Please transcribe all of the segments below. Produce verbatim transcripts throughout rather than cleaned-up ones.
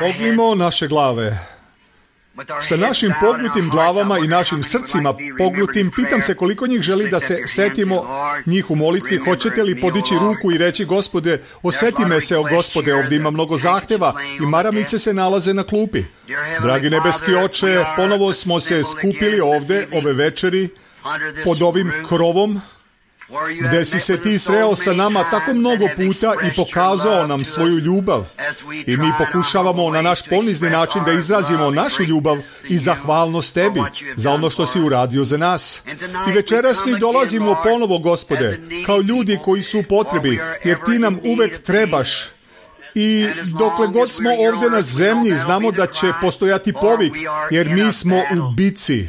Pognimo naše glave. Sa našim pognutim glavama i našim srcima pognutim, pitam se koliko njih želi da se setimo njih u molitvi. Hoćete li podići ruku i reći: Gospode, osjeti me se, o Gospode, ovdje ima mnogo zahteva i maramice se nalaze na klupi. Dragi nebeski Oče, ponovo smo se skupili ovdje ove večeri pod ovim krovom, gdje si se ti sreo sa nama tako mnogo puta i pokazao nam svoju ljubav. I mi pokušavamo na naš ponizni način da izrazimo našu ljubav i zahvalnost tebi za ono što si uradio za nas. I večeras mi dolazimo ponovo, Gospode, kao ljudi koji su u potrebi, jer ti nam uvek trebaš. I dokle god smo ovdje na zemlji, znamo da će postojati povik, jer mi smo u bici.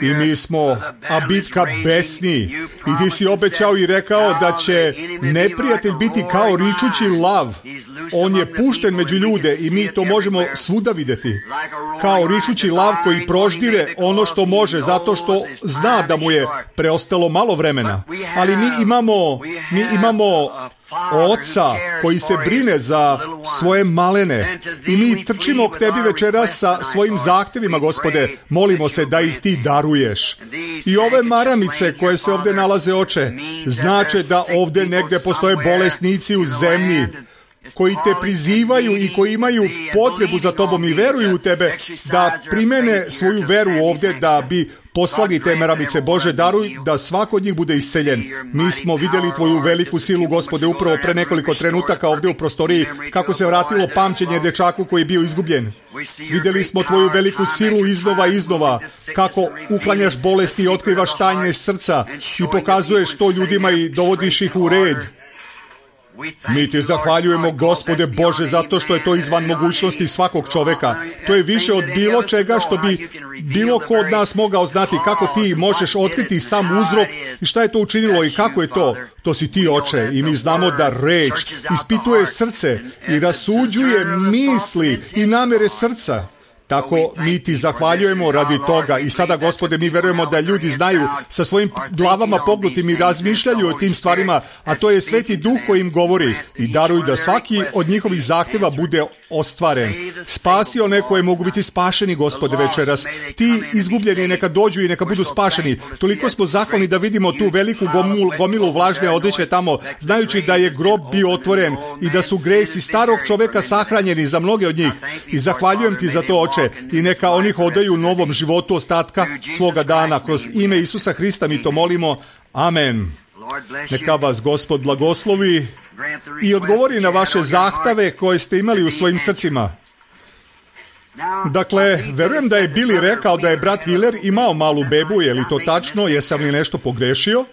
I mi smo, a bitka besni. I ti si obećao i rekao da će neprijatelj biti kao ričući lav. On je pušten među ljude i mi to možemo svuda vidjeti. Kao ričući lav koji proždire ono što može, zato što zna da mu je preostalo malo vremena. Ali mi imamo, mi imamo Oca koji se brine za svoje malene i mi trčimo k tebi večeras sa svojim zahtevima, Gospode. Molimo se da ih ti daruješ. I ove maramice koje se ovdje nalaze, Oče, znače da ovdje negdje postoje bolesnici u zemlji koji te prizivaju i koji imaju potrebu za tobom i veruju u tebe, da primene svoju veru ovdje, da bi poslali te maramice. Bože, daruj da svako od njih bude isceljen. Mi smo vidjeli tvoju veliku silu, Gospode, upravo pre nekoliko trenutaka ovdje u prostoriji, kako se vratilo pamćenje dečaku koji je bio izgubljen. Vidjeli smo tvoju veliku silu iznova i iznova, kako uklanjaš bolesti i otkrivaš tajne srca i pokazuješ to ljudima i dovodiš ih u red. Mi ti zahvaljujemo, Gospode Bože, zato što je to izvan mogućnosti svakog čoveka. To je više od bilo čega što bi bilo ko od nas mogao znati, kako ti možeš otkriti sam uzrok i šta je to učinilo i kako je to. To si ti, Oče, i mi znamo da reč ispituje srce i rasuđuje misli i namere srca. Tako mi ti zahvaljujemo radi toga i sada, Gospode, mi verujemo da ljudi znaju sa svojim glavama pognutim i razmišljaju o tim stvarima, a to je Sveti Duh koji im govori, i daruj da svaki od njihovih zahteva bude ostvaren. Spasi one koje mogu biti spašeni, Gospode, večeras. Ti izgubljeni neka dođu i neka budu spašeni. Toliko smo zahvalni da vidimo tu veliku gomilu, gomilu vlažne odeće tamo, znajući da je grob bio otvoren i da su gresi starog čoveka sahranjeni za mnoge od njih. I zahvaljujem ti za to, Oče, i neka oni hodaju u novom životu ostatka svoga dana. Kroz ime Isusa Hrista mi to molimo. Amen. Neka vas Gospod blagoslovi i odgovori na vaše zahteve koje ste imali u svojim srcima. Dakle, verujem da je Billy rekao da je brat Wheeler imao malu bebu, je li to tačno? Jesam li nešto pogrešio?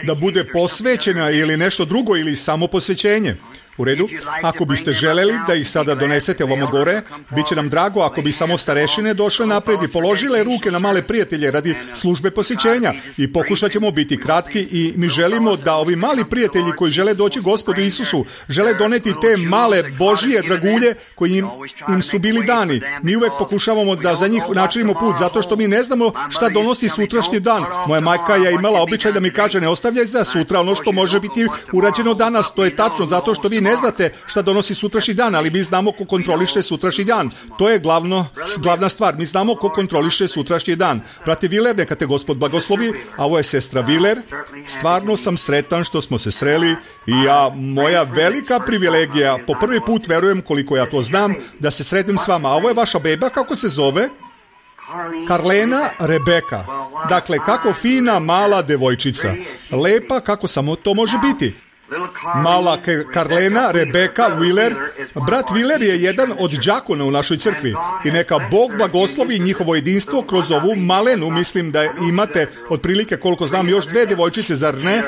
Da bude posvećena ili nešto drugo ili samo posvećenje? U redu, ako biste želeli da ih sada donesete ovamo gore, bit će nam drago ako bi samo starešine došle napred i položile ruke na male prijatelje radi službe posjećenja. I pokušat ćemo biti kratki i mi želimo da ovi mali prijatelji koji žele doći Gospodu Isusu, žele doneti te male Božije dragulje koji im, im su bili dani. Mi uvek pokušavamo da za njih načinimo put, zato što mi ne znamo šta donosi sutrašnji dan. Moja majka je imala običaj da mi kaže: ne ostavljaj za sutra ono što može biti urađeno danas. To je tačno, zato što vi ne znate šta donosi sutrašnji dan, ali mi znamo ko kontroliše sutrašnji dan. To je glavno, glavna stvar. Mi znamo ko kontroliše sutrašnji dan. Brate Wheeler, neka te Gospod blagoslovi, a ovo je sestra Wheeler. Stvarno sam sretan što smo se sreli i ja, moja velika privilegija, po prvi put verujem, koliko ja to znam, da se sretnem s vama. A ovo je vaša beba, kako se zove? Karlena Rebeka. Dakle, kako fina mala devojčica. Lepa kako samo to može biti. Mala Karlena Rebeka Wheeler. Brat Wheeler je jedan od đakona u našoj crkvi i neka Bog blagoslovi njihovo jedinstvo kroz ovu malenu. Mislim da imate otprilike, koliko znam, još dve devojčice, zar ne? E,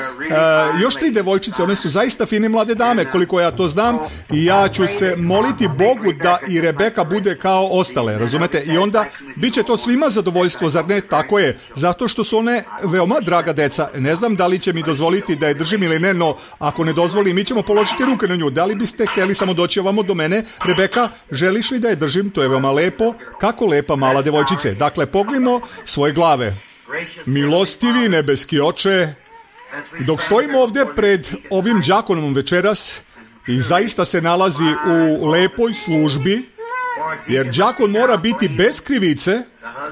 još tri devojčice, one su zaista fine mlade dame, koliko ja to znam, i ja ću se moliti Bogu da i Rebeka bude kao ostale, razumete? I onda bit će to svima zadovoljstvo, zar ne? Tako je, zato što su one veoma draga deca. Ne znam da li će mi dozvoliti da je držim ili ne, no ako ne dozvoli, mi ćemo položiti ruke na nju. Da li biste htjeli samo doći ovamo do mene? Rebeka, želiš li da je držim? To je veoma lepo. Kako lepa mala devojčice. Dakle, pognimo svoje glave. Milostivi nebeski Oče, dok stojimo ovdje pred ovim đakonom večeras, i zaista se nalazi u lepoj službi, jer đakon mora biti bez krivice,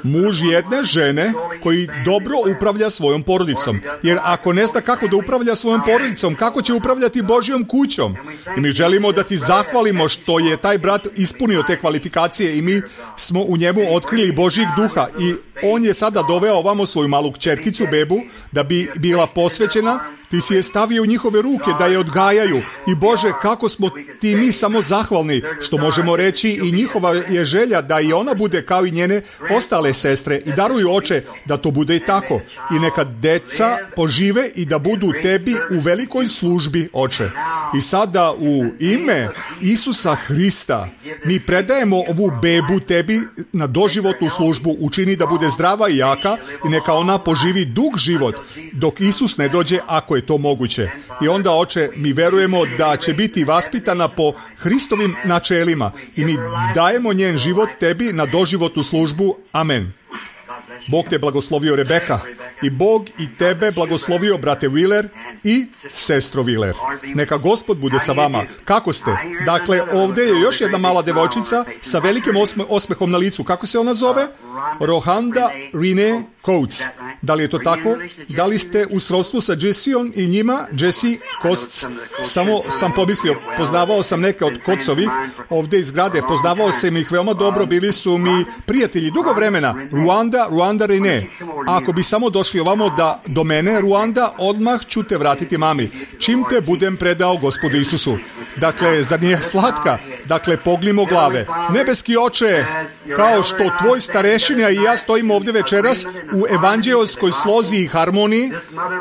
muž jedne žene koji dobro upravlja svojom porodicom. Jer ako ne zna kako da upravlja svojom porodicom, kako će upravljati Božjom kućom? I mi želimo da ti zahvalimo što je taj brat ispunio te kvalifikacije i mi smo u njemu otkrili Božjeg duha i on je sada doveo ovamo svoju malu kćerkicu, bebu, da bi bila posvećena. Ti si je stavio u njihove ruke da je odgajaju. I Bože, kako smo ti mi samo zahvalni što možemo reći i njihova je želja da i ona bude kao i njene ostale sestre. I daruju, Oče, da to bude i tako. I neka deca požive i da budu tebi u velikoj službi, Oče. I sada u ime Isusa Hrista mi predajemo ovu bebu tebi na doživotnu službu. Učini da bude zdrava i jaka i neka ona poživi dug život dok Isus ne dođe, ako je to moguće. I onda, Oče, mi verujemo da će biti vaspitana po Hristovim načelima i mi dajemo njen život tebi na doživotnu službu. Amen. Bog te blagoslovio, Rebeka, i Bog i tebe blagoslovio, brate Wheeler i sestro Wheeler. Neka Gospod bude sa vama. Kako ste? Dakle, ovdje je još jedna mala devojčica sa velikim osme, osmehom na licu. Kako se ona zove? Rohanda Renee Coates. Da li je to tako? Da li ste u srodstvu sa Jesseom i njima? Jesse Coates. Samo sam pomislio, poznavao sam neke od Coatesovih ovdje iz grade. Poznavao sam ih veoma dobro, bili su mi prijatelji dugo vremena. Ruanda, Ruanda Renee. Ako bi samo došli ovamo da do mene, Ruanda, odmah ću te vratiti mami. Čim te budem predao Gospodu Isusu. Dakle, zar nije slatka? Dakle, pognimo glave. Nebeski Oče, kao što tvoj starešina i ja stojimo ovdje večeras u evanđeoskoj slozi i harmoniji,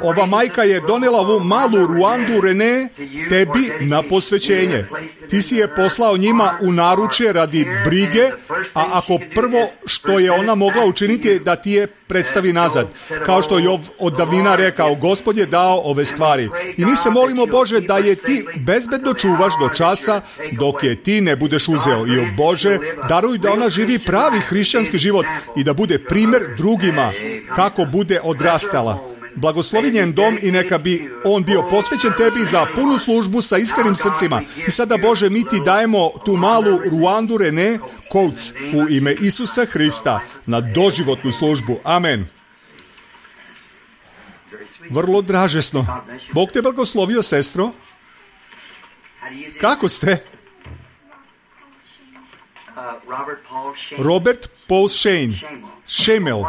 ova majka je donela ovu malu Ruandu Renee tebi na posvećenje. Ti si je poslao njima u naručje radi brige, a ako prvo što je ona mogla učiniti je da ti je predstavi nazad. Kao što je od davnina rekao, Gospod je dao ove stvari. I mi se molimo, Bože, da je ti bezbedno čuvaš do časa dok je ti ne budeš uzeo. I o Bože, daruj da ona živi pravi hrišćanski život i da bude primjer drugima kako bude odrastala. Blagoslovi njen dom i neka bi on bio posvećen tebi za punu službu sa iskrenim srcima. I sada, Bože, mi ti dajemo tu malu Ruandu Renee Coates u ime Isusa Hrista na doživotnu službu. Amen. Vrlo dražesno. Bog te blagoslovio, sestro. Kako ste? Robert Paul Shane. Shamel.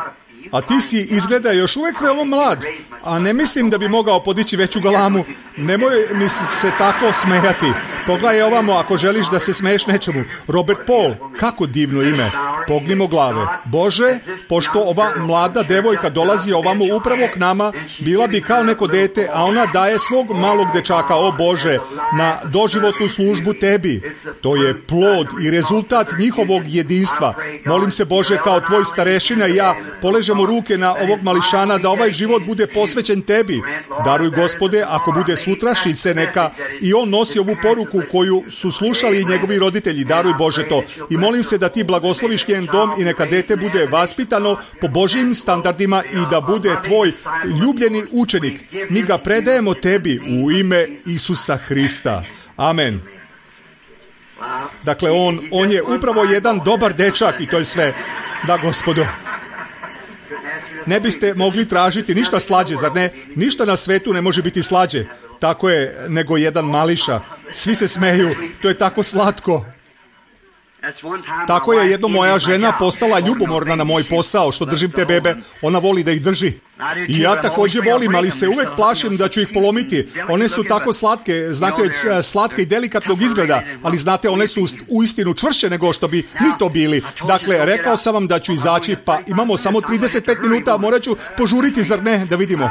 A ti si izgleda još uvijek veoma mlad, a ne mislim da bi mogao podići veću galamu. Nemoj mi se tako smejati. Pogledaj ovamo ako želiš da se smeješ nečemu. Robert Paul, kako divno ime. Pognimo glave. Bože, pošto ova mlada devojka dolazi ovamo upravo k nama, bila bi kao neko dete, a ona daje svog malog dečaka, o Bože, na doživotnu službu tebi. To je plod i rezultat njihovog jedinstva. Molim se, Bože, kao tvoj starešina i ja poležemo ruke na ovog mališana da ovaj život bude posvećen tebi. Daruj, Gospode, ako bude sutrašnjice, neka i on nosi ovu poruku koju su slušali i njegovi roditelji. Daruj, Bože, to. I molim se da ti blagosloviš njen dom i neka dete bude vaspitano po Božjim standardima i da bude tvoj ljubljeni učenik. Mi ga predajemo tebi u ime Isusa Hrista. Amen. Dakle, on, on je upravo jedan dobar dečak i to je sve. Da, Gospodo. Ne biste mogli tražiti ništa slađe, zar ne? Ništa na svetu ne može biti slađe. Tako je, nego jedan mališa. Svi se smeju, to je tako slatko. Tako je jedno moja žena postala ljubomorna na moj posao, što držim te bebe. Ona voli da ih drži. I ja također volim, ali se uvek plašim da ću ih polomiti. One su tako slatke, znate, slatke i delikatnog izgleda, ali znate, one su uistinu čvršće nego što bi mi to bili. Dakle, rekao sam vam da ću izaći, pa imamo samo trideset pet minuta, morat ću požuriti, zar ne, da vidimo.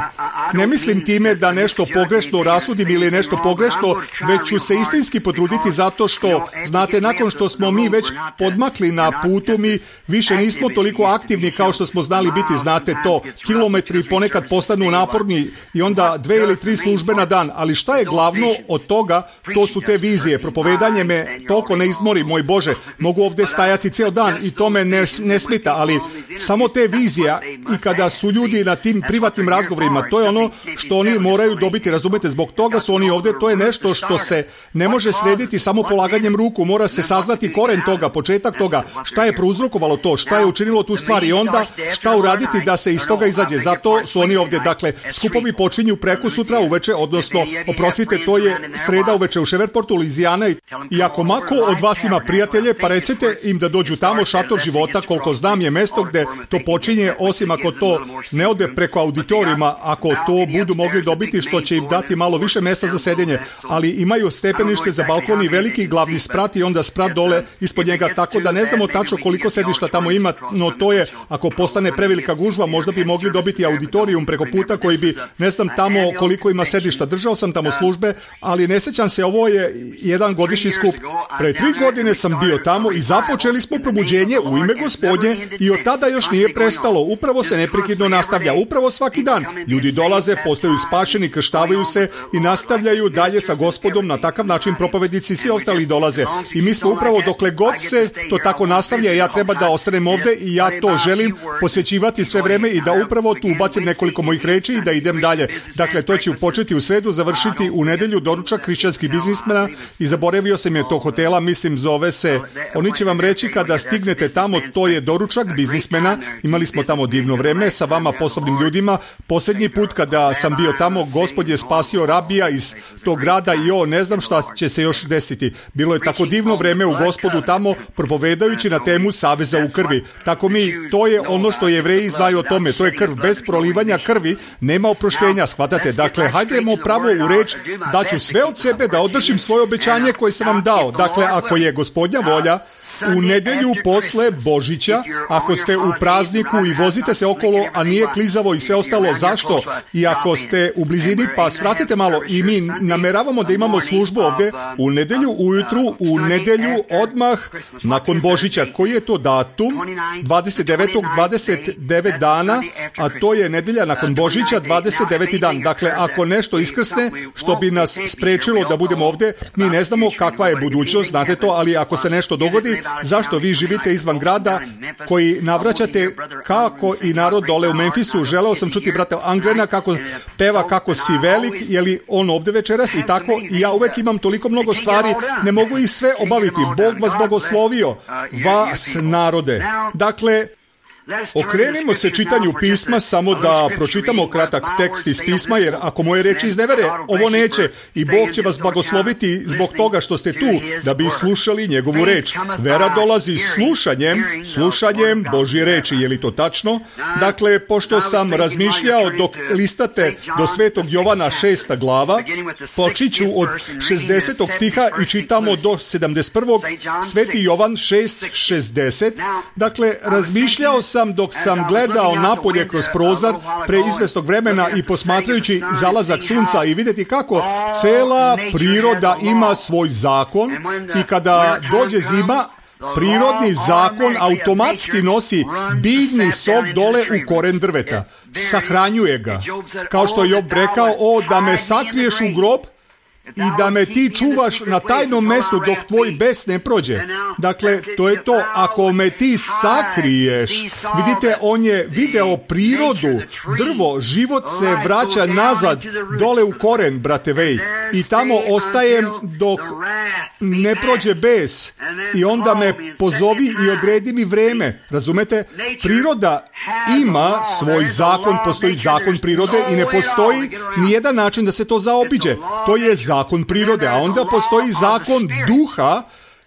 Ne mislim time da nešto pogrešno rasudim ili nešto pogrešno, već ću se istinski potruditi zato što, znate, nakon što smo mi već podmakli na putu, mi više nismo toliko aktivni kao što smo znali biti, znate to, kilometri ili ponekad postanu naporni i onda dve ili tri službe na dan, ali šta je glavno od toga, to su te vizije. Propovedanje me toliko ne izmori, moj Bože, mogu ovdje stajati cijel dan i to me ne, ne smita, ali samo te vizije i kada su ljudi na tim privatnim razgovorima, to je ono što oni moraju dobiti, razumete, zbog toga su oni ovdje, to je nešto što se ne može srediti samo polaganjem ruku, mora se saznati koren toga, početak toga, šta je prouzrokovalo to, šta je učinilo tu stvar i onda šta uraditi da se iz toga izađe. Zato su oni ovdje. Dakle, skupovi počinju preko sutra uveče, odnosno, oprostite, to je sreda uveče u Shreveport, Louisiana, i ako mako od vas ima prijatelje, pa recite im da dođu tamo. Šator života, koliko znam, je mesto gdje to počinje, osim ako to ne ode preko auditorijuma, ako to budu mogli dobiti, što će im dati malo više mjesta za sedenje, ali imaju stepenište za balkon i veliki glavni sprat i onda sprat dole ispod njega, tako da ne znamo tačno koliko sedišta tamo ima, no to je, ako postane prevelika gužva, možda bi mogli dobiti auditorijum preko puta koji bi, ne znam tamo koliko ima sedišta. Držao sam tamo službe, ali ne sjećam se, ovo je jedan godišnji skup. Pre tri godine sam bio tamo i započeli smo probuđenje u ime Gospodnje i od tada još nije prestalo. Upravo se neprekidno nastavlja, upravo svaki dan. Ljudi dolaze, postaju spašeni, krštavaju se i nastavljaju dalje sa Gospodom. Na takav način propovjednici i svi ostali dolaze. I mi smo upravo, dokle god se to tako nastavlja, ja treba da ostanem ovdje i ja to želim posvećivati sve vreme i da upravo tu ubacim nekoliko mojih reči i da idem dalje. Dakle, to će početi u sredu, završiti u nedelju, doručak hrišćanskih biznismena, i zaboravio sam je tog hotela, mislim zove se, oni će vam reći kada stignete tamo, to je doručak biznismena. Imali smo tamo divno vreme sa vama poslovnim ljudima. Posljednji put kada sam bio tamo, Gospod je spasio rabija iz tog grada i o, ne znam šta će se još desiti. Bilo je tako divno vreme u Gospodu tamo, propovedajući na temu saveza u krvi. Tako mi, to je ono što Jevreji znaju o tome, to je krv. Bez prolivanja krvi nema oproštenja, shvatate? Dakle, hajdemo pravo u reč, daću sve od sebe da održim svoje obećanje koje sam vam dao. Dakle, ako je Gospodnja volja, u nedjelju posle Božića, ako ste u prazniku i vozite se okolo, a nije klizavo i sve ostalo, zašto? I ako ste u blizini, pa svratite malo. I mi nameravamo da imamo službu ovdje u nedjelju ujutru, u nedjelju odmah nakon Božića. Koji je to datum? dvadeset devetog dvadeset devet dana, a to je nedjelja nakon Božića, dvadeset deveti dan. Dakle, ako nešto iskrsne što bi nas sprečilo da budemo ovdje, mi ne znamo kakva je budućnost, znate to, ali ako se nešto dogodi, zašto vi živite izvan grada koji navraćate kako i narod dole u Memphisu. Želeo sam čuti brata Angrena kako peva kako si velik, je li on ovdje večeras i tako, i ja uvek imam toliko mnogo stvari, ne mogu ih sve obaviti. Bog vas blagoslovio, vas narode. Dakle, okrenimo se čitanju pisma, samo da pročitamo kratak tekst iz pisma, jer ako moje reči iznevere, ovo neće, i Bog će vas blagosloviti zbog toga što ste tu, da bi slušali njegovu reč. Vera dolazi slušanjem, slušanjem Božje reči, je li to tačno? Dakle, pošto sam razmišljao dok listate do Svetog Jovana šesta glava, počiću od šezdesetog stiha i čitamo do sedamdeset prvog. Sveti Jovan šest šezdeset. Dakle, razmišljao sam dok sam gledao napolje kroz prozor pre izvestog vremena i posmatrajući zalazak sunca i vidjeti kako cela priroda ima svoj zakon, i kada dođe zima, prirodni zakon automatski nosi biljni sok dole u koren drveta. Sahranjuje ga. Kao što je Job rekao, o, da me sakriješ u grob i da me ti čuvaš na tajnom mjestu dok tvoj bes ne prođe. Dakle, to je to. Ako me ti sakriješ, vidite, on je video prirodu, drvo, život se vraća nazad dole u koren, brate Vej, i tamo ostajem dok ne prođe bes, i onda me pozovi i odredi mi vreme. Razumete? Priroda ima svoj zakon, postoji zakon prirode i ne postoji nijedan način da se to zaobiđe. To je zakon prirode, a onda postoji zakon duha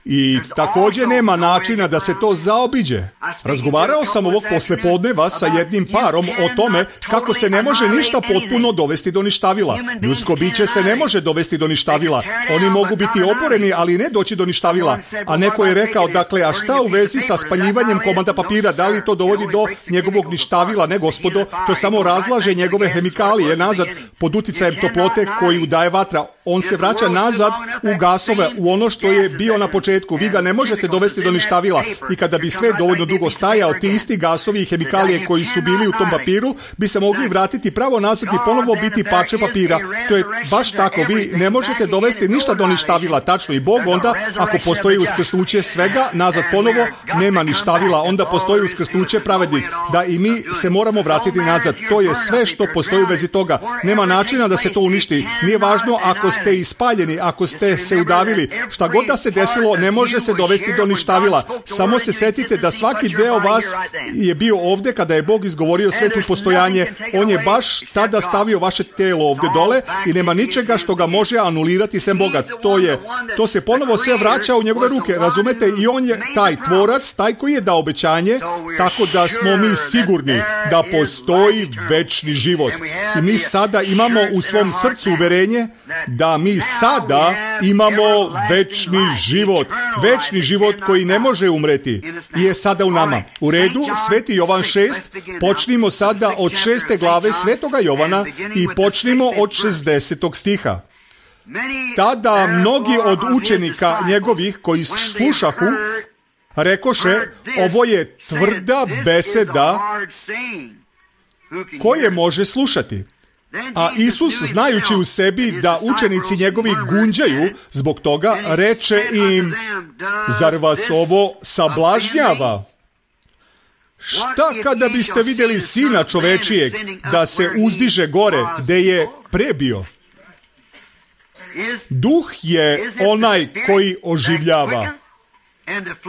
i također nema načina da se to zaobiđe. Razgovarao sam ovog poslepodneva sa jednim parom o tome kako se ne može ništa potpuno dovesti do ništavila. Ljudsko biće se ne može dovesti do ništavila. Oni mogu biti oboreni, ali ne doći do ništavila. A neko je rekao, dakle, a šta u vezi sa spaljivanjem komada papira? Da li to dovodi do njegovog ništavila? Ne, gospodo, to samo razlaže njegove hemikalije nazad pod uticajem toplote koju daje vatra. On se vraća nazad u gasove, u ono što je bio na početku. početku, vi ga ne možete dovesti do ništavila. I kada bi sve dovoljno dugo stajao, ti isti gasovi i hemikalije koji su bili u tom papiru bi se mogli vratiti pravo nazad i ponovo biti parče papira. To je baš tako, vi ne možete dovesti ništa do ništavila, tačno. I Bog onda, ako postoji uskrsnuće svega, nazad ponovo, nema ništavila, onda postoji uskrsnuće pravednih. Da i mi se moramo vratiti nazad. To je sve što postoji u vezi toga. Nema načina da se to uništi. Nije važno ako ste ispaljeni, ako ste se udavili. Šta god da se desilo, ne može se dovesti do ništavila. Samo se setite da svaki deo vas je bio ovdje kada je Bog izgovorio svetu postojanje. On je baš tada stavio vaše telo ovdje dole i nema ničega što ga može anulirati sem Boga. To je, to se ponovo sve vraća u njegove ruke. Razumete? I on je taj tvorac, taj koji je dao obećanje, tako da smo mi sigurni da postoji večni život. I mi sada imamo u svom srcu uverenje da mi sada imamo večni život. Večni život koji ne može umreti je sada u nama. U redu, Sveti Jovan šest, počnimo sada od šeste glave Svetoga Jovana i počnimo od šezdesetog stiha. Tada mnogi od učenika njegovih koji slušahu rekoše, ovo je tvrda beseda koje može slušati. A Isus, znajući u sebi da učenici njegovi gunđaju zbog toga, reče im, zar vas ovo sablažnjava? Šta kada biste vidjeli Sina čovečijeg da se uzdiže gore gde je prebio? Duh je onaj koji oživljava.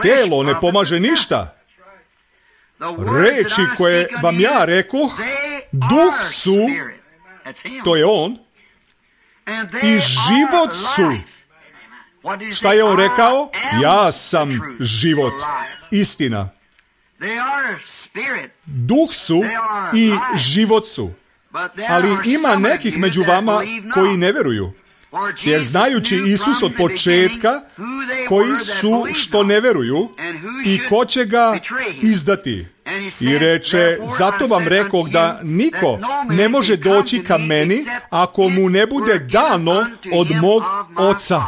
Telo ne pomaže ništa. Reči koje vam ja rekoh, duh su, to je on, i život su. Šta je on rekao? Ja sam život. Istina. Duh su i život su. Ali ima nekih među vama koji ne veruju. Jer znajući Isus od početka koji su što ne veruju i ko će ga izdati. I reče, zato vam rekoh da niko ne može doći ka meni ako mu ne bude dano od mog Oca.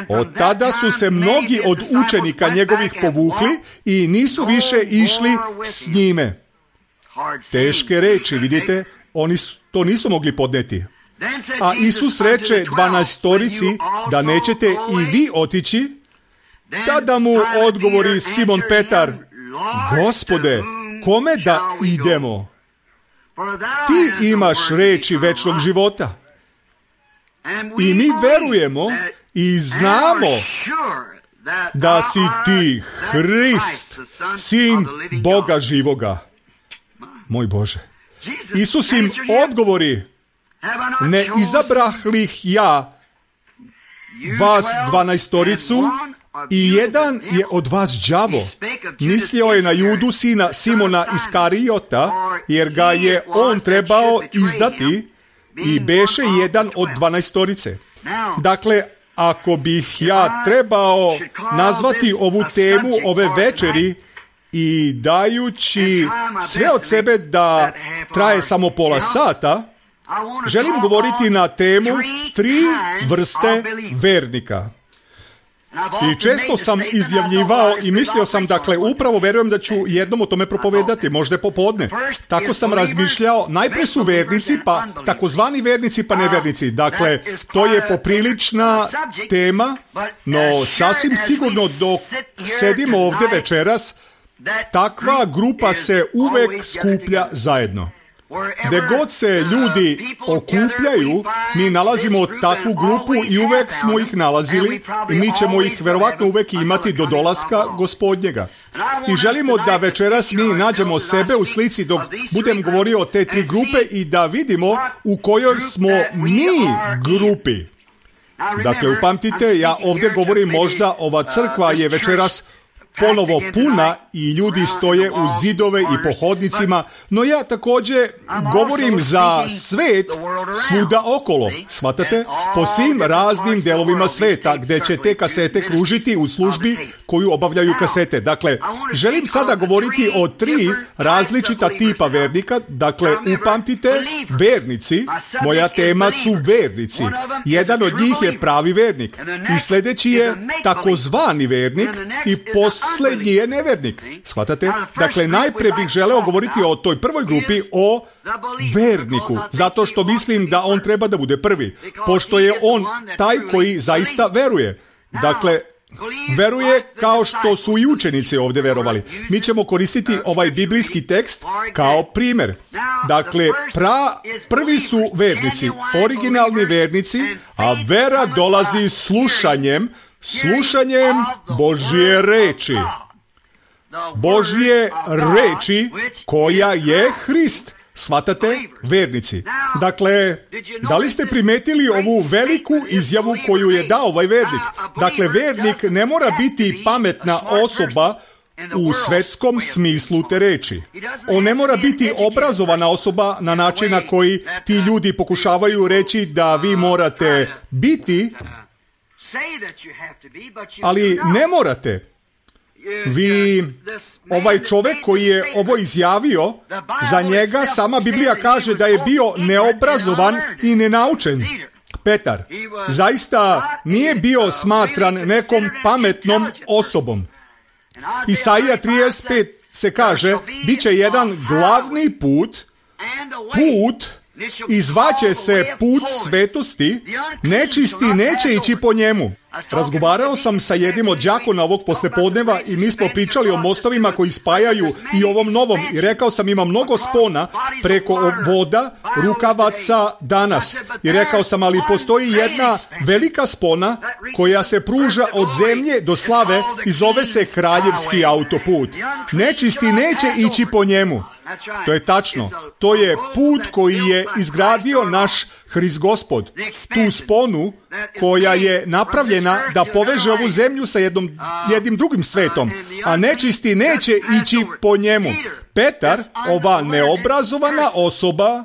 Od tada su se mnogi od učenika njegovih povukli i nisu više išli s njime. Teške reči, vidite, oni to nisu mogli podneti. A Isus reče dvanaestorici da nećete i vi otići. Tada mu odgovori Simon Petar, Gospode, kome da idemo? Ti imaš reči večnog života. I mi verujemo i znamo da si ti Hrist, Sin Boga živoga. Moj Bože. Isus im odgovori, ne izabrahlih ja vas dvanaestoricu i jedan je od vas đavo. Mislio je na Judu sina Simona Iskarijota, jer ga je on trebao izdati i beše jedan od dvanaestorice. Dakle, ako bih ja trebao nazvati ovu temu ove večeri i dajući sve od sebe da traje samo pola sata, želim govoriti na temu tri vrste vernika. I često sam izjavljivao i mislio sam, dakle, upravo verujem da ću jednom o tome propovedati, možda popodne. Tako sam razmišljao, najprije su vernici, pa takozvani vernici, pa nevernici. Dakle, to je poprilična tema, no sasvim sigurno dok sedimo ovdje večeras, takva grupa se uvek skuplja zajedno. Gde god se ljudi okupljaju, mi nalazimo takvu grupu i uvek smo ih nalazili i mi ćemo ih verovatno uvek imati do dolaska Gospodnjega. I želimo da večeras mi nađemo sebe u slici dok budem govorio o te tri grupe i da vidimo u kojoj smo mi grupi. Dakle, upamtite, ja ovdje govorim možda, ova crkva je večeras ponovo puna i ljudi stoje u zidove i po hodnicima, no ja također govorim za svet svuda okolo, shvatate? Po svim raznim delovima sveta gdje će te kasete kružiti u službi koju obavljaju kasete. Dakle, želim sada govoriti o tri različita tipa vernika. Dakle, upamtite, vernici, moja tema su vernici. Jedan od njih je pravi vernik i sljedeći je takozvani vernik i posljednji je nevernik. Shvatate? Dakle, najprije bih želeo govoriti o toj prvoj grupi, o verniku, zato što mislim da on treba da bude prvi, pošto je on taj koji zaista veruje. Dakle, veruje kao što su i učenici ovdje verovali. Mi ćemo koristiti ovaj biblijski tekst kao primjer. Dakle, pra, prvi su vernici, originalni vernici, a vera dolazi slušanjem, slušanjem Božje reči. Božje reči koja je Hrist. Shvatate? Vernici. Dakle, da li ste primetili ovu veliku izjavu koju je dao ovaj vernik? Dakle, vernik ne mora biti pametna osoba u svetskom smislu te reči. On ne mora biti obrazovana osoba na način na koji ti ljudi pokušavaju reći da vi morate biti, ali ne morate. Vi, ovaj čovjek koji je ovo izjavio, za njega sama Biblija kaže da je bio neobrazovan i nenaučen. Petar zaista nije bio smatran nekom pametnom osobom. Isaija trideset pet se kaže, bit će jedan glavni put, put, izvaće se put svetosti, nečisti neće ići po njemu. Razgovarao sam sa jednim od đakona ovog poslepodneva i mi smo pričali o mostovima koji spajaju i ovom novom i rekao sam ima mnogo spona preko voda, rukavaca danas. I rekao sam, ali postoji jedna velika spona koja se pruža od zemlje do slave i zove se kraljevski autoput. Nečisti neće ići po njemu. To je tačno. To je put koji je izgradio naš Hrist Gospod. Tu sponu koja je napravljena da poveže ovu zemlju sa jednom, jednim drugim svetom, a nečisti neće ići po njemu. Petar, ova neobrazovana osoba,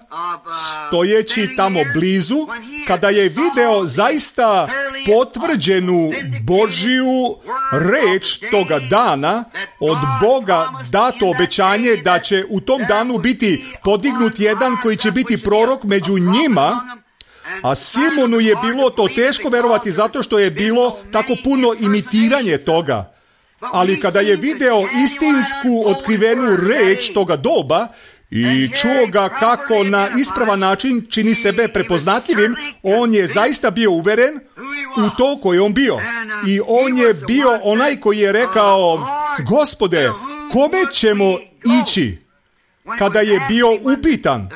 stojeći tamo blizu, kada je video zaista potvrđenu Božju reč toga dana, od Boga dato obećanje da će u tom danu biti podignut jedan koji će biti prorok među njima, a Simonu je bilo to teško verovati zato što je bilo tako puno imitiranje toga. Ali kada je video istinsku otkrivenu reč toga doba i čuo ga kako na ispravan način čini sebe prepoznatljivim, on je zaista bio uveren u to koje on bio. I on je bio onaj koji je rekao, Gospode, kome ćemo ići? Kada je bio upitan,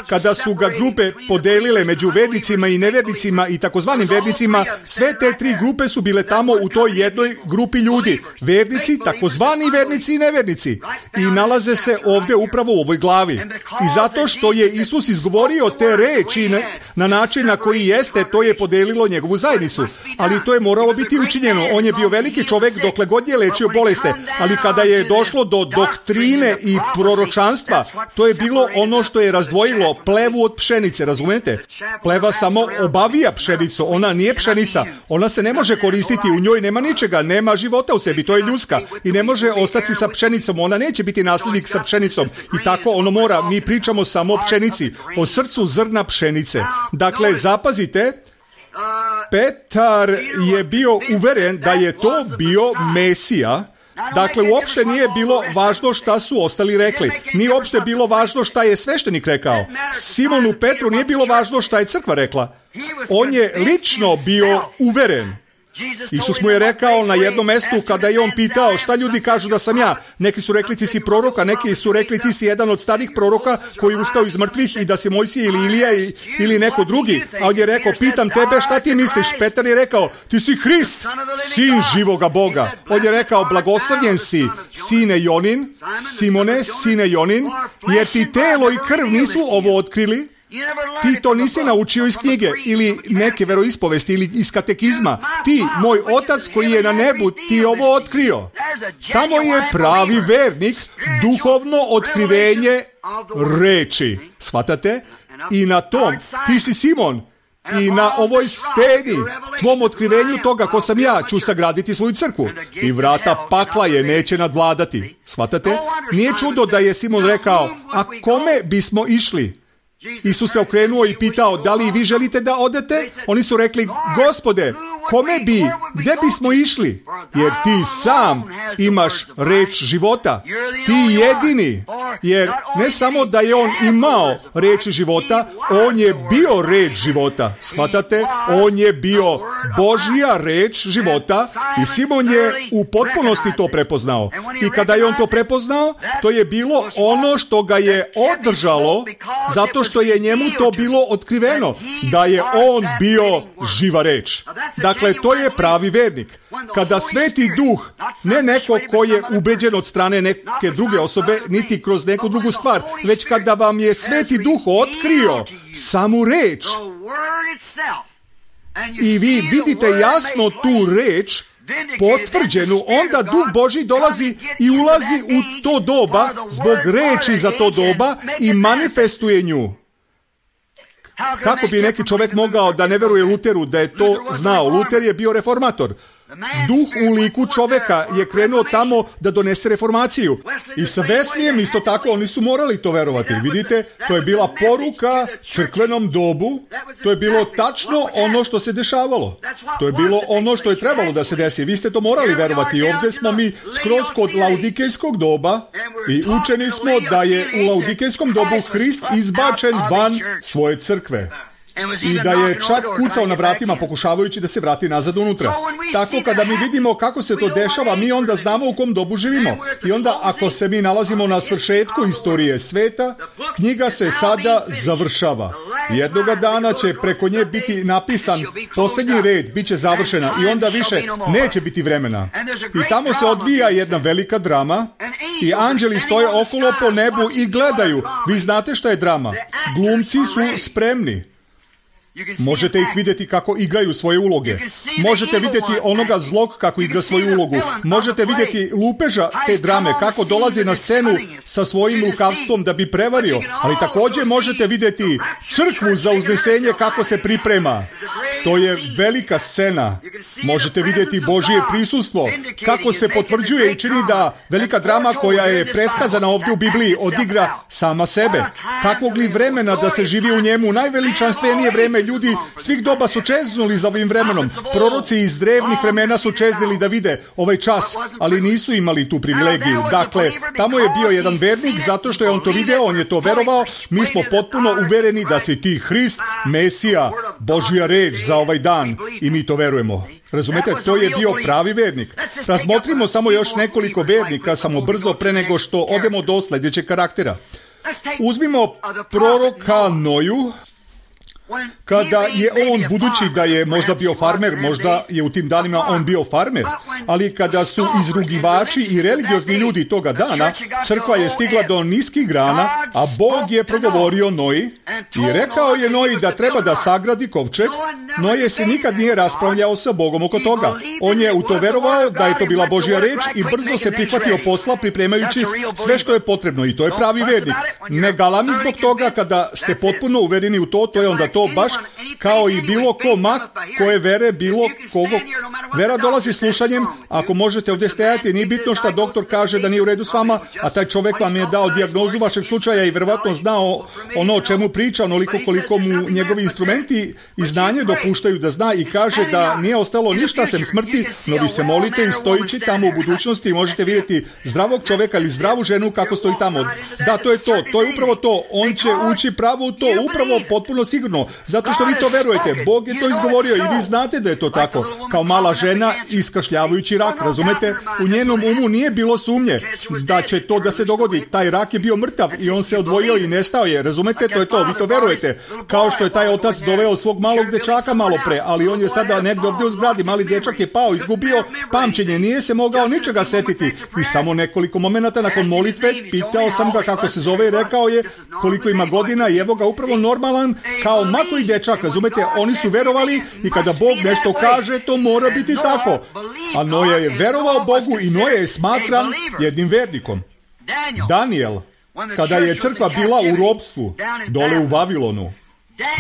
kada su ga grupe podelile među vernicima i nevernicima i takozvanim vernicima, sve te tri grupe su bile tamo u toj jednoj grupi ljudi. Vernici, takozvani vernici i nevernici. I nalaze se ovdje upravo u ovoj glavi. I zato što je Isus izgovorio te reči na, na način na koji jeste, to je podelilo njegovu zajednicu. Ali to je moralo biti učinjeno. On je bio veliki čovjek dokle god je lečio boleste. Ali kada je došlo do doktrine i proročanstva, to je bilo ono što je razdvojilo plevu od pšenice, razumijete? Pleva samo obavija pšenicu, ona nije pšenica, ona se ne može koristiti, u njoj nema ničega, nema života u sebi, to je ljudska i ne može ostati sa pšenicom, ona neće biti nasljednik sa pšenicom i tako ono mora, mi pričamo samo o pšenici, o srcu zrna pšenice. Dakle, zapazite, Petar je bio uveren da je to bio Mesija. Dakle, uopšte nije bilo važno šta su ostali rekli. Nije uopšte bilo važno šta je sveštenik rekao. Simonu Petru nije bilo važno šta je crkva rekla. On je lično bio uveren. Isus mu je rekao na jednom mestu kada je on pitao šta ljudi kažu da sam ja. Neki su rekli ti si prorok, a neki su rekli ti si jedan od starih proroka koji je ustao iz mrtvih i da si Mojsije ili Ilija ili neko drugi. A on je rekao, pitam tebe šta ti misliš? Petar je rekao, ti si Hrist, sin živoga Boga. On je rekao, blagoslovljen si, sine Jonin, Simone, sine Jonin, jer ti telo i krv nisu ovo otkrili. Ti to nisi naučio iz knjige ili neke veroispovesti ili iz katekizma. Ti, moj otac koji je na nebu, ti ovo otkrio. Tamo je pravi vernik, duhovno otkrivenje reči. Shvatate? I na tom, ti si Simon, i na ovoj steni, tvom otkrivenju toga ko sam ja, ću sagraditi svoju crkvu. I vrata pakla je neće nadvladati. Shvatate? Nije čudo da je Simon rekao, a kome bismo išli? Isus se okrenuo i pitao, da li vi želite da odete? Oni su rekli, Gospode, kome bi, gde bismo išli? Jer ti sam imaš reč života. Ti jedini. Jer ne samo da je on imao reč života, on je bio reč života. Shvatate? On je bio Božja reč života i Simon je u potpunosti to prepoznao. I kada je on to prepoznao, to je bilo ono što ga je održalo, zato što je njemu to bilo otkriveno, da je on bio živa reč. Dakle, to je pravi vernik. Kada Sveti Duh, ne neko ko je ubeđen od strane neke druge osobe, niti kroz neku drugu stvar, već kada vam je Sveti Duh otkrio samu reč i vi vidite jasno tu reč potvrđenu, onda Duh Božji dolazi i ulazi u to doba zbog reči za to doba i manifestuje nju. Kako bi neki čovjek mogao da ne veruje Luteru da je to znao? Luter je bio reformator. Duh u liku čovjeka je krenuo tamo da donese reformaciju. I sa Veslijem isto tako oni su morali to verovati. Vidite, to je bila poruka crkvenom dobu. To je bilo tačno ono što se dešavalo. To je bilo ono što je trebalo da se desi. Vi ste to morali verovati. I ovdje smo mi skroz kod laudikejskog doba i učeni smo da je u laudikejskom dobu Hrist izbačen van svoje crkve. I da je čak kucao na vratima pokušavajući da se vrati nazad unutra. Tako kada mi vidimo kako se to dešava, mi onda znamo u kom dobu živimo. I onda ako se mi nalazimo na svršetku istorije sveta, knjiga se sada završava. Jednoga dana će preko nje biti napisan posljednji red, bit će završena i onda više neće biti vremena. I tamo se odvija jedna velika drama i anđeli stoje okolo po nebu i gledaju. Vi znate šta je drama? Glumci su spremni. Možete ih vidjeti kako igraju svoje uloge. Možete vidjeti onoga zlog kako igra svoju ulogu. Možete vidjeti lupeža te drame, kako dolazi na scenu sa svojim lukavstvom da bi prevario. Ali također možete vidjeti crkvu za uznesenje kako se priprema. To je velika scena. Možete vidjeti Božje prisustvo, kako se potvrđuje i čini da velika drama koja je predskazana ovdje u Bibliji odigra sama sebe. Kakvog li vremena da se živi u njemu? Najveličanstvenije vreme, ljudi svih doba su čeznuli za ovim vremenom. Proroci iz drevnih vremena su čeznili da vide ovaj čas, ali nisu imali tu privilegiju. Dakle, tamo je bio jedan vernik zato što je on to video, on je to verovao. Mi smo potpuno uvereni da si ti Hrist, Mesija, Božja reč za ovaj dan i mi to verujemo. Razumete, to je bio pravi vernik. Razmotrimo samo još nekoliko vernika, samo brzo pre nego što odemo do sljedećeg karaktera. Uzmimo proroka Noju. Kada je on, budući da je možda bio farmer, možda je u tim danima on bio farmer, ali kada su izrugivači i religiozni ljudi toga dana, crkva je stigla do niskih grana, a Bog je progovorio Noji i rekao je Noji da treba da sagradi kovčeg. Noje se nikad nije raspravljao sa Bogom oko toga. On je u to verovao da je to bila Božja reč i brzo se prihvatio posla pripremajući sve što je potrebno i to je pravi vernik. Ne galami zbog toga kada ste potpuno uvereni u to, to je onda to baš kao i bilo ko ma koje vere, bilo kogo. Vera dolazi slušanjem. Ako možete ovdje stajati, nije bitno šta doktor kaže da nije u redu s vama, a taj čovjek vam je dao dijagnozu vašeg slučaja i verovatno znao ono o čemu priča, onoliko koliko mu njegovi instrumenti i znanje dopuštaju da zna i kaže da nije ostalo ništa sem smrti, no vi se molite i stojići tamo u budućnosti i možete vidjeti zdravog čovjeka ili zdravu ženu kako stoji tamo. Da, to je to, to je upravo to. On će ući pravo u to, upravo potpuno sigurno, zato što vi to verujete. Bog je to izgovorio i vi znate da je to tako. Kao mala žena iskašljavajući rak, razumete? U njenom umu nije bilo sumnje da će to da se dogodi. Taj rak je bio mrtav i on se odvojio i nestao je. Razumete? To je to. Vi to verujete. Kao što je taj otac doveo svog malog dečaka malo pre, ali on je sada negdje ovdje u zgradi, mali dječak je pao, izgubio pamćenje, nije se mogao ničega setiti i samo nekoliko momenata nakon molitve pitao sam ga kako se zove i rekao je koliko ima godina i evo ga upravo normalan kao mako i dječak, razumete, oni su verovali i kada Bog nešto kaže, to mora biti tako. A Noja je verovao Bogu i Noja je smatran jednim vernikom. Daniel, kada je crkva bila u ropstvu dole u Vavilonu,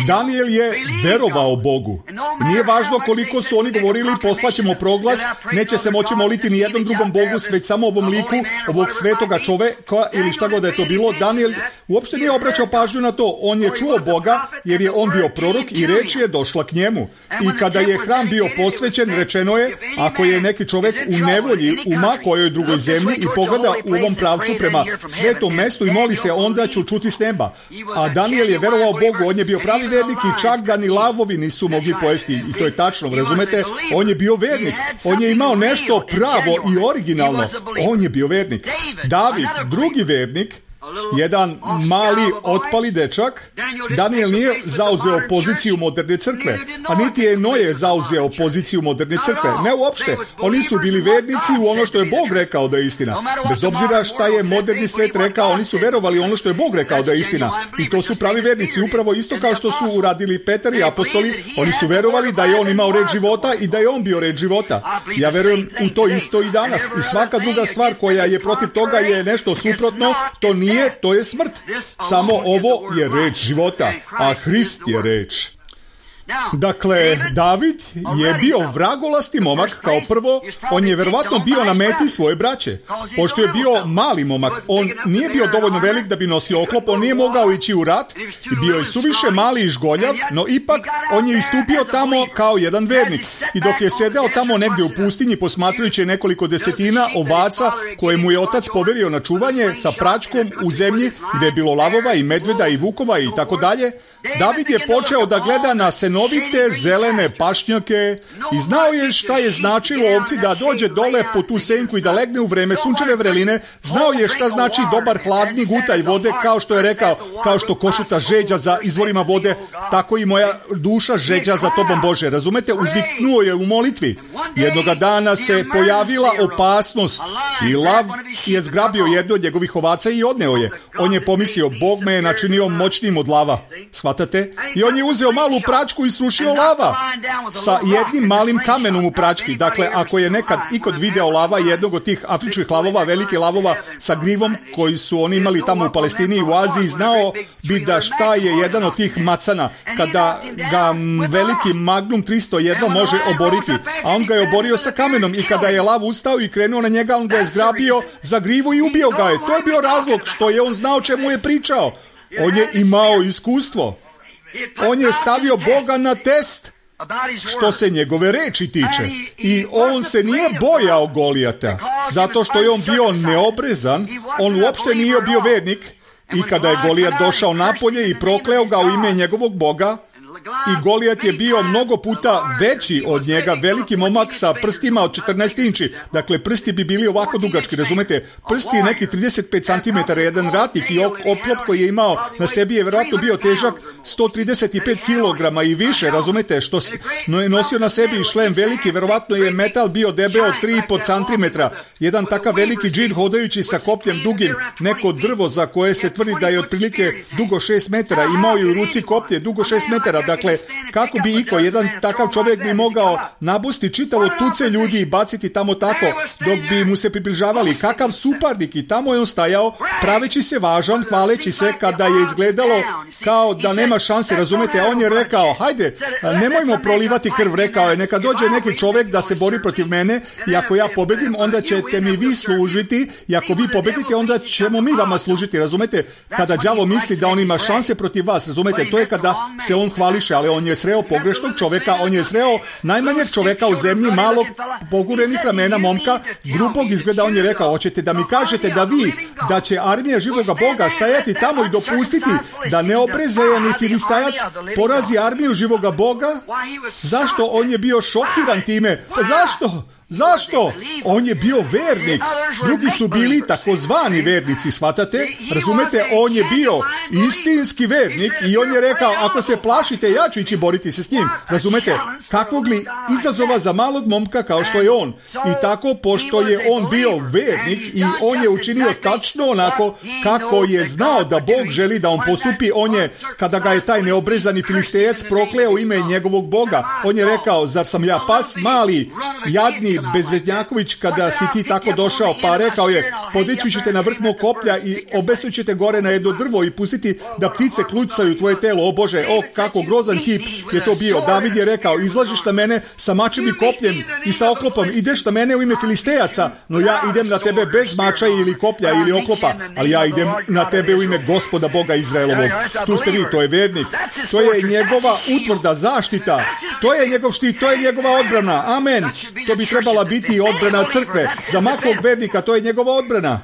Daniel je verovao Bogu. Nije važno koliko su oni govorili, poslaćemo proglas, neće se moći moliti ni jednom drugom Bogu, već samo ovom liku, ovog svetoga čoveka ili šta god da je to bilo. Daniel uopšte nije obraćao pažnju na to. On je čuo Boga jer je on bio prorok i reč je došla k njemu. I kada je hram bio posvećen, rečeno je, ako je neki čovek u nevolji u ma kojoj drugoj zemlji i pogleda u ovom pravcu prema svetom mestu i moli se, onda ću čuti s neba. A Daniel je verovao Bogu, on je bio pravi vernik i čak ga ni lavovi nisu mogli pojesti. I to je tačno, razumete? On je bio vernik. On je imao nešto pravo i originalno. On je bio vernik. David, drugi vernik, jedan mali otpali dečak, Daniel nije zauzeo poziciju moderne crkve, a niti je Noje zauzeo poziciju moderne crkve. Ne uopšte. Oni su bili vernici u ono što je Bog rekao da je istina. Bez obzira šta je moderni svet rekao, oni su verovali ono što je Bog rekao da je istina. I to su pravi vernici, upravo isto kao što su uradili Petar i apostoli. Oni su verovali da je on imao reč života i da je on bio reč života. Ja verujem u to isto i danas. I svaka druga stvar koja je protiv toga je nešto suprotno, to nije to je smrt. Samo ovo je reč života, a Hrist je reč. Dakle, David je bio vragolasti momak kao prvo, on je verovatno bio na meti svoje braće. Pošto je bio mali momak, on nije bio dovoljno velik da bi nosio oklop, on nije mogao ići u rat, bio je suviše mali i žgoljav, no ipak on je istupio tamo kao jedan vernik. I dok je sedeo tamo negdje u pustinji posmatrajući nekoliko desetina ovaca koje mu je otac poverio na čuvanje sa pračkom u zemlji gdje je bilo lavova i medveda i vukova i tako dalje, David je počeo da gleda na senovite zelene pašnjake i znao je šta je značilo ovci da dođe dole po tu senku i da legne u vreme sunčeve vreline, znao je šta znači dobar hladni gutaj vode, kao što je rekao, kao što košuta žeđa za izvorima vode, tako i moja duša žeđa za tobom Bože. Razumete, uzviknuo je u molitvi. Jednoga dana se pojavila opasnost i lav je zgrabio jednu od njegovih ovaca i odneo je. On je pomislio, Bog me je načinio moćnim od lava. Shvatate? I on je uzeo malu pračku i srušio lava sa jednim malim kamenom u prački. Dakle, ako je nekad ikad video lava, jednog od tih afričkih lavova, velike lavova sa grivom koji su oni imali tamo u Palestini i u Aziji, znao bi da šta je jedan od tih macana kada ga veliki Magnum tristo jedva može oboriti, a on ga je oborio sa kamenom i kada je lav ustao i krenuo na njega, on ga je zgrabio za grivu i ubio ga je. To je bio razlog što je on znao čemu je pričao. On je imao iskustvo. On je stavio Boga na test što se njegove reči tiče. I on se nije bojao Golijata, zato što je on bio neobrezan, on uopšte nije bio vernik. I kada je Golijat došao napolje i prokleo ga u ime njegovog Boga, i Golijat je bio mnogo puta veći od njega, veliki momak sa prstima od četrnaest inči. Dakle, prsti bi bili ovako dugački, razumete? Prsti neki trideset pet centimetara, jedan ratnik i oklop koji je imao na sebi je vjerojatno bio težak sto trideset pet kilograma i više, razumete? Što no je nosio na sebi i šlem veliki, vjerojatno je metal bio debeo tri i po centimetra. Jedan takav veliki džin hodajući sa kopljem dugim, neko drvo za koje se tvrdi da je otprilike dugo šest metara, imao je u ruci koplje dugo šest metara. Dakle, kako bi iko, jedan takav čovjek bi mogao nabusti čitavo tuce ljudi i baciti tamo tako dok bi mu se približavali. Kakav suparnik, i tamo je on stajao praveći se važan, hvaleći se kada je izgledalo kao da nema šanse, razumete? On je rekao, hajde, nemojmo prolivati krv, rekao je, neka dođe neki čovjek da se bori protiv mene i ako ja pobedim, onda ćete mi vi služiti i ako vi pobedite, onda ćemo mi vama služiti, razumete? Kada đavo misli da on ima šanse protiv vas, razumete? To je kada se on hvališe, ali on je sreo pogrešnog čovjeka, on je sreo najmanjeg čovjeka u zemlji, malog pogurenih ramena momka, grubog izgleda. On je rekao, hoćete da mi kažete da vi, da će armija živoga Boga stajati tamo i dopustiti da neobrezajani Filistajac porazi armiju živoga Boga? Zašto? On je bio šokiran time. Pa zašto? Zašto? On je bio vernik. Drugi su bili takozvani vernici, shvatate? Razumete, on je bio istinski vernik i on je rekao, ako se plašite, ja ću ići boriti se s njim. Razumete? Kakvog li izazova za malog momka kao što je on? I tako, pošto je on bio vernik i on je učinio tačno onako kako je znao da Bog želi da on postupi, on je, kada ga je taj neobrezani Filistejac prokleo ime njegovog Boga, on je rekao, zar sam ja pas mali, jadni bezvednjaković, kada si ti tako došao, pa rekao je, podići ćete na vrh mog koplja i obesut ćete gore na jedno drvo i pustiti da ptice klucaju tvoje telo. O Bože, o kako grozan tip je to bio. David je rekao, izlažiš na mene sa mačem i kopljem i sa oklopom, ideš na mene u ime Filistejaca, no ja idem na tebe bez mača ili koplja ili oklopa, ali ja idem na tebe u ime Gospoda Boga Izraelovog. Tu ste vi, to je vernik. To je njegova utvrda, zaštita. To je njegov štit, to je njegova odbrana. Amen. To bi trebala biti odbrana crkve. Za makog vernika to je njegova odbrana.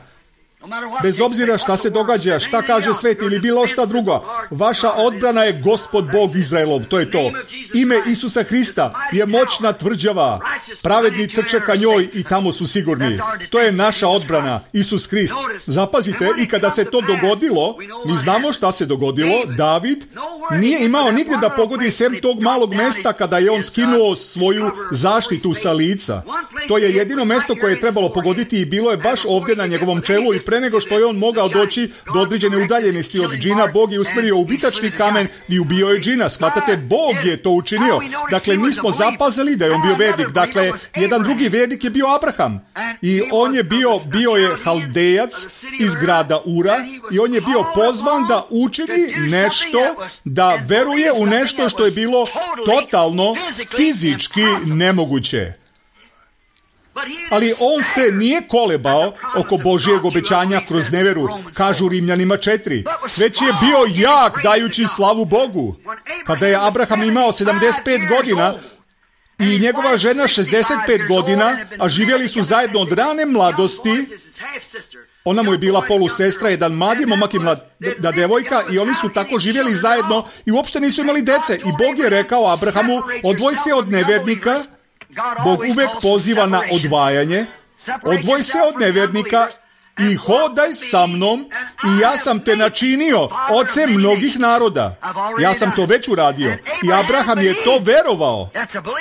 Bez obzira šta se događa, šta kaže svet ili bilo šta drugo, vaša odbrana je Gospod Bog Izraelov, to je to. Ime Isusa Hrista je moćna tvrđava, pravedni trče ka njoj i tamo su sigurni. To je naša odbrana, Isus Hrist. Zapazite, i kada se to dogodilo, mi znamo šta se dogodilo, David nije imao nigdje da pogodi sem tog malog mesta kada je on skinuo svoju zaštitu sa lica. To je jedino mesto koje je trebalo pogoditi i bilo je baš ovdje na njegovom čelu i pre nego što je on mogao doći do određene udaljenosti od džina, Bog je usmjerio ubitačni kamen i ubio je džina. Shvatate, Bog je to učinio. Dakle, mi smo zapazili da je on bio vernik. Dakle, jedan drugi vernik je bio Abraham. I on je bio, bio je Haldejac iz grada Ura i on je bio pozvan da učini nešto, da veruje u nešto što je bilo totalno fizički nemoguće. Ali on se nije kolebao oko Božjeg obećanja kroz neveru, kažu Rimljanima četiri, već je bio jak dajući slavu Bogu. Kada je Abraham imao sedamdeset pet godina i njegova žena šezdeset pet godina, a živjeli su zajedno od rane mladosti, ona mu je bila polusestra, jedan mladi momak i mlada devojka i oni su tako živjeli zajedno i uopšte nisu imali dece. I Bog je rekao Abrahamu, odvoj se od nevernika. Bog uvek poziva na odvajanje. Odvoj se od nevernika i hodaj sa mnom i ja sam te načinio ocem mnogih naroda. Ja sam to već uradio. I Abraham je to verovao.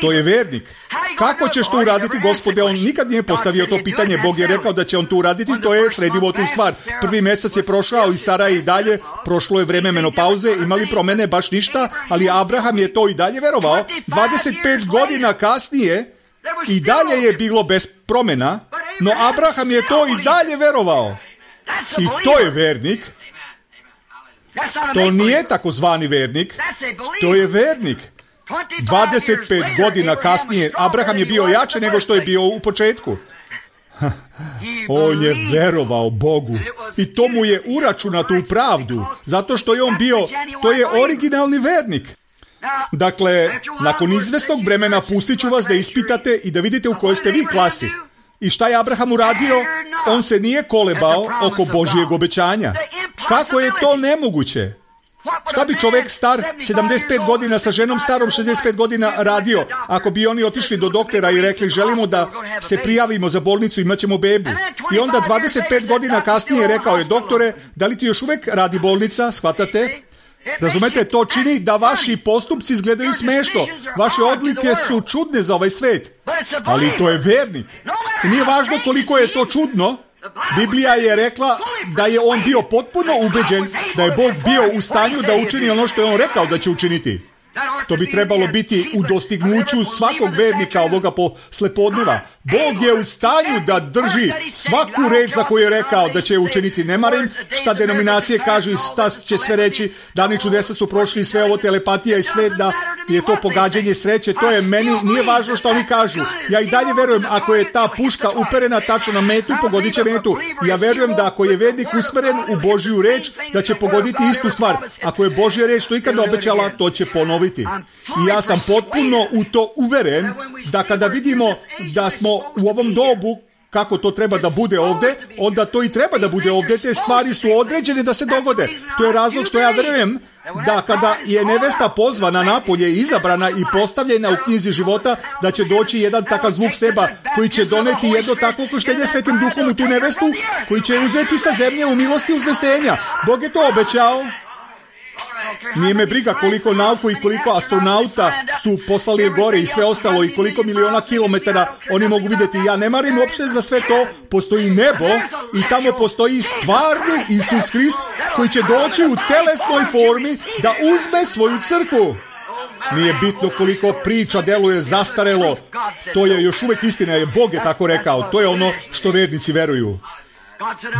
To je vernik. Kako ćeš to uraditi, Gospode? On nikad nije postavio to pitanje. Bog je rekao da će on to uraditi. To je sredivo tu stvar. Prvi mjesec je prošao i Sara i dalje. Prošlo je vreme menopauze. Imali promene baš ništa. Ali Abraham je to i dalje verovao. dvadeset pet godina kasnije i dalje je bilo bez promjena. No Abraham je to i dalje verovao. I to je vernik. To nije takozvani vernik. To je vernik. dvadeset pet godina kasnije Abraham je bio jače nego što je bio u početku. On je verovao Bogu i to mu je uračunato u pravdu, zato što je on bio, to je originalni vernik. Dakle, nakon izvesnog vremena pustit ću vas da ispitate i da vidite u kojoj ste vi klasi. I šta je Abraham uradio? On se nije kolebao oko Božjeg obećanja. Kako je to nemoguće? Šta bi čovjek star sedamdeset pet godina sa ženom starom šezdeset pet godina radio ako bi oni otišli do doktora i rekli želimo da se prijavimo za bolnicu i imat ćemo bebu? I onda dvadeset pet godina kasnije rekao je, doktore, da li ti još uvijek radi bolnica? Shvatate? Razumete, to čini da vaši postupci izgledaju smešno. Vaše odlike su čudne za ovaj svet. Ali to je vernik. I nije važno koliko je to čudno. Biblija je rekla da je on bio potpuno ubeđen da je Bog bio u stanju da učini ono što je on rekao da će učiniti. To bi trebalo biti u dostignuću svakog vernika ovoga poslepodneva. Bog je u stanju da drži svaku reč za koju je rekao da će učiniti. Ne marim šta denominacije kažu i šta će sve reći. Dani čudesa su prošli, sve ovo telepatija i sve, da je to pogađanje sreće. To je meni, nije važno što oni kažu. Ja i dalje verujem, ako je ta puška uperena tačno na metu, pogodit će metu. Ja verujem da ako je vernik usmeren u Božju reč, da će pogoditi istu stvar. Ako je Božja reč to ikada obećala, to će ponoviti. I ja sam potpuno u to uveren da kada vidimo da smo u ovom dobu kako to treba da bude ovde, onda to i treba da bude ovde. Te stvari su određene da se dogode. To je razlog što ja verujem da kada je nevesta pozvana napolje i izabrana i postavljena u knjizi života, da će doći jedan takav zvuk s neba koji će doneti jedno takvo krštenje Svetim Duhom u tu nevestu, koji će uzeti sa zemlje u milosti uznesenja. Bog je to obećao. Nije me briga koliko nauku i koliko astronauta su poslali gore i sve ostalo i koliko miliona kilometara oni mogu vidjeti. Ja ne marim uopšte za sve to. Postoji nebo i tamo postoji stvarni Isus Hrist koji će doći u telesnoj formi da uzme svoju crkvu. Nije bitno koliko priča deluje zastarelo. To je još uvijek istina, je Bog je tako rekao. To je ono što vernici veruju.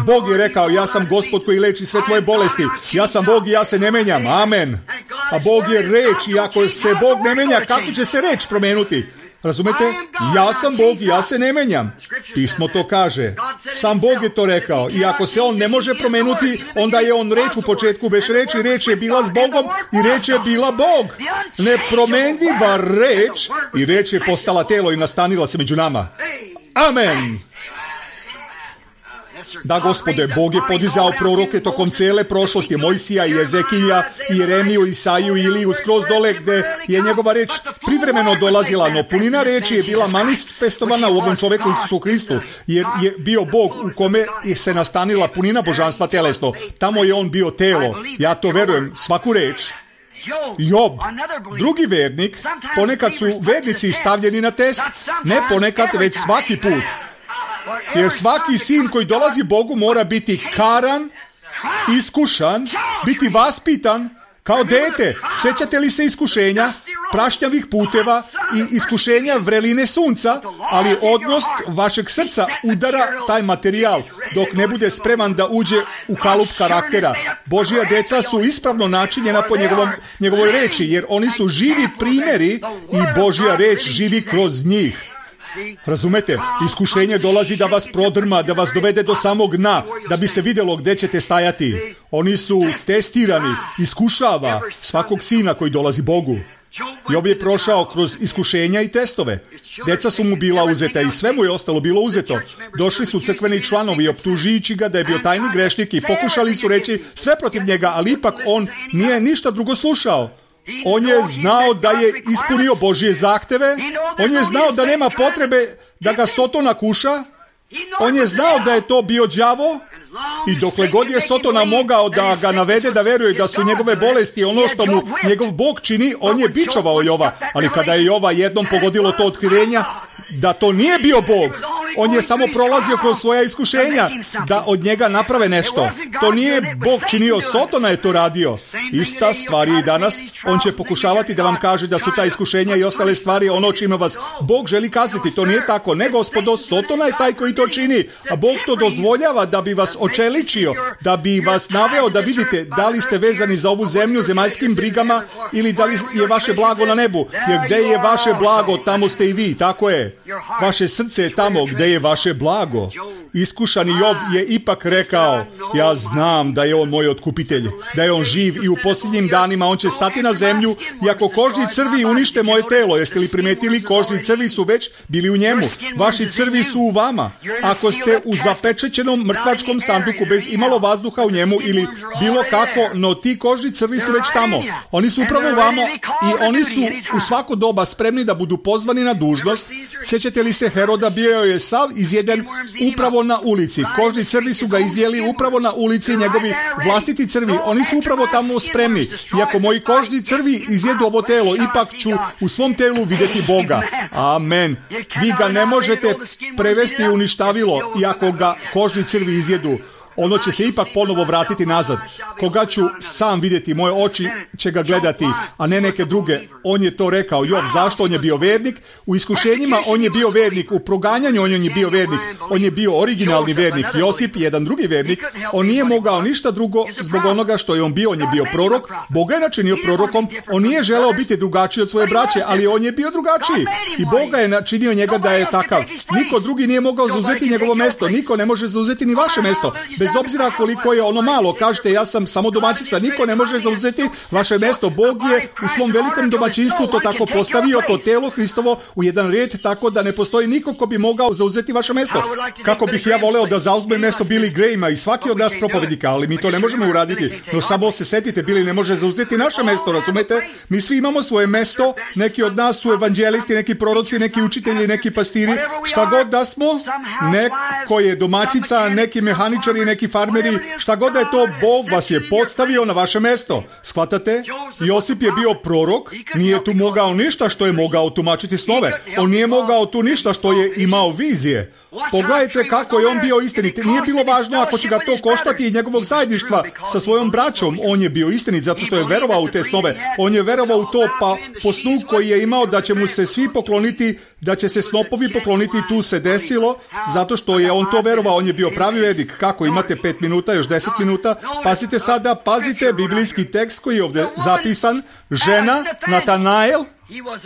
Bog je rekao, ja sam Gospod koji leči sve tvoje bolesti. Ja sam Bog i ja se ne menjam. Amen. A Bog je reč i ako se Bog ne menja, kako će se reč promenuti? Razumete? Ja sam Bog i ja se ne menjam. Pismo to kaže. Sam Bog je to rekao. I ako se on ne može promenuti, onda je on reč u početku bez reči. Reč je bila s Bogom i reč je bila Bog. Nepromenljiva reč i reč je postala telo i nastanila se među nama. Amen. Da, Gospode, Bog je podizao proroke tokom cele prošlosti, Mojsija i Ezekija i Jeremiju, Isaiju i Iliju, skroz dole gde je njegova reč privremeno dolazila, no punina reči je bila manifestovana u ovom čoveku Isusu Hristu, jer je bio Bog u kome se nastanila punina božanstva telesno. Tamo je on bio telo. Ja to verujem, svaku reč. Job, drugi vernik, ponekad su vernici stavljeni na test, ne ponekad, već svaki put. Jer svaki sin koji dolazi Bogu mora biti karan, iskušan, biti vaspitan kao dete. Sjećate li se iskušenja, prašnjavih puteva i iskušenja vreline sunca, ali odnos vašeg srca udara taj materijal dok ne bude spreman da uđe u kalup karaktera. Božja deca su ispravno načinjena po njegovom, njegovoj reči, jer oni su živi primjeri i Božja reč živi kroz njih. Razumete? Iskušenje dolazi da vas prodrma, da vas dovede do samog dna, da bi se vidjelo gdje ćete stajati. Oni su testirani, iskušava svakog sina koji dolazi Bogu. Job je prošao kroz iskušenja i testove. Deca su mu bila uzeta i sve mu je ostalo bilo uzeto. Došli su crkveni članovi optužujući ga da je bio tajni grešnik i pokušali su reći sve protiv njega, ali ipak on nije ništa drugo slušao. On je znao da je ispunio Božje zahteve, on je znao da nema potrebe da ga Sotona kuša, on je znao da je to bio đavo i dokle god je Sotona mogao da ga navede da veruje da su njegove bolesti ono što mu njegov Bog čini, on je bičovao Jova, ali kada je Jova jednom pogodilo to otkrivenja da to nije bio Bog, on je samo prolazio kroz svoja iskušenja da od njega naprave nešto. To nije Bog činio, Sotona je to radio. Ista stvar je i danas. On će pokušavati da vam kaže da su ta iskušenja i ostale stvari ono čime vas Bog želi kazniti. To nije tako. Ne, gospodo, Sotona je taj koji to čini. A Bog to dozvoljava da bi vas očeličio, da bi vas naveo da vidite da li ste vezani za ovu zemlju zemaljskim brigama ili da li je vaše blago na nebu. Jer gde je vaše blago, tamo ste i vi. Tako je. Vaše srce je tamo gde je vaše blago. Iskušani Job je ipak rekao, ja znam da je on moj otkupitelj, da je on živ i u posljednjim danima on će stati na zemlju i ako kožni crvi unište moje telo. Jeste li primetili, kožni crvi su već bili u njemu. Vaši crvi su u vama. Ako ste u zapečećenom mrtvačkom sanduku bez imalo vazduha u njemu ili bilo kako, no ti kožni crvi su već tamo. Oni su upravo u vama i oni su u svako doba spremni da budu pozvani na dužnost. Sjećate li se Heroda, bio je sav izjeden upravo na ulici. Kožni crvi su ga izjeli upravo na ulici, njegovi vlastiti crvi. Oni su upravo tamo spremni. I ako moji kožni crvi izjedu ovo telo, ipak ću u svom telu vidjeti Boga. Amen. Vi ga ne možete prevesti u ništavilo i ako ga kožni crvi izjedu. Ono će se ipak ponovo vratiti nazad. Koga ću sam vidjeti, moje oči će ga gledati, a ne neke druge. On je to rekao. Job, zašto? On je bio vernik. U iskušenjima on je bio vernik. U proganjanju on je bio vernik. On je bio originalni vernik. Josip, jedan drugi vernik, on nije mogao ništa drugo zbog onoga što je on bio. On je bio prorok. Bog ga je načinio prorokom. On nije želeo biti drugačiji od svoje braće, ali on je bio drugačiji. I Bog ga je načinio njega da je takav. Niko drugi nije mogao zauzeti njegovo mesto. Niko ne može zauzeti ni vaše mesto. bez obzira koliko je ono malo. Kažete, ja sam samo domaćica, niko ne može zauzeti vaše mesto. Bog je u svom velikom domaćinstvu to tako postavio, to telo Hristovo u jedan red, tako da ne postoji niko ko bi mogao zauzeti vaše mesto. Kako bih ja voleo da zauzme mesto Billy Grahama i svaki od nas propovednika, ali mi to ne možemo uraditi. No samo se setite, Billy ne može zauzeti naše mesto, razumete? Mi svi imamo svoje mesto, neki od nas su evanđelisti, neki proroci, neki učitelji, neki pastiri, šta god da smo, neko je domaćica, neki mehaničari, neki farmeri, šta god da je to, Bog vas je postavio na vaše mesto. Shvatate? Josip je bio prorok, nije tu mogao ništa što je mogao tumačiti snove. On nije mogao tu ništa što je imao vizije. Pogledajte kako je on bio istinit. Nije bilo važno ako će ga to koštati i njegovog zajedništva sa svojom braćom. On je bio istinit zato što je verovao u te snove. On je verovao u to, pa po snu koji je imao da će mu se svi pokloniti, da će se snopovi pokloniti, tu se desilo, zato što je on to verovao. On je bio pravi vedik. Kako imate pet minuta, još deset minuta? Pazite sada, pazite biblijski tekst koji je ovdje zapisan. Žena, Natanael,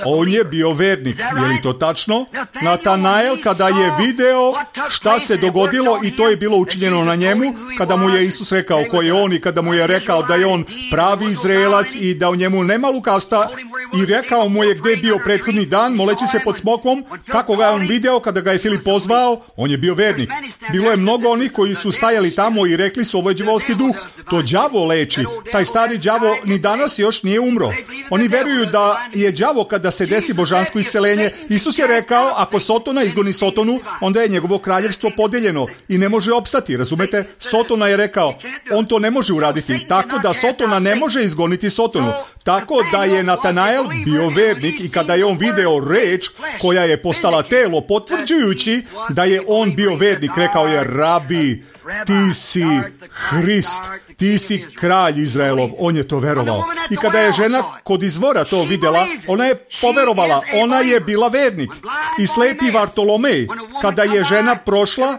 on je bio vernik. Je li to tačno? Natanael, kada je video šta se dogodilo i to je bilo učinjeno na njemu, kada mu je Isus rekao ko je on i kada mu je rekao da je on pravi Izraelac i da u njemu nema lukavstva, i rekao mu je gdje je bio prethodni dan moleći se pod smokvom, kako ga je on video kada ga je Filip pozvao, on je bio vernik. Bilo je mnogo onih koji su stajali tamo i rekli su ovo je đavolski duh, to đavo leči, taj stari đavo ni danas još nije umro. Oni veruju da je đavo kada se desi božansko isceljenje. Isus je rekao, ako Sotona izgoni Sotonu, onda je njegovo kraljevstvo podeljeno i ne može opstati, razumete? Sotona je rekao, on to ne može uraditi, tako da Sotona ne može izgoniti Sotonu. Tako da je Natanael bio vernik i kada je on video reč koja je postala telo, potvrđujući da je on bio vernik, rekao je, Rabi, ti si Hrist, ti si kralj Izraelov. On je to verovao. I kada je žena kod izvora to vidjela, ona je poverovala, ona je bila vernik. I slepi Vartolomej, kada je žena prošla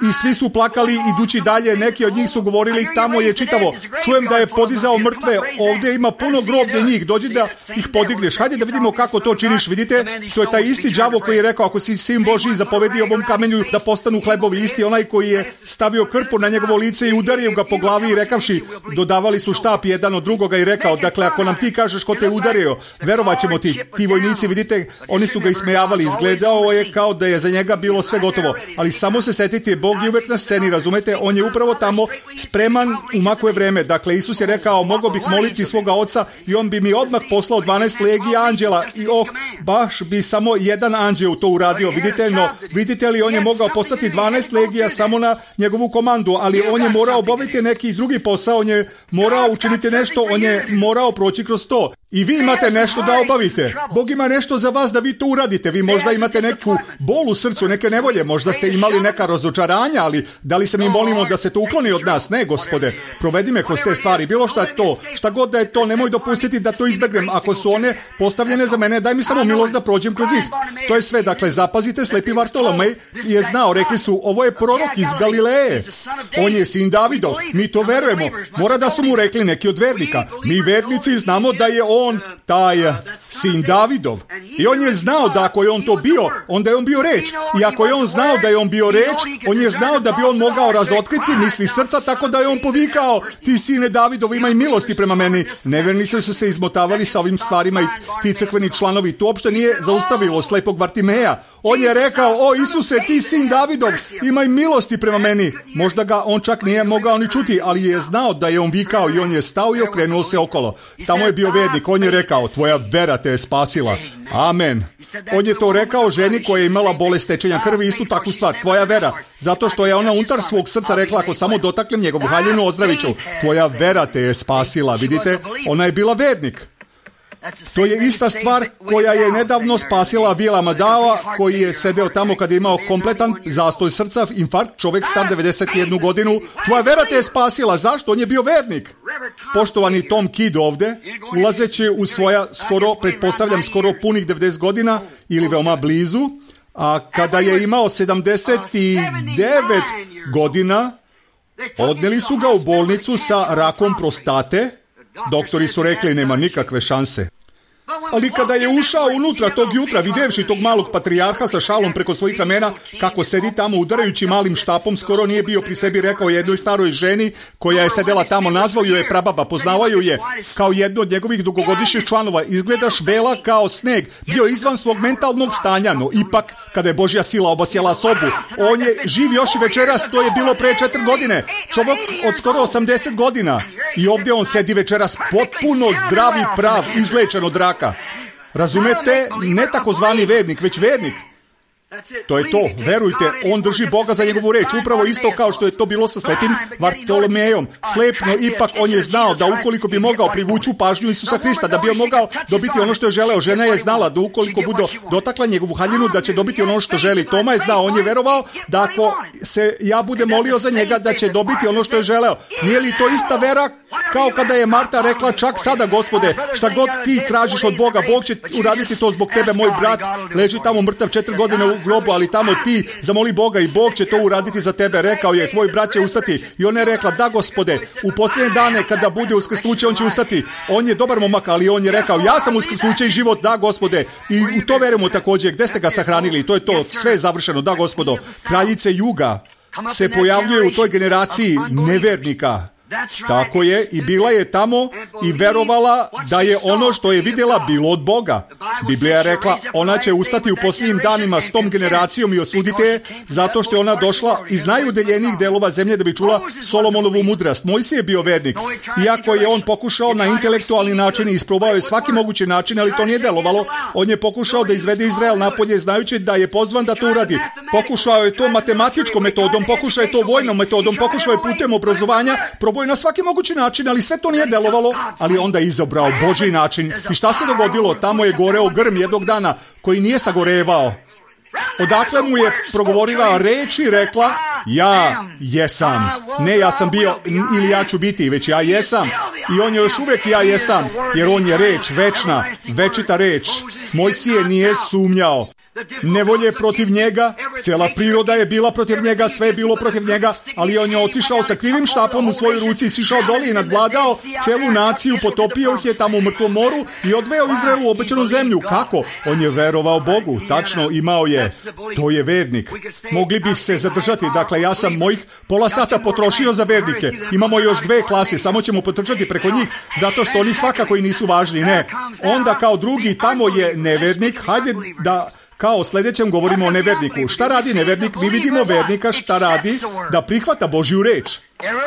i svi su plakali idući dalje, neki od njih su govorili, tamo je čitavo, čujem da je podizao mrtve, ovdje ima puno groblje njih, dođi da ih podigneš. Hajde da vidimo kako to činiš, vidite, to je taj isti đavo koji je rekao, ako si sin Božji, zapovedi ovom kamenju da postanu hlebovi, isti onaj koji je stavio krpu na njegovo lice i udario ga po glavi i rekavši, dodavali su štap jedan od drugoga i rekao, dakle, ako nam ti kažeš ko te udario, verovat ćemo ti. Ti vojnici, vidite, oni su ga ismejavali, izgledao je kao da je za njega bilo sve gotovo, ali samo se setite, Bog je uvek na sceni, razumete, on je upravo tamo spreman u makove vreme. Dakle, Isus je rekao, mogao bih moliti svoga oca i on bi mi odmah poslao dvanaest legija anđela i oh, baš bi samo jedan anđeo to uradio, vidite, no vidite li, on je mogao poslati dvanaest legija samo na njegovu komandu, ali on je morao obaviti neki drugi posao, on je morao učiniti nešto, on je morao proći kroz to. I vi imate nešto da obavite. Bog ima nešto za vas da vi to uradite. Vi možda imate neku bol u srcu, neke nevolje, možda ste imali neka razočaranja, ali da li se mi molimo da se to ukloni od nas? Ne, Gospode, provedi me kroz te stvari, bilo šta je to, šta god da je to, nemoj dopustiti da to izbegnem. Ako su one postavljene za mene, daj mi samo milost da prođem kroz njih. To je sve, dakle, zapazite, slepi Vartolomej je znao, rekli su, ovo je prorok iz Galileje, on je sin Davidov, mi to verujemo. Mora da su mu rekli neki od vernika. Mi vernici znamo da je on on taj sin Davidov. I on je znao da ako je on to bio, onda je on bio reč. I ako je on znao da je on bio reč, on je znao da bi on mogao razotkriti misli srca, tako da je on povikao, ti sine Davidov, imaj milosti prema meni. Nevernici su se izmotavali sa ovim stvarima i ti crkveni članovi. To uopšte nije zaustavilo slepog Vartimeja. On je rekao, o Isuse, ti sin Davidov, imaj milosti prema meni. Možda ga on čak nije mogao ni čuti, ali je znao da je on vikao i on je stao i okrenuo se okolo. Tamo je bio vernik, on je rekao, tvoja vera te je spasila. Amen. On je to rekao ženi koja je imala bolest tečenja krvi, istu takvu stvar, tvoja vera. Zato što je ona unutar svog srca rekla, ako samo dotaknem njegovu haljinu, ozdravit ću. Tvoja vera te je spasila, vidite? Ona je bila vernik. To je ista stvar koja je nedavno spasila Vila Madava, koji je sedeo tamo kad je imao kompletan zastoj srca, infarkt, čovjek star devedeset jednu godinu. Tvoja vera te je spasila. Zašto? On je bio vernik. Poštovani Tom Kidd ovde, ulazeći u svoja, skoro, pretpostavljam, skoro punih devedeset godina ili veoma blizu, a kada je imao sedamdeset devet godina, odneli su ga u bolnicu sa rakom prostate. Doktori su rekli, nema nikakve šanse. Ali kada je ušao unutra tog jutra, vidjevši tog malog patrijarha sa šalom preko svojih ramena, kako sedi tamo udarajući malim štapom, skoro nije bio pri sebi, rekao jednoj staroj ženi koja je sedela tamo, nazvao ju je prababa, poznavao ju je kao jednu od njegovih dugogodišnjih članova. Izgledaš bela kao sneg, bio izvan svog mentalnog stanja, no ipak, kada je Božja sila obasjala sobu, on je živ još i večeras, to je bilo pre četiri godine. Čovjek od skoro osamdeset godina. I ovdje on sedi večeras potpuno zdravi, prav, izlečen od raka. Razumete? Ne takozvani vernik, već vernik. To je to, verujte, on drži Boga za njegovu reč, upravo isto kao što je to bilo sa slepim Vartolomejom. Slepno, ipak on je znao da ukoliko bi mogao privući pažnju Isusa Hrista, da bi on mogao dobiti ono što je želeo. Žena je znala da ukoliko bude dotakla njegovu haljinu, da će dobiti ono što želi. Toma je znao, on je verovao da ako se ja budem molio za njega, da će dobiti ono što je želeo. Nije li to ista vera kao kada je Marta rekla, čak sada, Gospode, šta god ti tražiš od Boga, Bog će uraditi to zbog tebe. Moj brat leži tamo mrtav četiri godine u grobu, ali tamo ti zamoli Boga i Bog će to uraditi za tebe. Rekao je, tvoj brat će ustati. I ona je rekla, da, Gospode, u posljednje dane kada bude uskrsnuće, on će ustati. On je dobar momak, ali on je rekao, ja sam uskrsnuće i život, da, Gospode. I u to verujemo također. Gde ste ga sahranili? To je to, sve je završeno, da, Gospodo. Kraljice juga se pojavljuje u toj generaciji nevernika. Tako je, i bila je tamo i verovala da je ono što je vidjela bilo od Boga. Biblija je rekla, ona će ustati u posljednjim danima s tom generacijom i osuditi je, zato što je ona došla iz najudaljenijih delova zemlje da bi čula Solomonovu mudrost. Mojsije je bio vernik, iako je on pokušao na intelektualni način i isprobao je svaki mogući način, ali to nije delovalo. On je pokušao da izvede Izrael napolje, znajući da je pozvan da to uradi. Pokušao je to matematičkom metodom, pokušao je to vojnom metodom, pokušao je putem obrazovanja, probao je na svaki mogući način, ali sve to nije delovalo, ali onda je izabrao Božji način. I šta se dogodilo? Tamo je goreo grm jednog dana koji nije sagorevao. Odakle mu je progovorila reč i rekla, ja jesam. Ne ja sam bio ili ja ću biti, već ja jesam. I on je još uvijek ja jesam, jer on je reč, večna, večita reč. Mojsije nije sumnjao. Nevolje protiv njega, cijela priroda je bila protiv njega, sve je bilo protiv njega, ali on je otišao sa krivim štapom u svojoj ruci i sišao doli i nadvladao cijelu naciju, potopio ih je tamo u mrtvom moru i odveo Izraelu u obećanu zemlju. Kako? On je verovao Bogu, tačno imao je. To je vernik. Mogli bi se zadržati, dakle ja sam mojih pola sata potrošio za vernike. Imamo još dve klase, samo ćemo potrčati preko njih, zato što oni svakako i nisu važni. Ne. Onda kao drugi tamo je nevernik, hajde da... Kao o sljedećem govorimo o neverniku. Šta radi nevernik? Mi vidimo vernika šta radi, da prihvata Božju reč.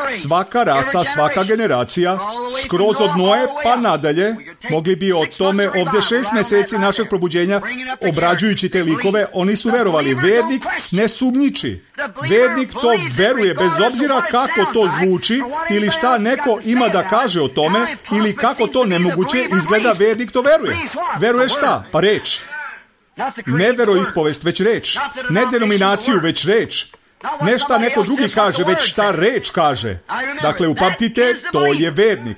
Svaka rasa, svaka generacija, skroz od Noe pa nadalje, mogli bi o tome ovdje šest mjeseci našeg probuđenja, obrađujući te likove, oni su verovali. Vernik ne sumnjiči. Vernik to veruje, bez obzira kako to zvuči, ili šta neko ima da kaže o tome, ili kako to nemoguće izgleda, vernik to veruje. Veruje šta? Pa reč. Ne veroispovest, već reč. Ne denominaciju, već reč. Ne šta neko drugi kaže, već šta reč kaže. Dakle, upamtite, to je vernik.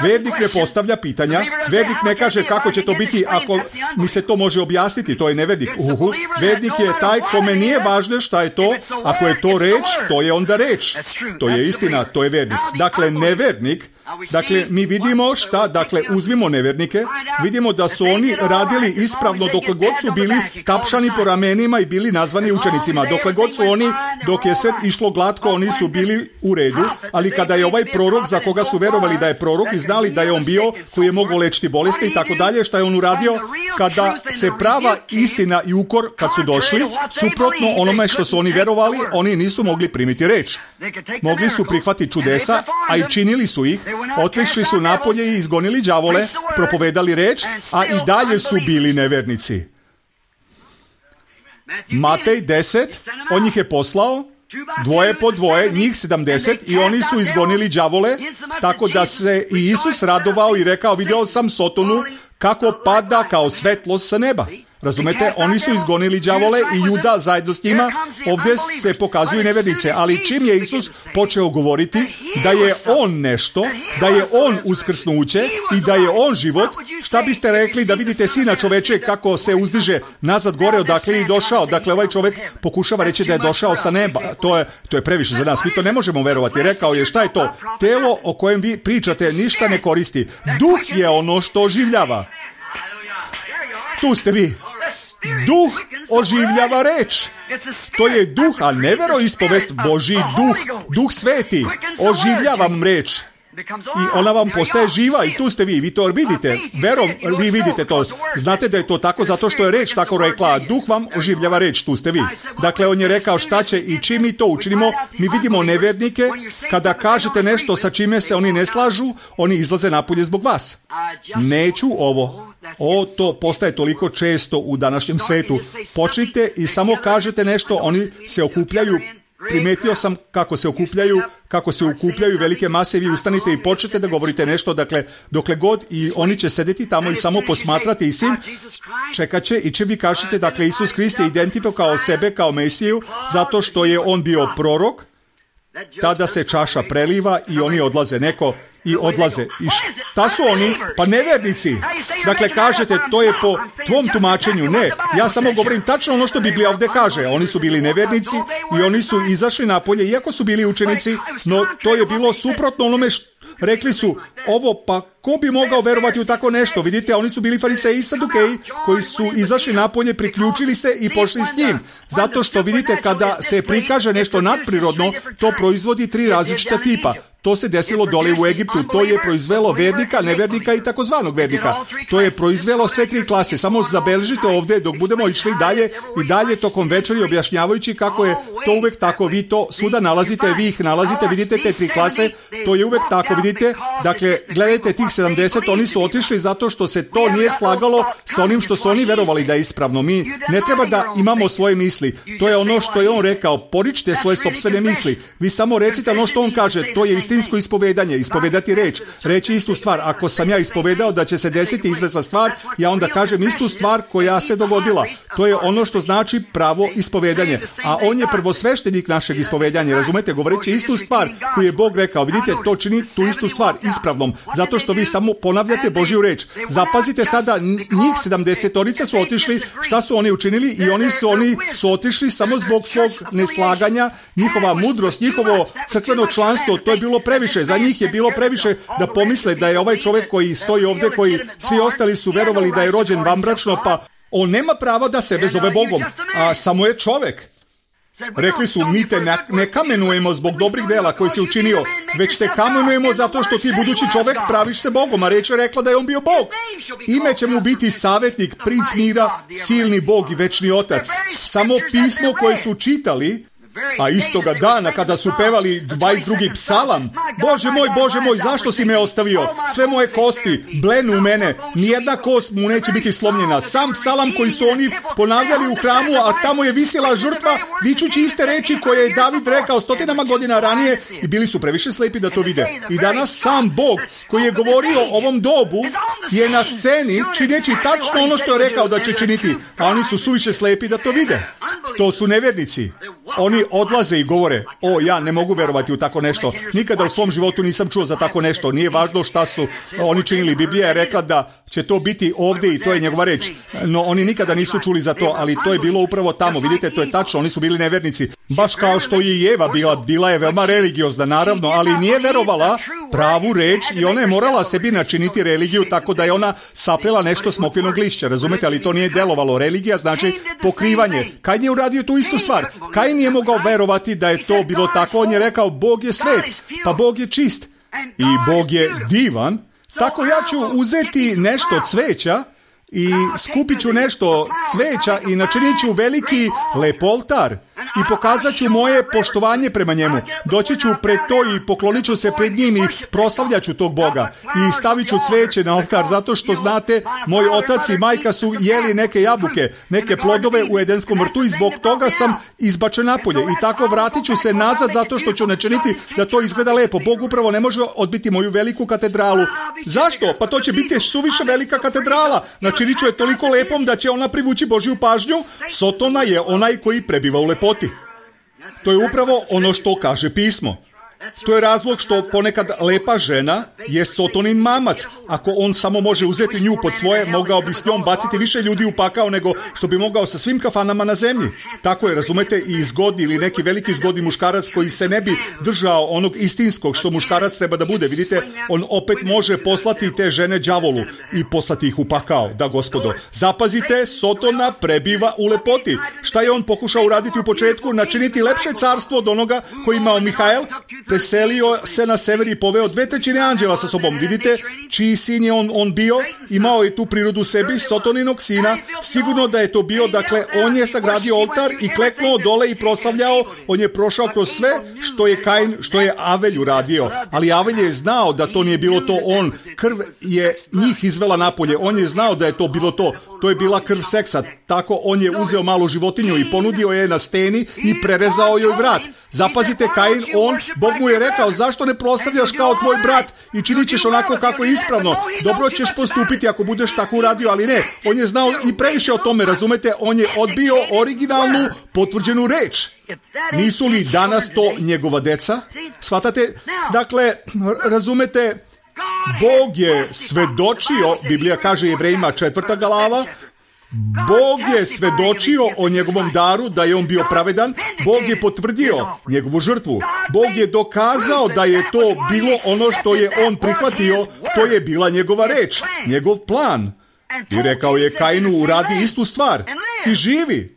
Vernik ne postavlja pitanja. Vernik ne kaže kako će to biti ako mi se to može objasniti. To je nevernik. Uhu. Vernik je taj kome nije važno šta je to. Ako je to reč, to je onda reč. To je istina, to je vernik. Dakle, nevernik. Dakle, mi vidimo šta, dakle, uzmimo nevernike, vidimo da su oni radili ispravno dokle god su bili tapšani po ramenima i bili nazvani učenicima. Dokle god su oni, dok je sve išlo glatko, oni su bili u redu, ali kada je ovaj prorok za koga su verovali da je prorok i znali da je on bio, koji je mogao lečiti bolesti i tako dalje, šta je on uradio? Kada se prava istina i ukor, kad su došli, suprotno onome što su oni verovali, oni nisu mogli primiti reč. Mogli su prihvatiti čudesa, a i činili su ih, otišli su napolje i izgonili đavole, propovedali reč, a i dalje su bili nevernici. Matej deset, on njih je poslao, dvoje po dvoje, njih sedamdeset, i oni su izgonili đavole, tako da se i Isus radovao i rekao, video sam Sotonu kako pada kao svetlost sa neba. Razumete, oni su izgonili đavole i Juda zajedno s njima. Ovdje se pokazuju nevernice, ali čim je Isus počeo govoriti da je on nešto, da je on uskrsnuće i da je on život, šta biste rekli da vidite Sina čoveče kako se uzdiže nazad gore odakle je došao? Dakle, ovaj čovjek pokušava reći da je došao sa neba. To je, to je previše za nas, mi to ne možemo verovati. Rekao je, šta je to? Telo o kojem vi pričate ništa ne koristi. Duh je ono što oživljava. Tu ste vi. Duh oživljava reč. To je duh, a ne veroispovest, Božji duh, duh sveti. Oživljava vam reč. I ona vam postaje živa i tu ste vi, vi to vidite, verom vi vidite to, znate da je to tako zato što je reč tako rekla, duh vam oživljava reč, tu ste vi. Dakle, on je rekao šta će i čim mi to učinimo, mi vidimo nevjernike, kada kažete nešto sa čime se oni ne slažu, oni izlaze napolje zbog vas. Neću ovo. O, to postaje toliko često u današnjem svetu. Počnite i samo kažete nešto, oni se okupljaju. Primetio sam kako se okupljaju, kako se okupljaju velike mase, vi ustanite i počnete da govorite nešto, dakle, dokle god, i oni će sedeti tamo i samo posmatrati i sim, čekat će i će vi kažete, dakle, Isus Hrist je identifikao sebe kao Mesiju, zato što je on bio prorok, tada se čaša preliva i oni odlaze, neko i odlaze. I šta su oni? Pa nevernici. Dakle, kažete, to je po tvom tumačenju. Ne, ja samo govorim tačno ono što Biblija ovdje kaže. Oni su bili nevernici i oni su izašli napolje, iako su bili učenici, no to je bilo suprotno onome što rekli su, ovo pa ko bi mogao verovati u tako nešto? Vidite, oni su bili fariseji i sadukeji koji su izašli napolje, priključili se i pošli s njim. Zato što vidite, kada se prikaže nešto nadprirodno, to proizvodi tri različita tipa. To se desilo dole u Egiptu. To je proizvelo vernika, nevernika i takozvanog vernika. To je proizvelo sve tri klase. Samo zabeležite ovdje dok budemo išli dalje i dalje tokom večeri objašnjavajući kako je to uvek tako. Vi to svuda nalazite, vi ih nalazite, vidite te tri klase. To je uvek tako, vidite. Dakle, gledajte tih sedamdeset, oni su otišli zato što se to nije slagalo sa onim što su oni verovali da je ispravno. Mi ne treba da imamo svoje misli. To je ono što je on rekao. Poričite svoje sopstvene misli. Vi samo recite ono što on kaže. To je istinsko ispovedanje. Ispovedati reč. Reći istu stvar. Ako sam ja ispovedao da će se desiti izvesna stvar, ja onda kažem istu stvar koja se dogodila. To je ono što znači pravo ispovedanje. A on je prvosveštenik našeg ispovedanja. Razumete? Govoreći istu stvar koju je Bog rekao. Vidite, to čini tu istu stvar ispravnom. Zato što vi samo ponavljate Božju reč. Zapazite sada, njih sedamdesetorica su otišli, šta su oni učinili? I oni su, oni su otišli samo zbog svog neslaganja, njihova mudrost, njihovo crkveno članstvo, to je bilo previše. Za njih je bilo previše da pomisle da je ovaj čovjek koji stoji ovdje, koji svi ostali su verovali da je rođen vanbračno, pa on nema prava da sebe zove Bogom, a samo je čovjek. Rekli su, mi te ne kamenujemo zbog dobrih dela koji si učinio, već te kamenujemo zato što ti budući čovjek praviš se Bogom, a reč je rekla da je on bio Bog. Ime će mu biti savjetnik, princ mira, silni Bog i večni otac. Samo pismo koje su čitali, a istoga dana kada su pevali dvadeset drugi psalam, Bože moj, Bože moj, zašto si me ostavio? Sve moje kosti blenu u mene, nijedna kost mu neće biti slomljena. Sam psalam koji su oni ponavljali u hramu, a tamo je visjela žrtva, vičući iste reči koje je David rekao stotinama godina ranije, i bili su previše slepi da to vide. I danas sam Bog koji je govorio o ovom dobu je na sceni čineći tačno ono što je rekao da će činiti, a oni su suviše slepi da to vide. To su nevjernici. Oni odlaze i govore, o, ja ne mogu verovati u tako nešto. Nikada u svom životu nisam čuo za tako nešto. Nije važno šta su oni činili. Biblija je rekla da će to biti ovdje i to je njegova reč. No, oni nikada nisu čuli za to, ali to je bilo upravo tamo. Vidite, to je tačno, oni su bili nevjernici. Baš kao što i Eva bila, bila je veoma religiozna, naravno, ali nije verovala pravu reč i ona je morala sebi načiniti religiju tako da je ona saplela nešto smokvinog lišća, razumete, ali to nije delovalo. Religija znači pokrivanje. Kain je uradio tu istu stvar. Kain nije mogao verovati da je to bilo tako. On je rekao, Bog je svet, pa Bog je čist i Bog je divan. Tako ja ću uzeti nešto cveća i skupit ću nešto cveća i načinit ću veliki lep oltar i pokazat ću moje poštovanje prema njemu. Doći ću pred to i poklonit ću se pred njim i proslavljat ću tog Boga i stavit ću cveće na oltar, zato što znate, moj otac i majka su jeli neke jabuke, neke plodove u Edenskom vrtu i zbog toga sam izbačen napolje i tako vratit ću se nazad zato što ću načiniti da to izgleda lepo. Bog upravo ne može odbiti moju veliku katedralu. Zašto? Pa to će biti suviše velika katedrala. Načinit ću je toliko lepom da će ona privući Božju pažnju. Sotona je onaj koji prebiva u lepoti. To je upravo ono što kaže pismo. To je razlog što ponekad lepa žena je Sotonin mamac. Ako on samo može uzeti nju pod svoje, mogao bi s njom baciti više ljudi u pakao nego što bi mogao sa svim kafanama na zemlji. Tako je, razumete, i zgodni ili neki veliki zgodni muškarac koji se ne bi držao onog istinskog što muškarac treba da bude. Vidite, on opet može poslati te žene đavolu i poslati ih u pakao. Da, gospodo, zapazite, Sotona prebiva u lepoti. Šta je on pokušao uraditi u početku? Načiniti lepše carstvo od onoga koji imao Mihael. Preselio se na sever i poveo dve trećine anđela sa sobom. Vidite čiji sin je on, on bio? Imao je tu prirodu sebi, Sotoninog sina. Sigurno da je to bio, dakle, on je sagradio oltar i kleknuo dole i proslavljao. On je prošao kroz sve što je Kain, što je Avelj uradio. Ali Avelj je znao da to nije bilo to on. Krv je njih izvela napolje. On je znao da je to bilo to. To je bila krv seksa. Tako on je uzeo malu životinju i ponudio je na steni i prerezao joj vrat. Zapazite, Kain, on, Bog mu je rekao, zašto ne proslavljaš kao tvoj brat i činit ćeš onako kako je ispravno. Dobro ćeš postupiti ako budeš tako uradio, ali ne. On je znao i previše o tome, razumete? On je odbio originalnu potvrđenu reč. Nisu li danas to njegova deca? Shvatate? Dakle, razumete, Bog je svedočio, Biblija kaže Jevrejima četvrta glava, Bog je svedočio o njegovom daru, da je on bio pravedan. Bog je potvrdio njegovu žrtvu. Bog je dokazao da je to bilo ono što je on prihvatio. To je bila njegova reč, njegov plan. I rekao je Kainu, uradi istu stvar i živi.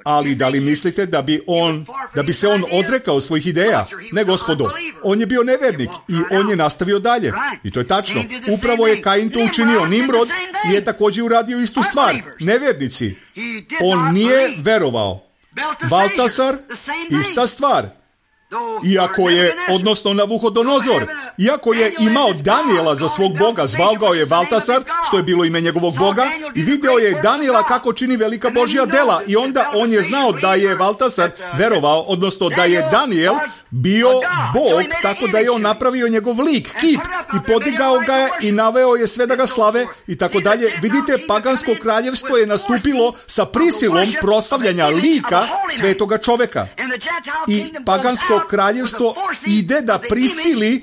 Ali da li mislite da bi on, da bi se on odrekao svojih ideja? Ne, gospodo. On je bio nevernik i on je nastavio dalje. I to je tačno. Upravo je Kain to učinio. Nimrod je također uradio istu stvar. Nevernici. On nije verovao. Valtasar, ista stvar. Iako je, odnosno Navuhodonozor, iako je imao Danijela za svog boga, zvao ga je Valtasar, što je bilo ime njegovog boga, i video je Danijela kako čini velika Božja dela, i onda on je znao da je Valtasar verovao, odnosno da je Danijel bio Bog, tako da je on napravio njegov lik, kip, i podigao ga je i naveo je sve da ga slave i tako dalje. Vidite, pagansko kraljevstvo je nastupilo sa prisilom proslavljanja lika svetoga čoveka. I pagansko kraljevstvo ide da prisili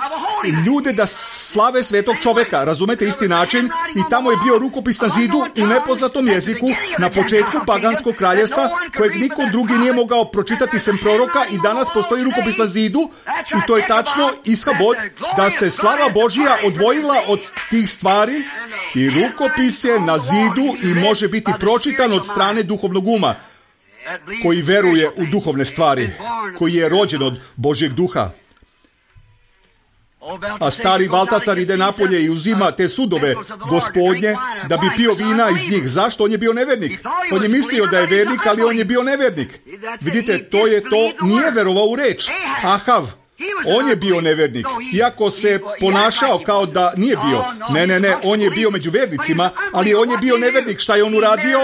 ljude da slave svetog čoveka. Razumete, isti način, i tamo je bio rukopis na zidu u nepoznatom jeziku na početku paganskog kraljevstva, kojeg niko drugi nije mogao pročitati sem proroka, i danas postoji rukopis na zidu, i to je tačno Ishabod, da se slava Božija odvojila od tih stvari, i rukopis je na zidu i može biti pročitan od strane duhovnog uma, koji veruje u duhovne stvari, koji je rođen od Božjeg duha. A stari Valtasar ide napolje i uzima te sudove gospodnje da bi pio vina iz njih. Zašto? On je bio nevernik. On je mislio da je vernik, ali on je bio nevernik. Vidite, to je to, nije verovao u reč. Ahav, on je bio nevernik, iako se ponašao kao da nije bio. Ne, ne, ne, on je bio među vernicima, ali on je bio nevernik. Šta je on uradio?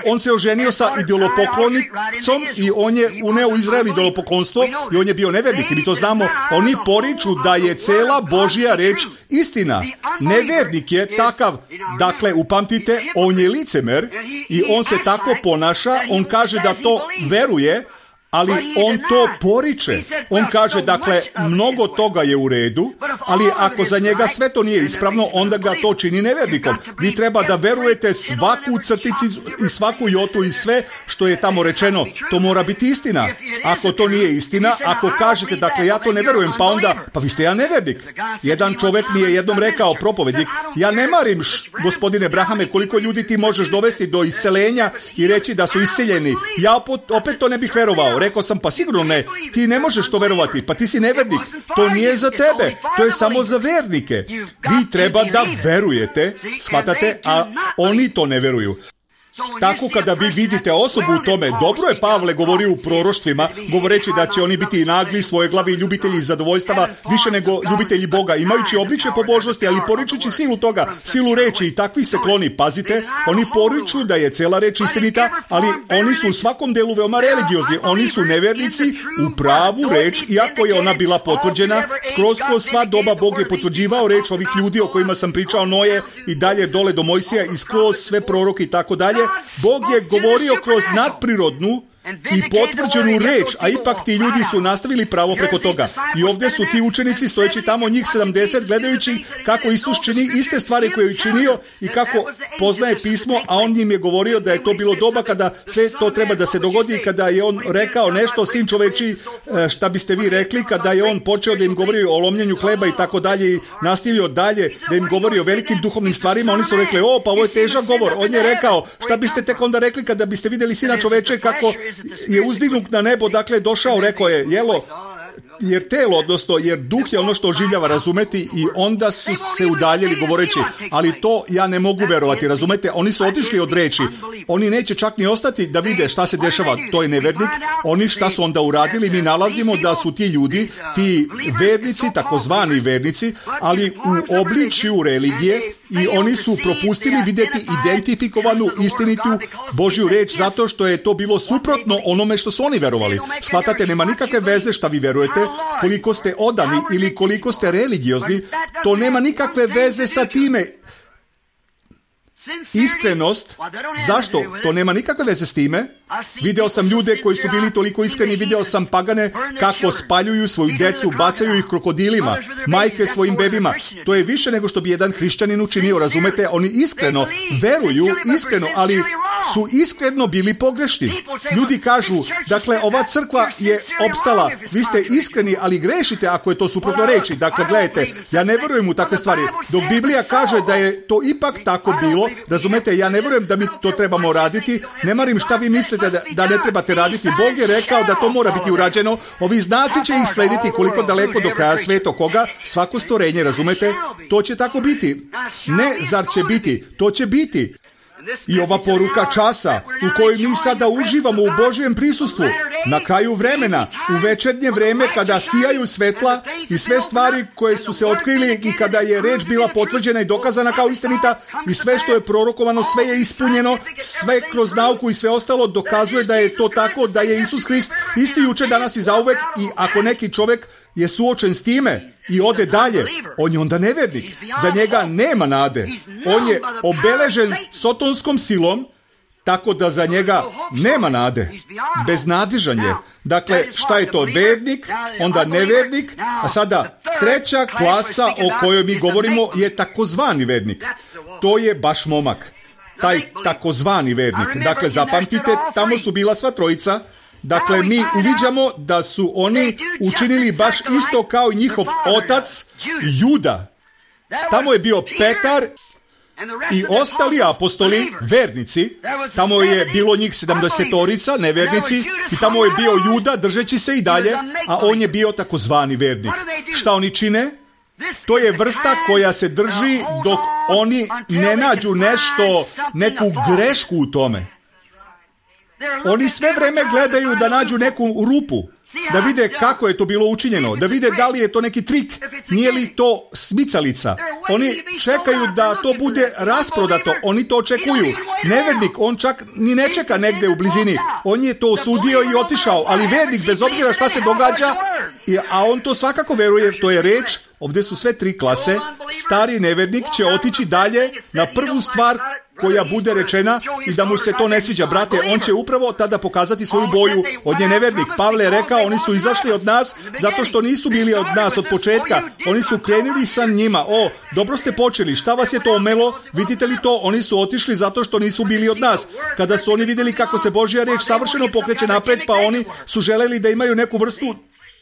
On se oženio sa idolopoklonicom i on je uneo u Izrael idolopoklonstvo i on je bio nevernik. I mi to znamo. Oni poriču da je cela Božja reč istina. Nevernik je takav. Dakle, upamtite, on je licemer i on se tako ponaša. On kaže da to veruje, ali on to poriče. On kaže, dakle, mnogo toga je u redu, ali ako za njega sve to nije ispravno, onda ga to čini nevernikom. Vi treba da verujete svaku crtici i svaku jotu i sve što je tamo rečeno. To mora biti istina. Ako to nije istina, ako kažete, dakle, ja to ne verujem, pa onda, pa vi ste ja nevernik. Jedan čovek mi je jednom rekao, propovednik, ja ne marim, š, gospodine Brahame, koliko ljudi ti možeš dovesti do iscelenja i reći da su isceljeni. Ja opet, opet to ne bih verovao. Rekao sam, pa sigurno ne, ti ne možeš to verovati, pa ti si nevernik, to nije za tebe, to je samo za vernike. Vi treba da verujete, shvatate, a oni to ne veruju. Tako kada vi vidite osobu u tome, dobro je Pavle govorio u proroštvima, govoreći da će oni biti nagli, svoje glavi i ljubitelji zadovoljstava više nego ljubitelji Boga, imajući obličje pobožnosti, ali poričući silu toga, silu reči, i takvi se kloni. Pazite, oni poriču da je cela reč istinita, ali oni su u svakom delu veoma religiozni. Oni su nevernici u pravu reč, iako je ona bila potvrđena. Skroz kroz sva doba Bog je potvrđivao reč ovih ljudi o kojima sam pričao, Noje i dalje dole do Mojsija, i skroz sve proroke i tako dalje. Bog je govorio kroz nadprirodnu i potvrđenu reč, a ipak ti ljudi su nastavili pravo preko toga. I ovdje su ti učenici stojeći tamo, njih sedamdeset, gledajući kako Isus čini iste stvari koje je činio i kako poznaje pismo, a on im je govorio da je to bilo doba kada sve to treba da se dogodi, kada je on rekao nešto, sin čoveči, šta biste vi rekli, kada je on počeo da im govori o lomljenju hleba i tako dalje i nastavio dalje da im govori o velikim duhovnim stvarima, oni su rekli, o, pa ovo je težak govor. On je rekao, šta biste tek onda rekli kada biste vidjeli sina čoveče kako je uzdignut na nebo, dakle došao, rekao je, jelo, jer telo, odnosno, jer duh je ono što oživljava, razumeti, i onda su se udaljili govoreći, ali to ja ne mogu verovati, razumete, oni su otišli od reči, oni neće čak ni ostati da vide šta se dešava, to je nevernik, oni šta su onda uradili, mi nalazimo da su ti ljudi, ti vernici, takozvani vernici, ali u obličju religije, i oni su propustili vidjeti identifikovanu, istinitu Božju reč, zato što je to bilo suprotno onome što su oni verovali. Shvatate, nema nikakve veze šta vi verujete, koliko ste odani ili koliko ste religiozni, to nema nikakve veze sa time. Iskrenost, zašto? To nema nikakve veze s time. Video sam ljude koji su bili toliko iskreni, video sam pagane kako spaljuju svoju decu, bacaju ih krokodilima, majke svojim bebima. To je više nego što bi jedan hrišćanin učinio, razumete? Oni iskreno veruju, iskreno, ali su iskreno bili pogrešni. Ljudi kažu, dakle, ova crkva je opstala, vi ste iskreni, ali grešite ako je to suprotno reči. Dakle, gledajte, ja ne verujem u takve stvari. Dok Biblija kaže da je to ipak tako bilo, razumete, ja ne verujem da mi to trebamo raditi, ne marim šta vi mislite da, da ne trebate raditi. Bog je rekao da to mora biti urađeno, ovi znaci će ih slediti koliko daleko do kraja sveta, koga, svako stvorenje, razumete, to će tako biti. Ne, zar će biti, to će biti. I ova poruka časa u kojoj mi sada uživamo u Božjem prisustvu, na kraju vremena, u večernje vreme kada sijaju svetla i sve stvari koje su se otkrili i kada je reč bila potvrđena i dokazana kao istinita i sve što je prorokovano, sve je ispunjeno, sve kroz nauku i sve ostalo dokazuje da je to tako, da je Isus Hrist isti juče, danas i zauvek, i ako neki čovjek je suočen s time i ode dalje, on je onda nevernik. Za njega nema nade. On je obeležen sotonskom silom, tako da za njega nema nade. Beznadižan je. Dakle, šta je to vernik, onda nevernik, a sada treća klasa o kojoj mi govorimo je takozvani vernik. To je baš momak. Taj takozvani vernik. Dakle, zapamtite, tamo su bila sva trojica. Dakle, mi uviđamo da su oni učinili baš isto kao i njihov otac Juda. Tamo je bio Petar i ostali apostoli, vernici. Tamo je bilo njih sedamdesetorica, nevernici, i tamo je bio Juda, držeći se i dalje, a on je bio takozvani vernik. Šta oni čine? To je vrsta koja se drži dok oni ne nađu nešto, neku grešku u tome. Oni sve vreme gledaju da nađu neku rupu, da vide kako je to bilo učinjeno, da vide da li je to neki trik, nije li to smicalica. Oni čekaju da to bude rasprodato, oni to očekuju. Nevernik, on čak ni ne čeka negde u blizini, on je to osudio i otišao, ali vernik, bez obzira šta se događa, a on to svakako veruje jer to je reč, ovdje su sve tri klase, stari nevernik će otići dalje na prvu stvar koja bude rečena i da mu se to ne sviđa. Brate, on će upravo tada pokazati svoju boju. On je nevernik. Pavle je rekao, oni su izašli od nas zato što nisu bili od nas od početka. Oni su krenuli sa njima. O, dobro ste počeli. Šta vas je to omelo? Vidite li to? Oni su otišli zato što nisu bili od nas. Kada su oni vidjeli kako se Božja reč savršeno pokreće napred, pa oni su želeli da imaju neku vrstu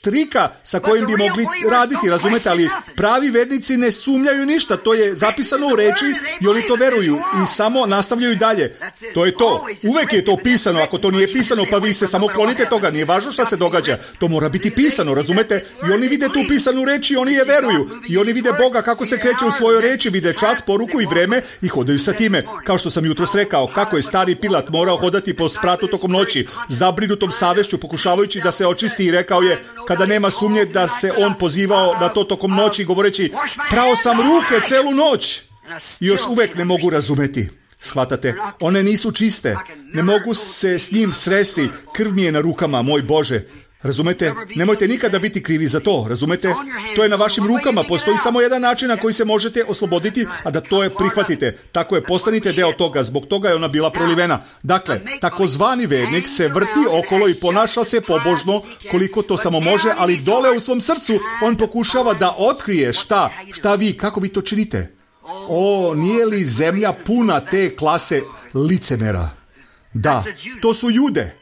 trika sa kojim bi mogli raditi, razumete, ali pravi vernici ne sumnjaju ništa, to je zapisano u reči i oni to veruju i samo nastavljaju dalje. To je to. Uvek je to pisano, ako to nije pisano, pa vi se samo klonite toga, nije važno šta se događa, to mora biti pisano, razumete, i oni vide tu pisanu reč i oni je veruju, i oni vide Boga kako se kreće u svojoj reči, vide čas, poruku i vreme i hodaju sa time. Kao što sam jutros rekao, kako je stari Pilat morao hodati po spratu tokom noći, zabrinutom savešću, pokušavajući da se očisti, i rekao je, kada nema sumnje da se on pozivao na to tokom noći, govoreći, prao sam ruke celu noć, i još uvek ne mogu razumeti. Shvatate, one nisu čiste, ne mogu se s njim sresti, krv mi je na rukama, moj Bože. Razumete? Nemojte nikada biti krivi za to, razumete? To je na vašim rukama, postoji samo jedan način na koji se možete osloboditi, a da to je prihvatite. Tako je, postanite deo toga, zbog toga je ona bila prolivena. Dakle, takozvani vernik se vrti okolo i ponaša se pobožno koliko to samo može, ali dole u svom srcu on pokušava da otkrije šta, šta vi, kako vi to činite. O, nije li zemlja puna te klase licemera? Da, to su Jude.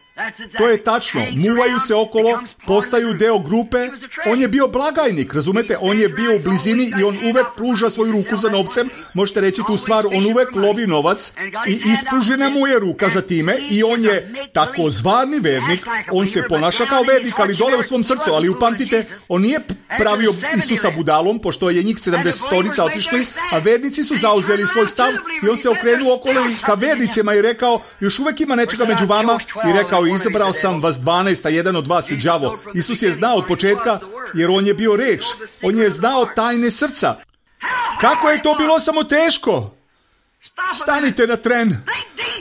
To je tačno, muvaju se okolo, postaju deo grupe. On je bio blagajnik, razumete? On je bio u blizini i on uvek pruža svoju ruku za novcem. Možete reći tu stvar, on uvek lovi novac i ispružena mu je ruka za time i on je takozvani vernik. On se ponaša kao vernik, ali dole u svom srcu. Ali upamtite, on nije pravio Isusa budalom, pošto je njih sedamdesetorica otišli, a vernici su zauzeli svoj stav i on se okrenuo okolo i ka vernicima i rekao, još uvek ima nečega među vama, i rekao, izabrao sam vas dvanaest, a jedan od vas je đavo. Isus je znao od početka, jer on je bio reč. On je znao tajne srca. Kako je to bilo samo teško? Stanite na tren.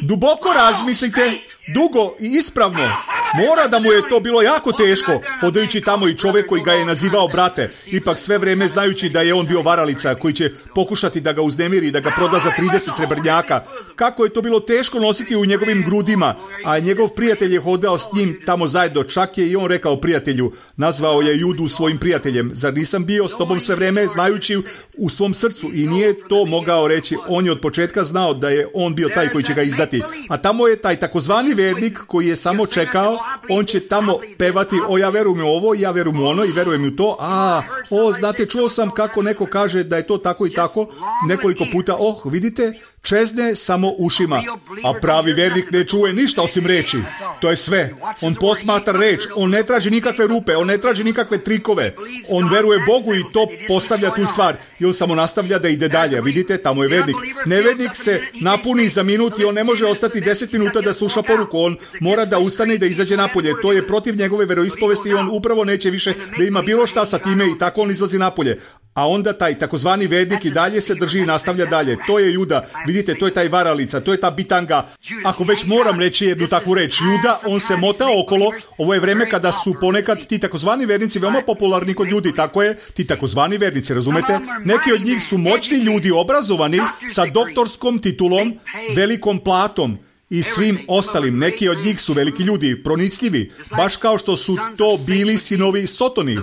Duboko razmislite, dugo i ispravno. Mora da mu je to bilo jako teško, hodajući tamo i čovjek koji ga je nazivao brate, ipak sve vreme znajući da je on bio varalica koji će pokušati da ga uznemiri i da ga proda za trideset srebrnjaka. Kako je to bilo teško nositi u njegovim grudima, a njegov prijatelj je hodao s njim tamo zajedno. Čak je i on rekao prijatelju, nazvao je Judu svojim prijateljem. Zar nisam bio s tobom sve vreme, znajući u svom srcu? I nije to mogao reći. On je od početka znao da je on bio taj koji će ga izdati. A tamo je taj takozvani vernik koji je samo čekao. On će tamo pevati, o ja verujem u ovo, ja verujem u ono i verujem u to. A, o, znate, čuo sam kako neko kaže da je to tako i tako nekoliko puta. Oh, vidite, čezne samo ušima. A pravi vernik ne čuje ništa osim reči. To je sve. On posmatra reč. On ne traži nikakve rupe. On ne traži nikakve trikove. On veruje Bogu i to postavlja tu stvar. I on samo nastavlja da ide dalje. Vidite, tamo je vernik. Nevernik se napuni za minut i on ne može ostati deset minuta da sluša poruku. On mora da ustane i da izađe napolje. To je protiv njegove veroispovesti i on upravo neće više da ima bilo šta sa time i tako on izlazi napolje. A onda taj takozvani vernik i dalje se drži i nastavlja dalje. To je Juda. Vidite, to je taj varalica, to je ta bitanga. Ako već moram reći jednu takvu reč, Juda, on se mota okolo. Ovo je vreme kada su ponekad ti takozvani vernici veoma popularni kod ljudi. Tako je, ti takozvani vernici, razumete? Neki od njih su moćni ljudi, obrazovani, sa doktorskom titulom, velikom platom i svim ostalim. Neki od njih su veliki ljudi, pronicljivi, baš kao što su to bili sinovi Sotoni.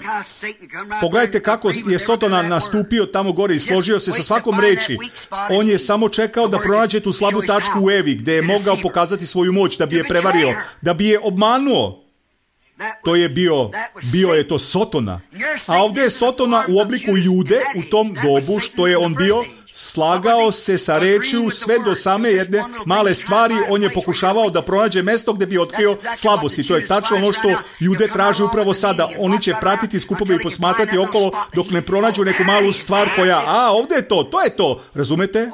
Pogledajte kako je Sotona nastupio tamo gore i složio se sa svakom reči. On je samo čekao da pronađe tu slabu tačku u Evi, gde je mogao pokazati svoju moć, da bi je prevario, da bi je obmanuo. To je bio, bio je to Sotona. A ovdje je Sotona u obliku Jude u tom dobu što je on bio, slagao se sa rečju sve do same jedne male stvari. On je pokušavao da pronađe mesto gdje bi otkrio slabosti. To je tačno ono što Jude traži upravo sada. Oni će pratiti skupove i posmatrati okolo dok ne pronađu neku malu stvar koja, a ovdje je to, to je to, razumete?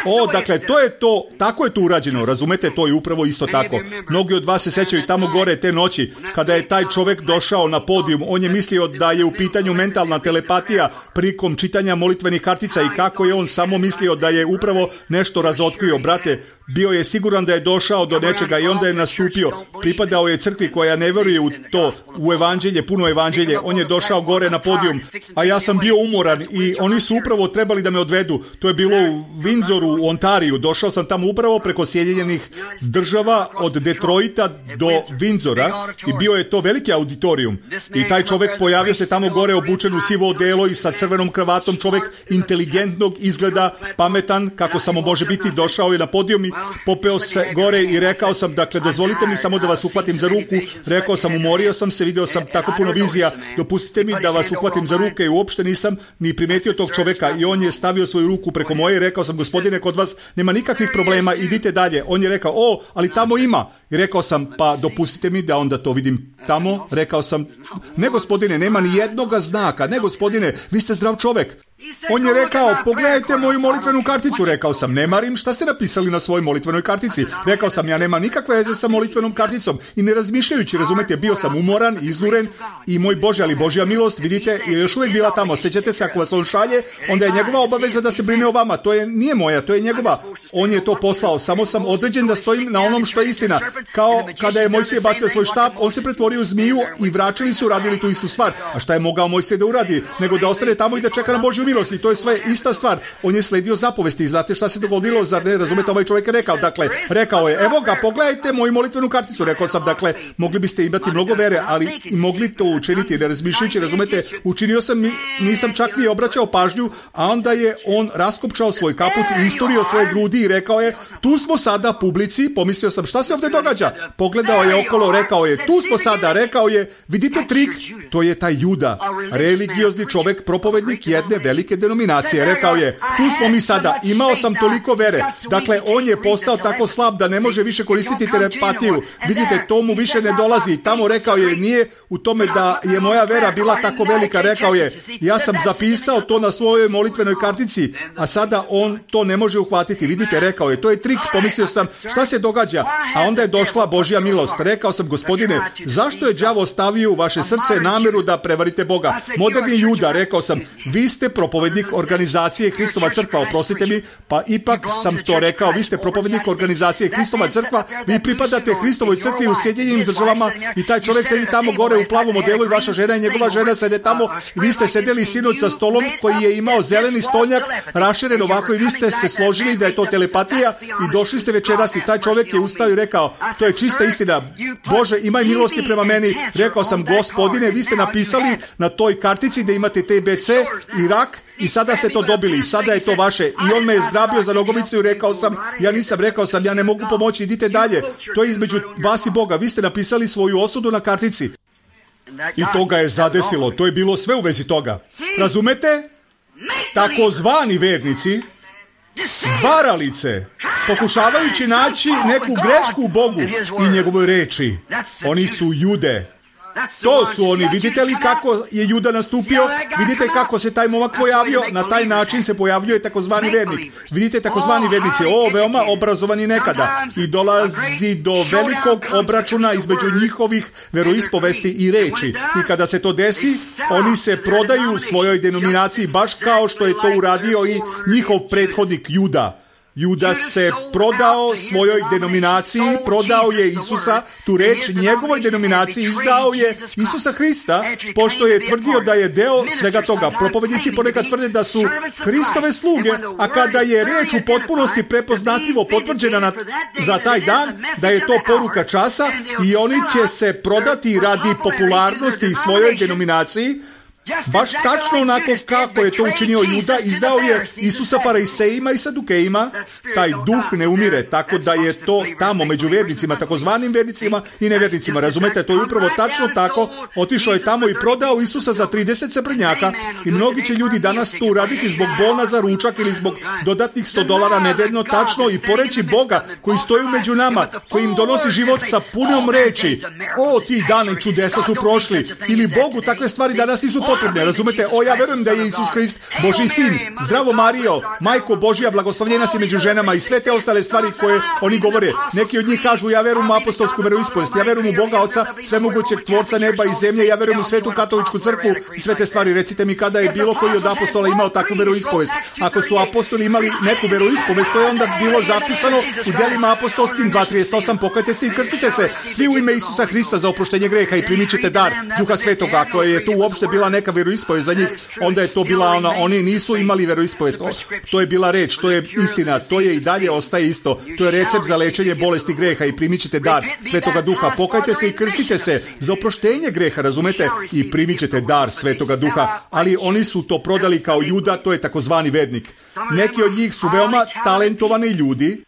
O, dakle, to je to, tako je to urađeno, razumete, to je upravo isto tako. Mnogi od vas se sećaju tamo gore te noći, kada je taj čovjek došao na podijum. On je mislio da je u pitanju mentalna telepatija prilikom čitanja molitvenih kartica i kako je on samo mislio da je upravo nešto razotkrio. Brate, bio je siguran da je došao do nečega i onda je nastupio. Pripadao je crkvi koja ne veruje u to, u evanđelje, puno evanđelje. On je došao gore na podijum, a ja sam bio umoran i oni su upravo trebali da me odvedu. To je bilo u Windsoru, u Ontariju. Došao sam tamo upravo preko Sjedinjenih država od Detroita do Windsora i bio je to veliki auditorijum. I taj čovjek pojavio se tamo gore obučen u sivo odelo i sa crvenom kravatom, čovjek inteligentnog izgleda, pametan, kako samo može biti. Došao je na podijum i popeo se gore i rekao sam, dakle, dozvolite mi samo da vas uhvatim za ruku. Rekao sam, umorio sam se, video sam tako puno vizija, dopustite mi da vas uhvatim za ruke i uopšte nisam ni primetio tog čovjeka i on je stavio svoju ruku preko moje i rekao sam, gospodine, kod vas nema nikakvih problema, idite dalje. On je rekao, o, ali tamo ima. I rekao sam, pa dopustite mi da onda to vidim tamo. Rekao sam, ne gospodine, nema ni jednoga znaka, ne gospodine, vi ste zdrav čovjek. On je rekao, pogledajte moju molitvenu karticu. Rekao sam, ne marim šta ste napisali na svojoj molitvenoj kartici. Rekao sam, ja nema nikakve veze sa molitvenom karticom i ne razmišljajući, razumete, bio sam umoran, iznuren i moj Bože, ali Božja milost, vidite, je još uvijek bila tamo. Sećate se, ako vas on šalje, onda je njegova obaveza da se brine o vama. To je nije moja, to je njegova. on je to poslao. Samo sam određen da stojim na onom što je istina. Kao kada je Mojsije bacio svoj štap, on se pretvorio u zmiju i vraćali su radili tu istu stvar. A šta je mogao Mojsije da uradi? Nego da ostane tamo i da čeka na Božju milost. I to je sve ista stvar. On je sledio zapovesti. Znate šta se dogodilo? Zar ne razumete, ovaj čovjek je rekao? Dakle, rekao je, evo ga, pogledajte moju molitvenu karticu. Rekao sam, dakle, mogli biste imati mnogo vere, ali i mogli to učiniti, ne razmišljajući, razumete, učinio sam, nisam čak ni obraćao pažnju, a onda je on raskopčao svoj kaput i isturio svoje grudi i rekao je, tu smo sada publici, pomislio sam, šta se ovdje događa? Pogledao je okolo, rekao je, tu smo sada, rekao je, vidite trik, to je taj Juda, religiozni čovjek, propovednik jedne velike denominacije, rekao je, tu smo mi sada, imao sam toliko vere, dakle, on je postao tako slab da ne može više koristiti telepatiju, vidite, to mu više ne dolazi, tamo rekao je, nije u tome da je moja vera bila tako velika, rekao je, ja sam zapisao to na svojoj molitvenoj kartici, a sada on to ne može uhvatiti, vidite, rekao je, to je trik, pomislio sam, šta se događa, a onda je došla Božja milost, rekao sam, gospodine, zašto je đavo stavio u vaše srce namjeru da prevarite Boga? Moderni Juda, rekao sam, vi ste propovednik organizacije Hristova crkva, oprostite mi, pa ipak sam to rekao, vi ste propovednik organizacije Hristova crkva, vi pripadate Hristovoj crkvi u Sjedinjenim državama i taj čovjek sedi tamo gore u plavom modelu i vaša žena i njegova žena sede tamo i vi ste sedeli sinoć sa stolom koji je imao zeleni stolnjak raširen ovako i vi ste se složili da je to telepatija i došli ste večeras i taj čovjek je ustao i rekao, to je čista istina, Bože, imaj milosti prema meni. Rekao sam, gospodine, vi ste napisali na toj kartici da imate T B C i rak i sada ste to dobili i sada je to vaše. I on me je zgrabio za nogovicu i rekao sam, ja nisam, rekao sam, ja ne mogu pomoći, idite dalje. To je između vas i Boga. Vi ste napisali svoju osudu na kartici. I to ga je zadesilo. To je bilo sve u vezi toga. Razumete? Takozvani vernici, varalice, pokušavajući naći neku grešku u Bogu i njegovoj reči. Oni su Jude. To su oni. Vidite li kako je Juda nastupio? Vidite kako se taj momak pojavio? Na taj način se pojavljuje takozvani vernik. Vidite, takozvani vernici, o, veoma obrazovani nekada. I dolazi do velikog obračuna između njihovih veroispovesti i reči. I kada se to desi, oni se prodaju svojoj denominaciji, baš kao što je to uradio i njihov prethodnik Juda. Juda se prodao svojoj denominaciji, prodao je Isusa, tu reč, njegovoj denominaciji, izdao je Isusa Hrista, pošto je tvrdio da je deo svega toga. Propovednici ponekad tvrde da su Hristove sluge, a kada je reč u potpunosti prepoznatljivo potvrđena na, za taj dan, da je to poruka časa i oni će se prodati radi popularnosti svojoj denominaciji, baš tačno onako kako je to učinio Juda, izdao je Isusa farisejima i sadukejima. Taj duh ne umire, tako da je to tamo među vernicima, takozvanim vernicima i nevernicima. Razumete, to je upravo tačno tako. Otišao je tamo i prodao Isusa za trideset srebrnjaka i mnogi će ljudi danas to uraditi zbog bona za ručak ili zbog dodatnih sto dolara nedeljno, tačno, i poreći Boga koji stoji među nama, koji im donosi život sa punom reči. O, ti dani čudesa su prošli. Ili Bogu takve stvari danas nisu potrebne, razumete? O, ja verujem da je Isus Hrist Božji sin. Zdravo Marijo, majko Božja, blagoslovljena si među ženama i sve te ostale stvari koje oni govore. Neki od njih kažu, ja verujem u apostolsku veroispovest, ja verujem u Boga Oca, svemogućeg tvorca neba i zemlje, ja verujem u svetu katoličku crkvu i sve te stvari. Recite mi kada je bilo koji od apostola imao takvu veroispovest. Ako su apostoli imali neku veroispovest, to je onda bilo zapisano u delima apostolskim dva trideset osam, pokajte se i krstite se svi u ime Isusa Hrista za oproštenje greha i primit ćete dar Duha Svetoga. Ako je to uopšte bila neka veroispovest za njih, onda je to bila ona, oni nisu imali veroispovest. To je bila reč, to je istina, to je i dalje ostaje isto. To je recept za lečenje bolesti greha i primit ćete dar Svetoga Duha. Pokajte se i krstite se za oproštenje greha, razumete? I primit ćete dar Svetoga Duha. Ali oni su to prodali kao Juda, to je takozvani vernik. Neki od njih su veoma talentovani ljudi.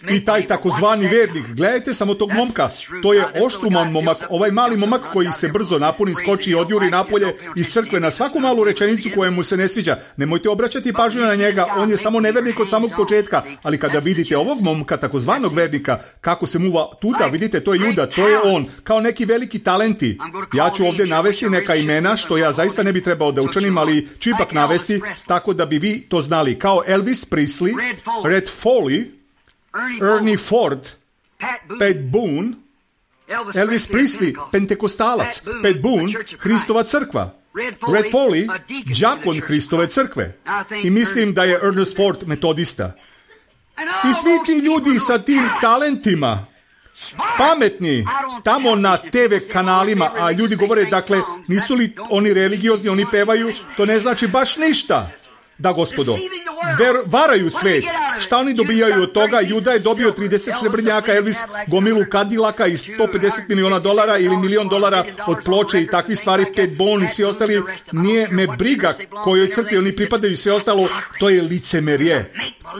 I taj takozvani vernik, gledajte samo tog momka, to je oštruman momak, ovaj mali momak koji se brzo napuni, skoči i odjuri napolje iz crkve na svaku malu rečenicu koja mu se ne sviđa. Nemojte obraćati pažnju na njega, on je samo nevernik od samog početka, ali kada vidite ovog momka, takozvanog vernika, kako se muva tuda, vidite, to je Juda, to je on, kao neki veliki talenti. Ja ću ovdje navesti neka imena, što ja zaista ne bi trebao da učanim, ali ću ipak navesti, tako da bi vi to znali, kao Elvis Presley, Red Foley, Ernie Ford, Pat Boone, Elvis Presley, pentekostalac, Pat Boone, Hristova crkva, Red Foley, đakon Hristove crkve. I mislim da je Ernest Ford metodista. I svi ti ljudi sa tim talentima, pametni, tamo na te ve kanalima, a ljudi govore, dakle, nisu li oni religiozni, oni pevaju, to ne znači baš ništa. Da, gospodo, ver, varaju svet. Šta oni dobijaju od toga? Juda je dobio trideset srebrnjaka, Elvis gomilu Cadillaka i sto pedeset miliona dolara ili milion dolara od ploče i takvi stvari, pet bon i svi ostali. Nije me briga kojoj crkvi oni pripadaju i sve ostalo. To je licemerje.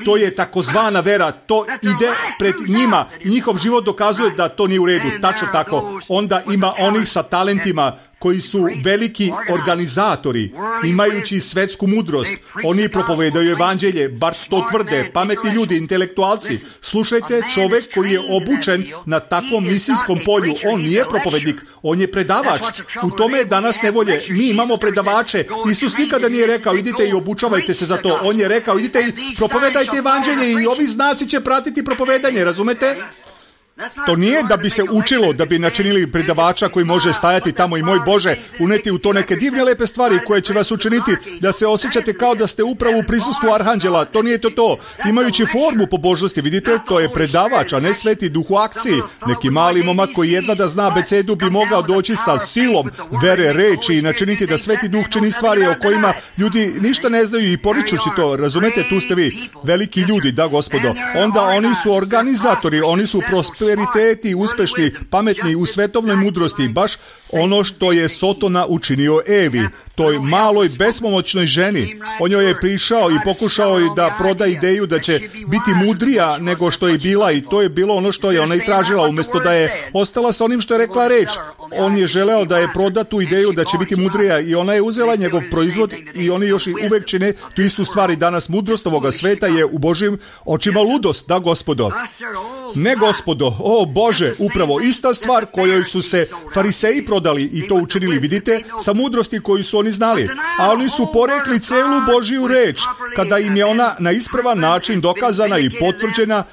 To je takozvana vera. To ide pred njima. Njihov život dokazuje da to nije u redu. Tačno tako. Onda ima onih sa talentima koji su veliki organizatori, imajući svetsku mudrost. Oni propovedaju evanđelje, bar to tvrde, pametni ljudi, intelektualci. Slušajte, čovjek koji je obučen na takvom misijskom polju, on nije propovednik, on je predavač. U tome je danas nevolje. Mi imamo predavače. Isus nikada nije rekao, idite i obučavajte se za to. On je rekao, idite i propovedajte evanđelje i ovi znaci će pratiti propovedanje, razumete? To nije da bi se učilo, da bi načinili predavača koji može stajati tamo i moj Bože, uneti u to neke divne lepe stvari koje će vas učiniti da se osjećate kao da ste upravo u prisustvu arhanđela. To nije to to. Imajući formu pobožnosti, vidite, to je predavač, a ne Sveti Duh u akciji. Neki mali momak koji jedva da zna abecedu bi mogao doći sa silom vere reči i načiniti da Sveti Duh čini stvari o kojima ljudi ništa ne znaju i poričući to. Razumete, tu ste vi. Veliki ljudi, da, gospodo. Onda oni su organizatori, oni su prosperiteti, uspešni, pametni u svetovnoj mudrosti, baš ono što je Sotona učinio Evi, toj maloj bespomoćnoj ženi. On joj je prišao i pokušao je da proda ideju da će biti mudrija nego što je bila i to je bilo ono što je ona i tražila, umjesto da je ostala sa onim što je rekla reč. On je želeo da je proda tu ideju da će biti mudrija i ona je uzela njegov proizvod i oni još i uvek čine tu istu stvar i danas. Mudrost ovoga sveta je u Božjim očima ludost, da, gospodo. Ne, gospodo, o Bože, upravo ista stvar kojoj su se fariseji prodali i to učinili, vidite, sa mudrosti koju su oni znali. A oni su porekli celu Božju reč, kada im je ona na ispravan način dokazana i potvrđena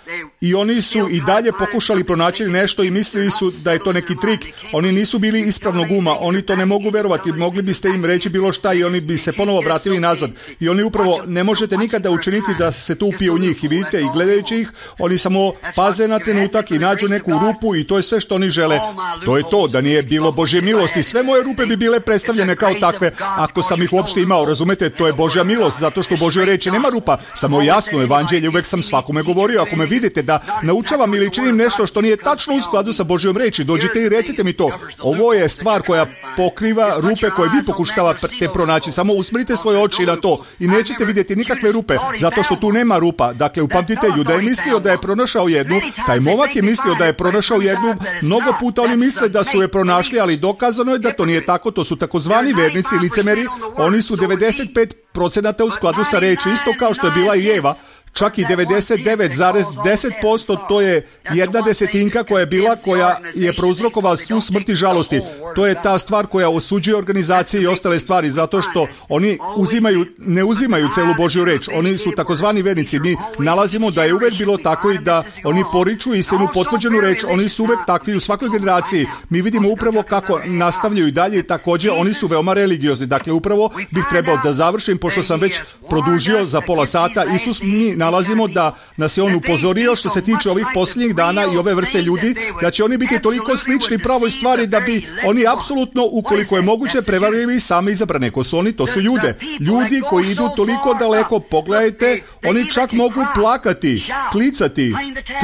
i oni su i dalje pokušali pronaći nešto i mislili su da je to neki trik. Oni nisu bili ispravnog uma, oni to ne mogu verovati, mogli biste im reći bilo šta i oni bi se ponovo vratili nazad. I oni upravo ne možete nikada učiniti da se to upije u njih i vidite, i gledajući ih, oni samo paze na trenutak i nađu neku rupu i to je sve što oni žele. To je to, da nije bilo Božje milosti. Sve moje rupe bi bile predstavljene kao takve, ako sam ih uopšte imao, razumete, to je Božja milost, zato što u Božjoj reči nema rupa, samo jasno evanđelje, uvek sam svakome govorio, ako me vidite da naučavam ili činim nešto što nije tačno u skladu sa Božjom reči, dođite i recite mi to. Ovo je stvar koja pokriva rupe koje vi pokušavate pronaći, samo usmrite svoje oči na to i nećete vidjeti nikakve rupe, zato što tu nema rupa. Dakle, upamtite, Juda je mislio da je pronašao jednu, taj momak je mislio da je pronašao jednu, mnogo puta oni misle da su je pronašli, ali dokazano je da to nije tako, to su takozvani vernici, licemeri, oni su devedeset pet procenata u skladu sa reči, isto kao što je bila i Eva, čak i devedeset devet zarez deset posto, to je jedna desetinka koja je bila, koja je prouzrokovala svu smrt i žalosti. To je ta stvar koja osuđuje organizacije i ostale stvari, zato što oni uzimaju, ne uzimaju celu Božju reč. Oni su takozvani vernici. Mi nalazimo da je uvek bilo tako i da oni poriču istinu, potvrđenu reč. Oni su uvek takvi u svakoj generaciji. Mi vidimo upravo kako nastavljaju i dalje i također oni su veoma religiozni. Dakle, upravo bih trebao da završim, pošto sam već produžio za pola sata. Isus mi nalazimo da nas je on upozorio što se tiče ovih posljednjih dana i ove vrste ljudi, da će oni biti toliko slični pravoj stvari da bi oni apsolutno, ukoliko je moguće, prevarili sami izabrane. Ko su oni? To su ljude. Ljudi koji idu toliko daleko, pogledajte, oni čak mogu plakati, klicati,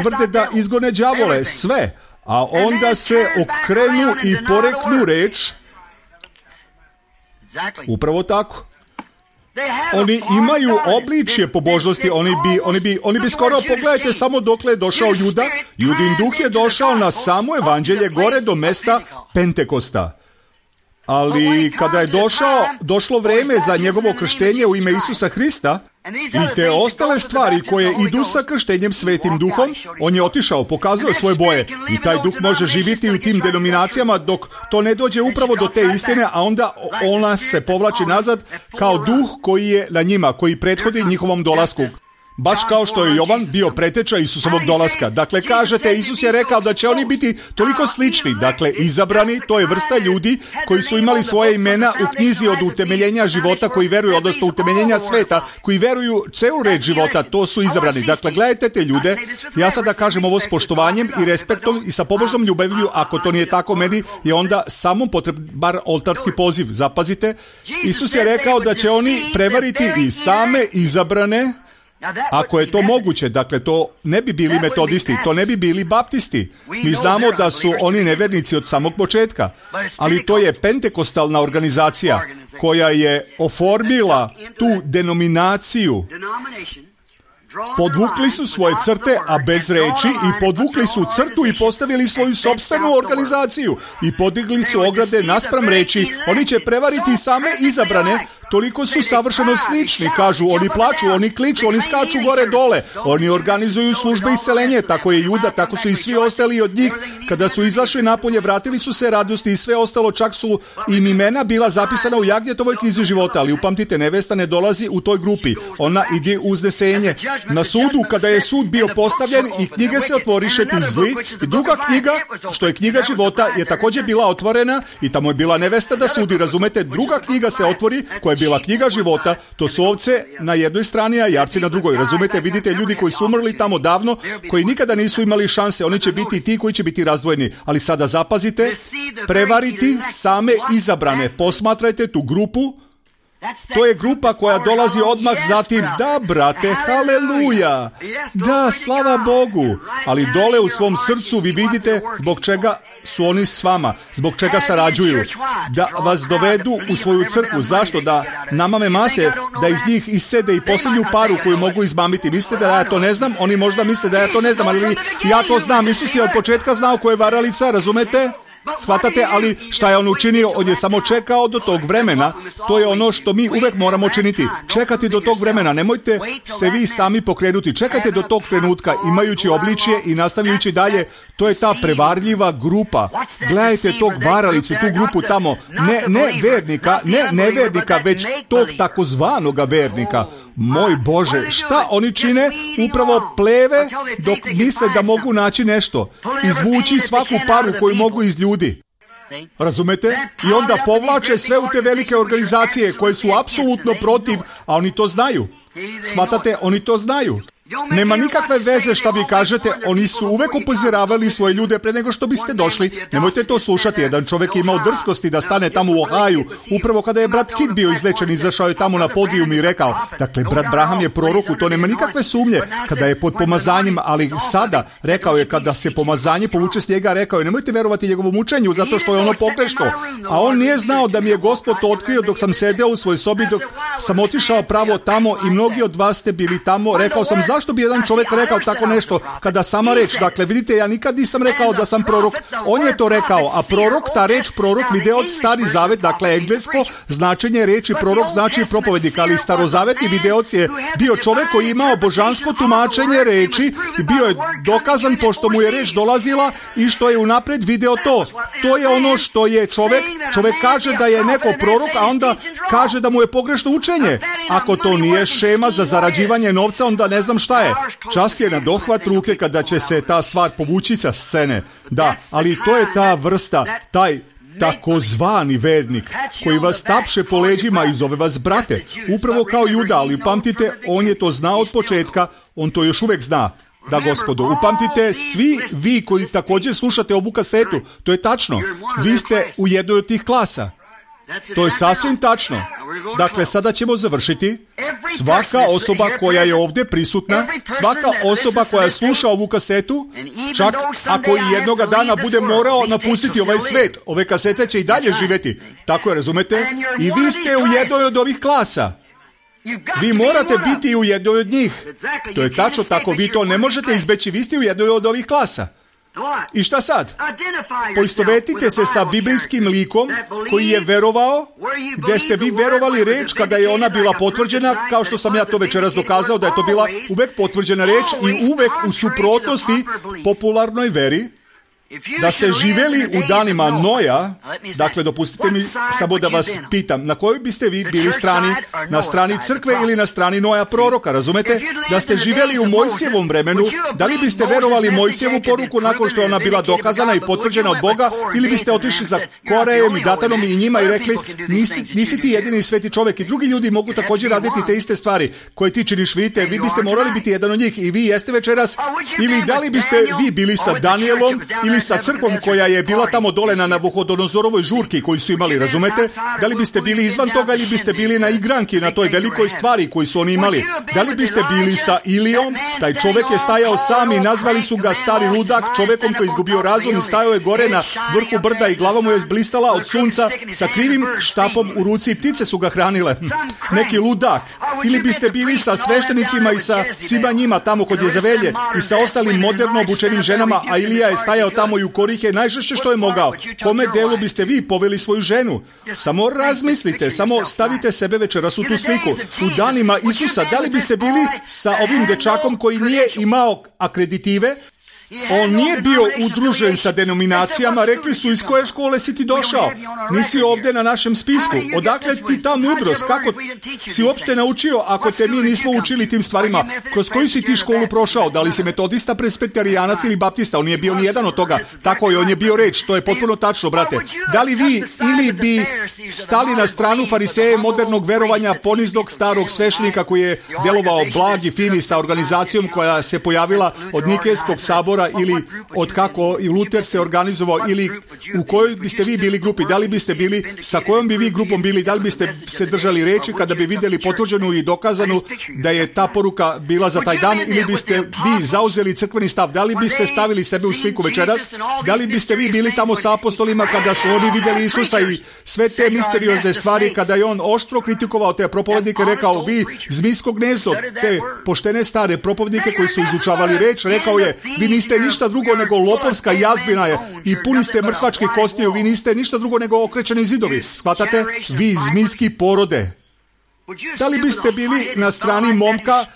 tvrde da izgone đavole, sve, a onda se okrenu i poreknu reč. Upravo tako. Oni imaju obličje pobožnosti, oni bi, oni bi, oni bi skoro, pogledajte samo dokle je došao Juda. Judin duh je došao na samo evanđelje gore do mesta Pentekosta. Ali kada je došao, došlo vreme za njegovo krštenje u ime Isusa Hrista i te ostale stvari koje idu sa krštenjem Svetim Duhom, on je otišao, pokazao svoje boje i taj duh može živjeti u tim denominacijama dok to ne dođe upravo do te istine, a onda ona se povlači nazad kao duh koji je na njima, koji prethodi njihovom dolasku. baš kao što je Jovan bio preteča Isusovog dolaska. Dakle, kažete, Isus je rekao da će oni biti toliko slični. Dakle, izabrani, to je vrsta ljudi koji su imali svoje imena u knjizi od utemeljenja života, koji veruju, odnosno utemeljenja sveta, koji veruju celu reč života, to su izabrani. Dakle, gledajte te ljude, ja sada kažem ovo s poštovanjem i respektom i sa pobožnom ljubavlju, ako to nije tako, meni je onda samo potreban bar oltarski poziv. Zapazite, Isus je rekao da će oni prevariti i same izabrane, ako je to moguće. Dakle, to ne bi bili metodisti, to ne bi bili baptisti. Mi znamo da su oni nevernici od samog početka, ali to je pentekostalna organizacija koja je oformila tu denominaciju. Podvukli su svoje crte, a bez reči, i podvukli su crtu i postavili svoju sopstvenu organizaciju i podigli su ograde naspram reči. Oni će prevariti same izabrane, toliko su savršeno slični, kažu, oni plaču, oni kliču, oni skaču gore dole, oni organizuju službe isceljenja, tako je Juda, tako su i svi ostali od njih. Kada su izašli napolje, vratili su se radosti i sve ostalo, čak su im imena bila zapisana u Jagnjetovoj knjizi života, ali upamtite, nevesta ne dolazi u toj grupi, ona ide u uznesenje. Na sudu, kada je sud bio postavljen i knjige se otvoriše ti zli, i druga knjiga, što je knjiga života, je također bila otvorena i tamo je bila nevesta da sudi, razumete, druga knjiga se otvori, koja je bila knjiga života, to su ovce na jednoj strani, a jarci na drugoj, razumete, vidite ljudi koji su umrli tamo davno, koji nikada nisu imali šanse, oni će biti ti koji će biti razdvojeni, ali sada zapazite, prevariti same izabrane, posmatrajte tu grupu. To je grupa koja dolazi odmah zatim, da brate, haleluja, da, slava Bogu, ali dole u svom srcu vi vidite zbog čega su oni s vama, zbog čega sarađuju, da vas dovedu u svoju crkvu. Zašto? Da namame mase, da iz njih isede i posljednju paru koju mogu izmamiti. Mislite da ja to ne znam? Oni možda misle da ja to ne znam, ali ja to znam. Isus je od početka znao ko je varalica, razumete? Shvatate, ali šta je on učinio? On je samo čekao do tog vremena. To je ono što mi uvek moramo činiti. Čekati do tog vremena. Nemojte se vi sami pokrenuti. Čekajte do tog trenutka, imajući obličje i nastavljajući dalje. To je ta prevarljiva grupa. Gledajte tog varalicu, tu grupu tamo. Ne, ne vernika, ne nevernika, već tog takozvanoga vernika. Moj Bože, šta oni čine? Upravo pleve dok misle da mogu naći nešto. Izvući svaku paru koju mogu iz ljudi. Razumete? I onda povlače sve u te velike organizacije koje su apsolutno protiv, a oni to znaju. Shvatate, oni to znaju. Nema nikakve veze šta vi kažete, oni su uvek upozoravali svoje ljude pre nego što biste došli. Nemojte to slušati, jedan čovjek je imao drskosti da stane tamo u Ohaju, upravo kada je brat Kid bio izlečen, izašao je tamo na podijum i rekao, dakle, brat Braham je prorok, u to nema nikakve sumnje, kada je pod pomazanjem, ali sada, rekao je, kada se pomazanje povuče s njega, rekao je, nemojte verovati njegovom učenju, zato što je ono pogrešno. A on nije znao da mi je Gospod to otkrio dok sam sedeo u svojoj sobi, dok sam otišao pravo tamo i mnogi od vas ste bili tamo, rekao sam, zašto bi jedan čovjek rekao tako nešto kada sama reč, dakle vidite, ja nikad nisam rekao da sam prorok, on je to rekao, a prorok, ta reč prorok vide od Stari Zavet, dakle englesko značenje reči prorok znači propovednik, ali starozavetni videoc je bio čovjek koji je imao božansko tumačenje reči i bio je dokazan pošto mu je reč dolazila i što je unapred video to. To je ono što je čovjek, čovjek kaže da je neko prorok, a onda kaže da mu je pogrešno učenje. Ako to nije šema za zarađivanje novca, onda ne znam šta je. Čas je na dohvat ruke kada će se ta stvar povući sa scene. Da, ali to je ta vrsta, taj takozvani vernik koji vas tapše po leđima i zove vas brate. Upravo kao Juda, ali upamtite, on je to znao od početka, on to još uvek zna. Da, gospodo, upamtite, svi vi koji također slušate ovu kasetu, to je tačno, vi ste u jednoj od tih klasa. To je sasvim tačno. Dakle, sada ćemo završiti. Svaka osoba koja je ovdje prisutna, svaka osoba koja sluša ovu kasetu, čak ako i jednoga dana bude morao napustiti ovaj svet, ove kasete će i dalje živjeti. Tako je, razumete? I vi ste u jednoj od ovih klasa. Vi morate biti u jednoj od njih. To je tačno tako, vi to ne možete izbeći, vi ste u jednoj od ovih klasa. I šta sad? Poistovetite se sa biblijskim likom koji je verovao, gdje ste vi verovali reč kada je ona bila potvrđena, kao što sam ja to večeras dokazao, da je to bila uvek potvrđena reč i uvek u suprotnosti popularnoj veri. Da ste živjeli u danima Noja, dakle, dopustite mi samo da vas pitam, na kojoj biste vi bili strani? Na strani crkve ili na strani Noja proroka, razumete? Da ste živjeli u Mojsijevom vremenu, da li biste verovali Mojsijevu poruku nakon što je ona bila dokazana i potvrđena od Boga, ili biste otišli za Korejem i Datanom i njima i rekli, nisi, nisi ti jedini sveti čovjek i drugi ljudi mogu također raditi te iste stvari koje ti činiš, vidite, vi biste morali biti jedan od njih i vi jeste večeras, ili da li biste vi bili sa Danijelom ili sa crkvom koja je bila tamo dole na Nabuhodonozorovoj žurki koju su imali, razumete? Da li biste bili izvan toga ili biste bili na igranki, na toj velikoj stvari koju su oni imali? Da li biste bili sa Ilijom? Taj čovjek je stajao sam i nazvali su ga stari ludak, čovjekom koji je izgubio razum i stajao je gore na vrhu brda i glava mu je blistala od sunca sa krivim štapom u ruci i ptice su ga hranile. Neki ludak. Ili biste bili sa sveštenicima i sa svima njima tamo kod Jezavelje i sa ostalim moderno obučenim ženama, a Ilija je stajao tamo i u korihe najžešće što je mogao. Kome delu biste vi poveli svoju ženu? Samo razmislite, samo stavite sebe večeras u tu sliku. U danima Isusa, da li biste bili sa ovim dečakom koji nije imao akreditive? On nije bio udružen sa denominacijama, rekli su iz koje škole si ti došao, nisi ovdje na našem spisku, odakle ti ta mudrost, kako si uopšte naučio ako te mi nismo učili tim stvarima, kroz koju si ti školu prošao, da li si metodista, presbiterijanac ili baptista, on nije bio ni jedan od toga, tako je, on je bio reč, to je potpuno tačno, brate. Da li vi ili bi stali na stranu fariseje modernog verovanja poniznog starog sveštenika koji je delovao blag i fini sa organizacijom koja se pojavila od Nikejskog sabora ili od kako i Luter se organizovao, ili u kojoj biste vi bili grupi, da li biste bili, sa kojom bi vi grupom bili, da li biste se držali reči kada bi vidjeli potvrđenu i dokazanu da je ta poruka bila za taj dan, ili biste vi zauzeli crkveni stav, da li biste stavili sebe u sliku večeras, da li biste vi bili tamo sa apostolima kada su oni vidjeli Isusa i sve te misteriozne stvari, kada je on oštro kritikovao te propovednike, rekao, vi zmijsko gnezdo, te poštene stare propovednike koji su izučavali reč, rekao je, vi niste ništa drugo nego lopovska jazbina je i puni ste mrtvačkih kostiju, vi niste ništa drugo nego okrećeni zidovi. Shvatate? Vi zmijski porode. Da li biste bili na strani momka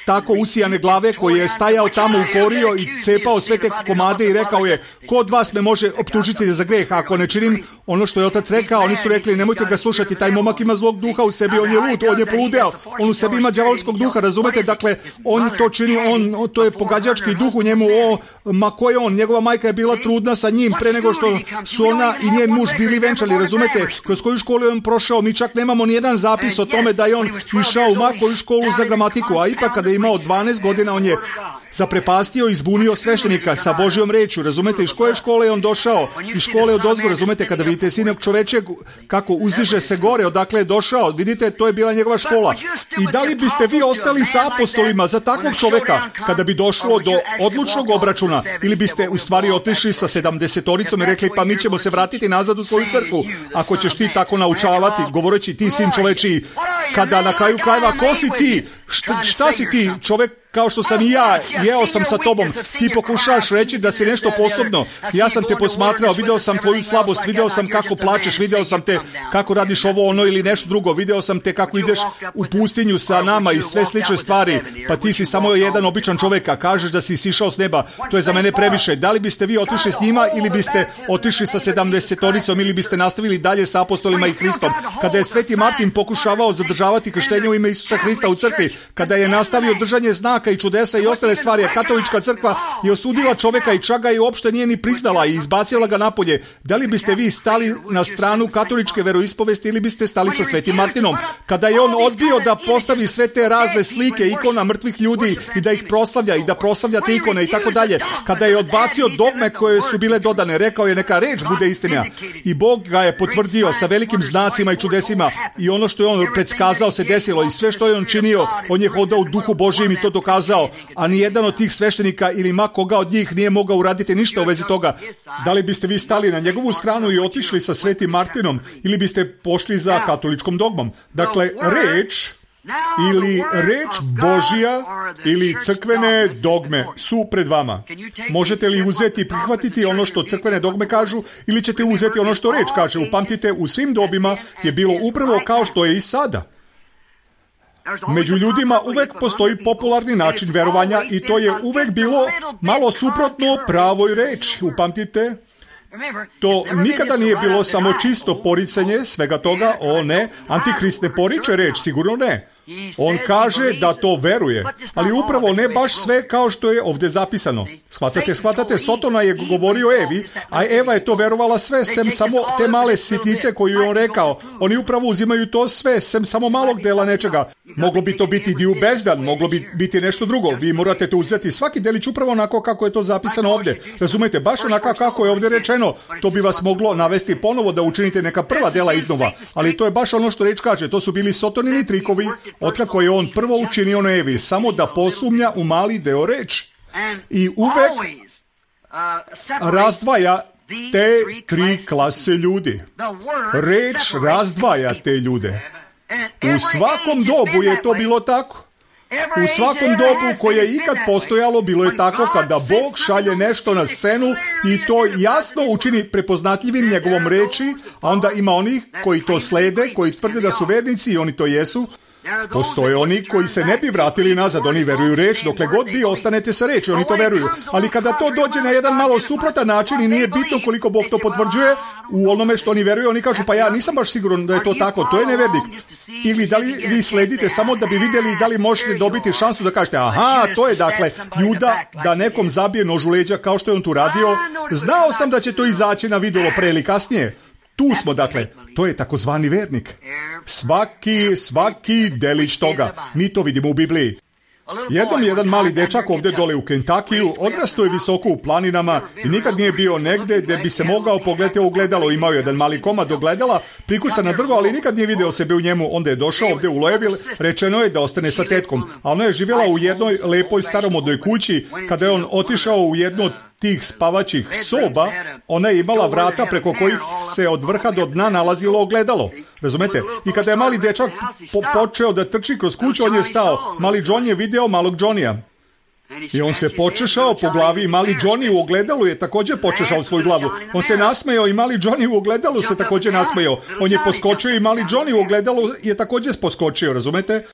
tako usijane glave koji je stajao tamo u korio i cepao sve te komade i rekao je, ko od vas me može optužiti za greh ako ne činim ono što je otac rekao? Oni su rekli, nemojte ga slušati, taj momak ima zlog duha u sebi, on je lud, on je poludeo, on u sebi ima đavolskog duha, razumete? Dakle, on to čini, on, to je pogađački duh u njemu, o, ma ko je on? Njegova majka je bila trudna sa njim pre nego što su ona i njen muž bili venčali, razumete? Kroz koju školu je on prošao, mi čak nemamo nijedan zapis o tome da je on išao u makoju školu za gramatiku, a ipak kada je imao dvanaest godina on je zaprepastio i zbunio sveštenika sa Božjom rečju, razumete? Iz koje škole je on došao? Iz škole od ozgo, razumete? Kada vidite Sinog čovečeg kako uzdiže se gore, odakle je došao, vidite, to je bila njegova škola. I da li biste vi ostali sa apostolima za takvog čoveka kada bi došlo do odlučnog obračuna, ili biste u stvari otišli sa sedamdesetoricom i rekli, pa mi ćemo se vratiti nazad u svoju crkvu ako ćeš ti tako naučavati, govoreći ti sin čoveči, kada na kraju krajeva, ko si ti? Šta, šta si ti, čovek kao što sam i ja, jeo sam sa tobom, ti pokušaš reći da si nešto posebno, ja sam te posmatrao, video sam tvoju slabost, video sam kako plačeš, video sam te kako radiš ovo ono ili nešto drugo, video sam te kako ideš u pustinju sa nama i sve slične stvari, pa ti si samo jedan običan čovjek, a kažeš da si sišao s neba, to je za mene previše. Da li biste vi otišli s njima ili biste otišli sa sedamdesetoricom ili biste nastavili dalje sa apostolima i Hristom? Kada je Sveti Martin pokušavao zadržavati krštenje u ime Isusa Hrista u crkvi, kada je nastavio držanje znaka i čudesa i ostale stvari, a katolička crkva je osudila čovjeka i čak ga i uopšte nije ni priznala i izbacila ga napolje. Da li biste vi stali na stranu katoličke veroispovesti ili biste stali sa Svetim Martinom? Kada je on odbio da postavi sve te razne slike ikona mrtvih ljudi i da ih proslavlja i da proslavlja te ikone i tako dalje, kada je odbacio dogme koje su bile dodane, rekao je neka reč bude istina i Bog ga je potvrdio sa velikim znacima i čudesima i ono što je on predskazao se desilo i sve što je on činio, on je hodao u duhu Božjem i to dokazao, a ni jedan od tih sveštenika ili ma koga od njih nije mogao uraditi ništa u vezi toga. Da li biste vi stali na njegovu stranu i otišli sa Svetim Martinom ili biste pošli za katoličkom dogmom? Dakle, reč ili reč Božja ili crkvene dogme su pred vama. Možete li uzeti i prihvatiti ono što crkvene dogme kažu ili ćete uzeti ono što reč kaže? Upamtite, u svim dobima je bilo upravo kao što je i sada. Među ljudima uvek postoji popularni način verovanja i to je uvek bilo malo suprotno pravoj reči. Upamtite, to nikada nije bilo samo čisto poricanje svega toga. O ne, Antihrist ne poriče reč, sigurno ne. On kaže da to veruje, ali upravo ne baš sve kao što je ovdje zapisano. Shvatate, shvatate, Sotona je govorio Evi, a Eva je to verovala sve, sem samo te male sitnice koju je on rekao. Oni upravo uzimaju to sve, sem samo malog dela nečega. Moglo bi to biti dio bezdan, moglo bi biti nešto drugo. Vi morate to uzeti svaki delić upravo onako kako je to zapisano ovdje. Razumete, baš onako kako je ovdje rečeno. To bi vas moglo navesti ponovo da učinite neka prva dela iznova. Ali to je baš ono što reč kaže. To su bili Sotonini trikovi, otkako je on prvo učinio na Evi, samo da posumnja u mali deo reči. I uvek razdvaja te tri klase ljudi. Reč razdvaja te ljude. U svakom dobu je to bilo tako. U svakom dobu koje je ikad postojalo bilo je tako kada Bog šalje nešto na scenu i to jasno učini prepoznatljivim njegovom reči, a onda ima onih koji to slede, koji tvrde da su vernici i oni to jesu. Postoje oni koji se ne bi vratili nazad, oni veruju reč, dokle god vi ostanete sa reči, oni to veruju. Ali kada to dođe na jedan malo suprotan način i nije bitno koliko Bog to potvrđuje, u onome što oni veruju, oni kažu, pa ja nisam baš siguran da je to tako, to je nevernik. Ili da li vi sledite samo da bi vidjeli da li možete dobiti šansu da kažete, aha, to je dakle Juda da nekom zabije nož u leđa kao što je on tu radio. Znao sam da će to izaći na vidjelo pre ili kasnije. Tu smo, dakle, to je takozvani vernik. Svaki, svaki delić toga. Mi to vidimo u Bibliji. Jednom jedan mali dečak ovdje dole u Kentakiju odrastao je visoko u planinama i nikad nije bio negde gdje bi se mogao pogledati u ogledalo. Imao je jedan mali komad ogledala, prikucan na drvo, ali nikad nije video sebe u njemu. Onda je došao ovdje u Louisville, rečeno je da ostane sa tetkom. A ona je živjela u jednoj lepoj staromodnoj kući. Kada je on otišao u jednu tih spavaćih soba, ona je imala vrata preko kojih se od vrha do dna nalazilo ogledalo. Razumete? I kada je mali dečak po- počeo da trči kroz kuću, on je stao. Mali John je video malog Johnnyja. I on se počešao po glavi i mali Johnny u ogledalu je također počešao svoju glavu. On se nasmejao i mali Johnny u ogledalu se također nasmejao. On je poskočio i mali Johnny u ogledalu je također poskočio, razumete?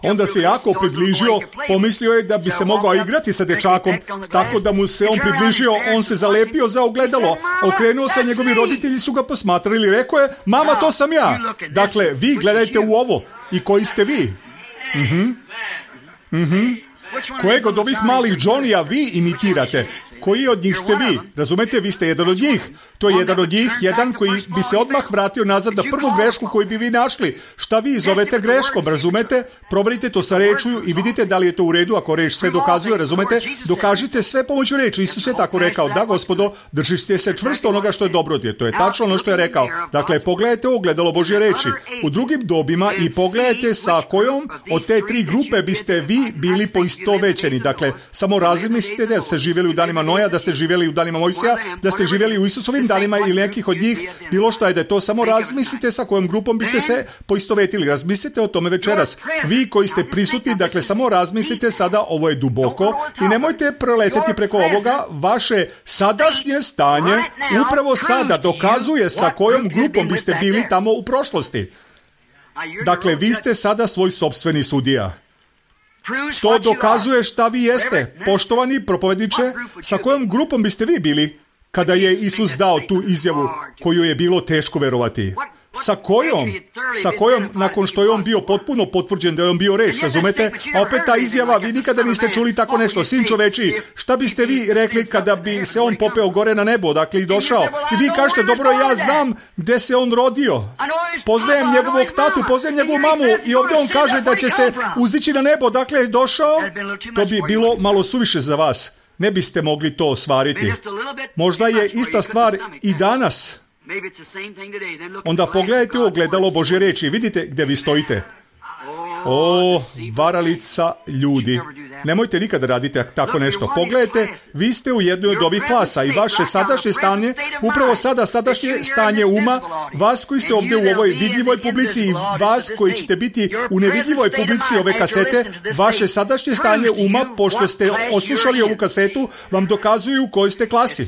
Onda se jako približio, pomislio je da bi se mogao igrati sa dečakom, tako da mu se on približio, on se zalepio za ogledalo, okrenuo se, njegovi roditelji su ga posmatrali, rekao je, mama, to sam ja. Dakle, vi gledajte u ovo. I koji ste vi? Mhm. Mhm. Kojeg od ovih malih Johnnyja vi imitirate? Koji od njih ste vi? Razumete, vi ste jedan od njih. To je jedan od njih, jedan koji bi se odmah vratio nazad na prvu grešku koju bi vi našli. Šta vi zovete greškom, razumete? Proverite to sa rečju i vidite da li je to u redu. Ako reč sve dokazuje, razumete? Dokažite sve pomoću reči. Isus je tako rekao, da gospodo, držite se čvrsto onoga što je dobro. To je tačno ono što je rekao. Dakle, pogledajte ogledalo Božje reči u drugim dobima i pogledajte sa kojom od te tri grupe biste vi bili poistovećeni. Dakle, samo razmislite da ste živjeli u danima Noja, da ste živjeli u danima Mojsija, da ste živjeli u Isusovim danima ili nekih od njih, bilo što je da je to, samo razmislite sa kojom grupom biste se poistovetili. Razmislite o tome večeras. Vi koji ste prisutni, dakle, samo razmislite sada, ovo je duboko i nemojte proleteti preko ovoga. Vaše sadašnje stanje upravo sada dokazuje sa kojom grupom biste bili tamo u prošlosti. Dakle, vi ste sada svoj sopstveni sudija. To dokazuje šta vi jeste. Poštovani propovedniče, sa kojom grupom biste vi bili kada je Isus dao tu izjavu koju je bilo teško verovati? Sa kojom? Sa kojom, nakon što je on bio potpuno potvrđen da je on bio reč, razumete? A opet ta izjava, vi nikada niste čuli tako nešto. Sin čoveči, šta biste vi rekli kada bi se on popeo gore na nebo, dakle i došao? I vi kažete, dobro, ja znam gde se on rodio. Poznajem njegovog tatu, poznajem njegovu mamu i ovdje on kaže da će se uzdići na nebo, dakle je došao. To bi bilo malo suviše za vas. Ne biste mogli to ostvariti. Možda je ista stvar i danas. Onda pogledajte u ogledalo Božje reči i vidite gdje vi stojite. O, varalica ljudi. Nemojte nikada raditi tako nešto. Pogledajte, vi ste u jednoj od ovih klasa i vaše sadašnje stanje, upravo sada sadašnje stanje uma, vas koji ste ovdje u ovoj vidljivoj publici i vas koji ćete biti u nevidljivoj publici ove kasete, vaše sadašnje stanje uma, pošto ste oslušali ovu kasetu, vam dokazuju u kojoj ste klasi.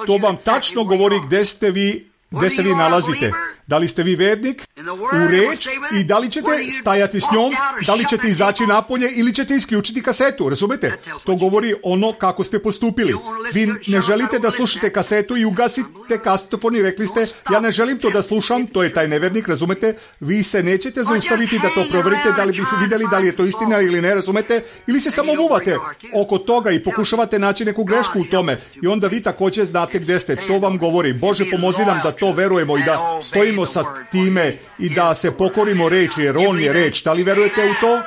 To vam tačno govori gdje ste vi, gdje se vi nalazite. Da li ste vi vernik u reč i da li ćete stajati s njom, da li ćete izaći napolje ili ćete isključiti kasetu, razumete? To govori ono kako ste postupili. Vi ne želite da slušate kasetu i ugasite kasetofon i rekli ste, ja ne želim to da slušam, to je taj nevernik, razumete? Vi se nećete zaustaviti da to proverite, da li bi vidjeli da li je to istina ili ne, razumete? Ili se samo muvate oko toga i pokušavate naći neku grešku u tome i onda vi također znate gdje ste. To vam govori. Bože, pomozi nam da to verujemo i da stojimo sa time i da se pokorimo reči, jer on je reč. Da li verujete u to?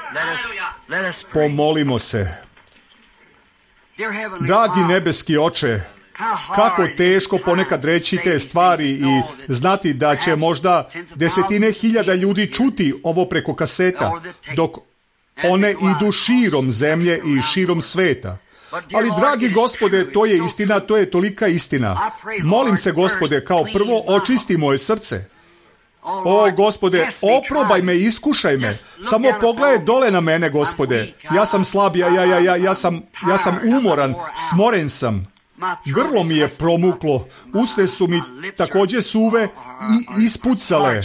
Pomolimo se. Dragi nebeski Oče, kako teško ponekad reći te stvari i znati da će možda desetine hiljada ljudi čuti ovo preko kaseta, dok one idu širom zemlje i širom sveta. Ali, dragi Gospode, to je istina, to je tolika istina. Molim se, Gospode, kao prvo očisti moje srce. O, Gospode, oprobaj me, iskušaj me. Samo pogledaj dole na mene, Gospode. Ja sam slab, ja, ja, ja, ja, ja, sam, ja sam umoran, smoren sam. Grlo mi je promuklo, usne su mi također suve i ispucale.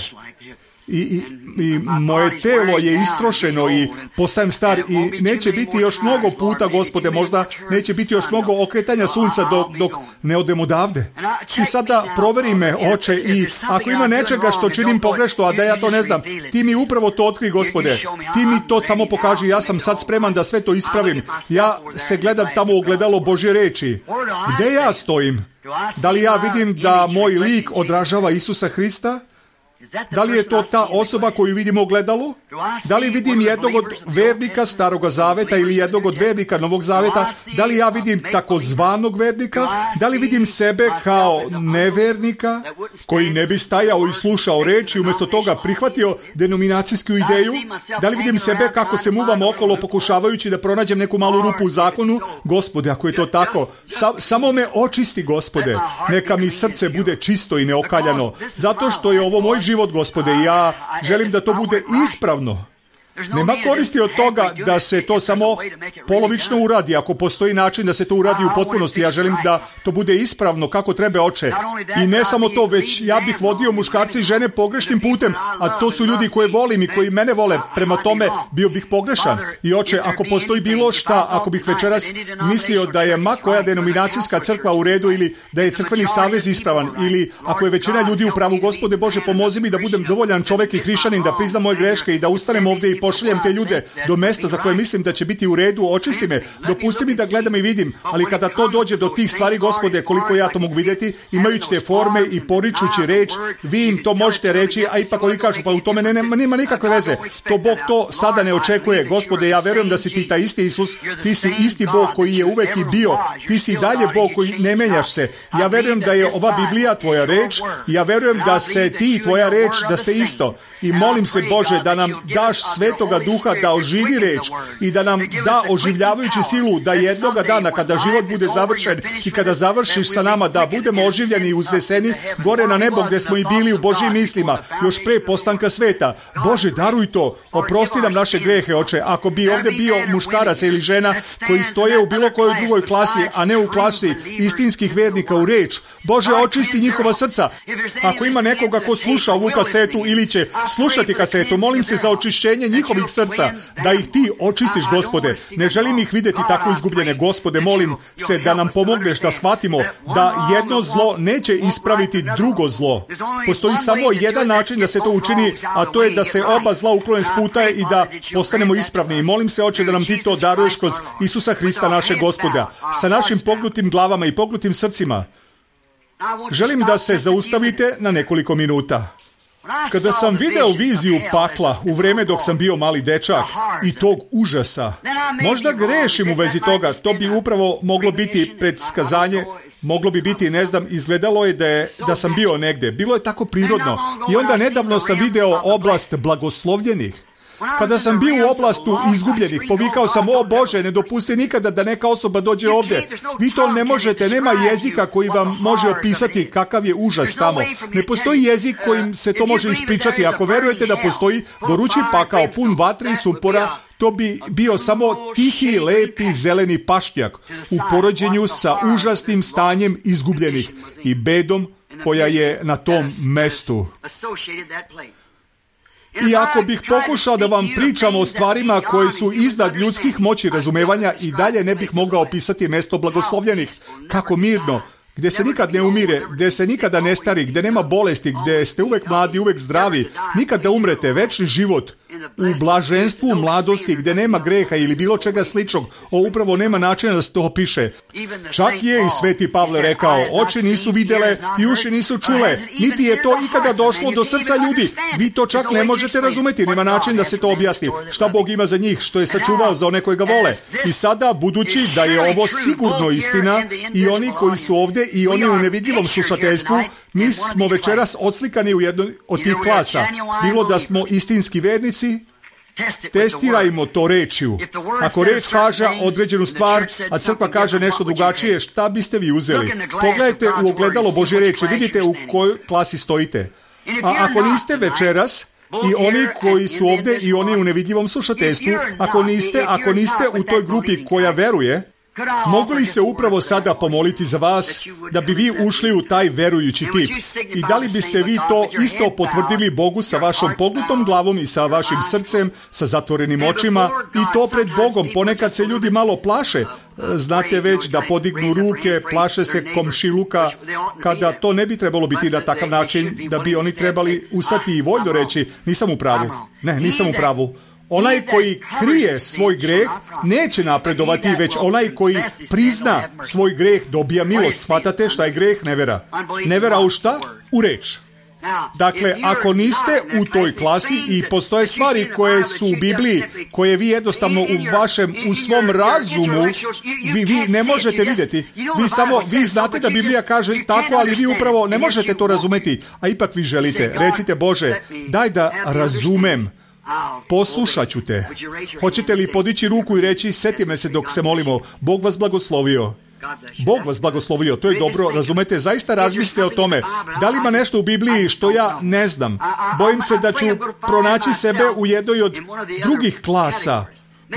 I, i, i moje telo je istrošeno i postajem star i neće biti još mnogo puta, Gospode, možda neće biti još mnogo okretanja sunca dok, dok ne odem odavde. I sada proveri me, Oče, i ako ima nečega što činim pogrešno, a da ja to ne znam, ti mi upravo to otkri, Gospode. Ti mi to samo pokaži, ja sam sad spreman da sve to ispravim. Ja se gledam tamo u ogledalo Božje reči. Gde ja stojim? Da li ja vidim da moj lik odražava Isusa Hrista? Da li je to ta osoba koju vidim u ogledalu? Da li vidim jednog od vernika Staroga Zaveta ili jednog od vernika Novog Zaveta? Da li ja vidim takozvanog vernika? Da li vidim sebe kao nevernika koji ne bi stajao i slušao reč i umjesto toga prihvatio denominacijsku ideju? Da li vidim sebe kako se muvam okolo pokušavajući da pronađem neku malu rupu u zakonu? Gospode, ako je to tako, sa, samo me očisti, Gospode. Neka mi srce bude čisto i neokaljano. Zato što je ovo moj život, Gospode, ja želim da to bude ispravno. Nema koristi od toga da se to samo polovično uradi. Ako postoji način da se to uradi u potpunosti, ja želim da to bude ispravno kako treba, Oče. I ne samo to, već ja bih vodio muškarce i žene pogrešnim putem, a to su ljudi koje volim i koji mene vole. Prema tome bio bih pogrešan. I, Oče, ako postoji bilo šta, ako bih večeras mislio da je ma koja denominacijska crkva u redu ili da je crkveni savez ispravan ili ako je većina ljudi u pravu, Gospode Bože, pomozi mi da budem dovoljan čovjek i hrišćanin, da priznam moje greške i da ustanem ovdje i pošaljem te ljude do mesta za koje mislim da će biti u redu. Očisti me, dopusti mi da gledam i vidim, ali kada to dođe do tih stvari, Gospode, koliko ja to mogu vidjeti, imajući te forme i poričući reč, vi im to možete reći, a ipak oni kažu, pa u tome nema, nema nikakve veze. To Bog to sada ne očekuje. Gospode, ja verujem da si ti taj isti Isus, ti si isti Bog koji je uvek i bio, ti si dalje Bog koji ne menjaš se. Ja verujem da je ova Biblija tvoja reč, ja verujem da se ti i tvoja reč, da ste isto. I molim se, Bože, da nam daš Svetoga Duha da oživi reč i da nam da oživljavajući silu da jednoga dana kada život bude završen i kada završiš sa nama da budemo oživljeni i uzneseni gore na nebo gdje smo i bili u Božjim mislima još pre postanka sveta. Bože, daruj to, oprosti nam naše grehe, Oče. Ako bi ovdje bio muškarac ili žena koji stoje u bilo kojoj drugoj klasi, a ne u klasi istinskih vernika u reč, Bože, očisti njihova srca. Ako ima nekoga ko sluša ovu kasetu ili će slušati kasetu, molim se za očišćenje njihovih srca, da ih ti očistiš, Gospode. Ne želim ih vidjeti tako izgubljene, Gospode, molim se da nam pomogneš da shvatimo da jedno zlo neće ispraviti drugo zlo. Postoji samo jedan način da se to učini, a to je da se oba zla uklone s puta i da postanemo ispravni. I molim se, Oče, da nam ti to daruješ kroz Isusa Hrista, našeg Gospoda, sa našim pognutim glavama i pognutim srcima. Želim da se zaustavite na nekoliko minuta. Kada sam video viziju pakla u vrijeme dok sam bio mali dečak i tog užasa, možda grešim u vezi toga, to bi upravo moglo biti predskazanje, moglo bi biti, ne znam, izgledalo je da, je da sam bio negdje. Bilo je tako prirodno. I onda nedavno sam video oblast blagoslovljenih. Kada sam bio u oblastu izgubljenih, povikao sam, o Bože, ne dopusti nikada da neka osoba dođe ovdje. Vi to ne možete, nema jezika koji vam može opisati kakav je užas tamo. Ne postoji jezik kojim se to može ispričati. Ako verujete da postoji gorući pakao pun vatre i sumpora, to bi bio samo tihi, lepi, zeleni pašnjak u poređenju sa užasnim stanjem izgubljenih i bedom koja je na tom mestu. I ako bih pokušao da vam pričam o stvarima koje su iznad ljudskih moći razumevanja, i dalje ne bih mogao opisati mesto blagoslovljenih, kako mirno, gdje se nikad ne umire, gdje se nikada ne stari, gdje nema bolesti, gdje ste uvek mladi, uvek zdravi, nikad da umrete, večni život u blaženstvu mladosti, gdje nema greha ili bilo čega sličnog. O, upravo nema načina da se to opiše. Čak je i sveti Pavle rekao, oči nisu videle i uši nisu čule, niti je to ikada došlo do srca ljudi. Vi to čak ne možete razumeti, nema način da se to objasni. Šta Bog ima za njih, što je sačuvao za one koji ga vole. I sada, budući da je ovo sigurno istina, i oni koji su ovdje i oni u nevidljivom slušateljstvu, mi smo večeras odslikani u jednoj od tih klasa. Bilo da smo istinski vernici, testirajmo to rečju. Ako reč kaže određenu stvar, a crkva kaže nešto drugačije, šta biste vi uzeli? Pogledajte u ogledalo Božje reči, vidite u kojoj klasi stojite. A ako niste večeras, i oni koji su ovdje i oni u nevidljivom slušateljstvu, ako niste, ako niste u toj grupi koja veruje, mogu li se upravo sada pomoliti za vas da bi vi ušli u taj verujući tip? I da li biste vi to isto potvrdili Bogu sa vašom pognutom glavom i sa vašim srcem, sa zatvorenim očima, i to pred Bogom? Ponekad se ljudi malo plaše, znate već, da podignu ruke, plaše se komšiluka, kada to ne bi trebalo biti na takav način, da bi oni trebali ustati i voljno reći, nisam u pravu, ne, nisam u pravu. Onaj koji krije svoj greh neće napredovati, već onaj koji prizna svoj greh dobija milost. Shvatate šta je greh? Nevera. Nevera u šta? U reč. Dakle, ako niste u toj klasi i postoje stvari koje su u Bibliji, koje vi jednostavno u vašem, u svom razumu, vi, vi ne možete vidjeti. Vi samo, vi znate da Biblija kaže tako, ali vi upravo ne možete to razumeti, a ipak vi želite. Recite, Bože, daj da razumem. Poslušat ću te. Hoćete li podići ruku i reći, seti me se dok se molimo, Bog vas blagoslovio. Bog vas blagoslovio, to je dobro, razumete, zaista razmislite o tome. Da li ima nešto u Bibliji što ja ne znam? Bojim se da ću pronaći sebe u jednoj od drugih klasa.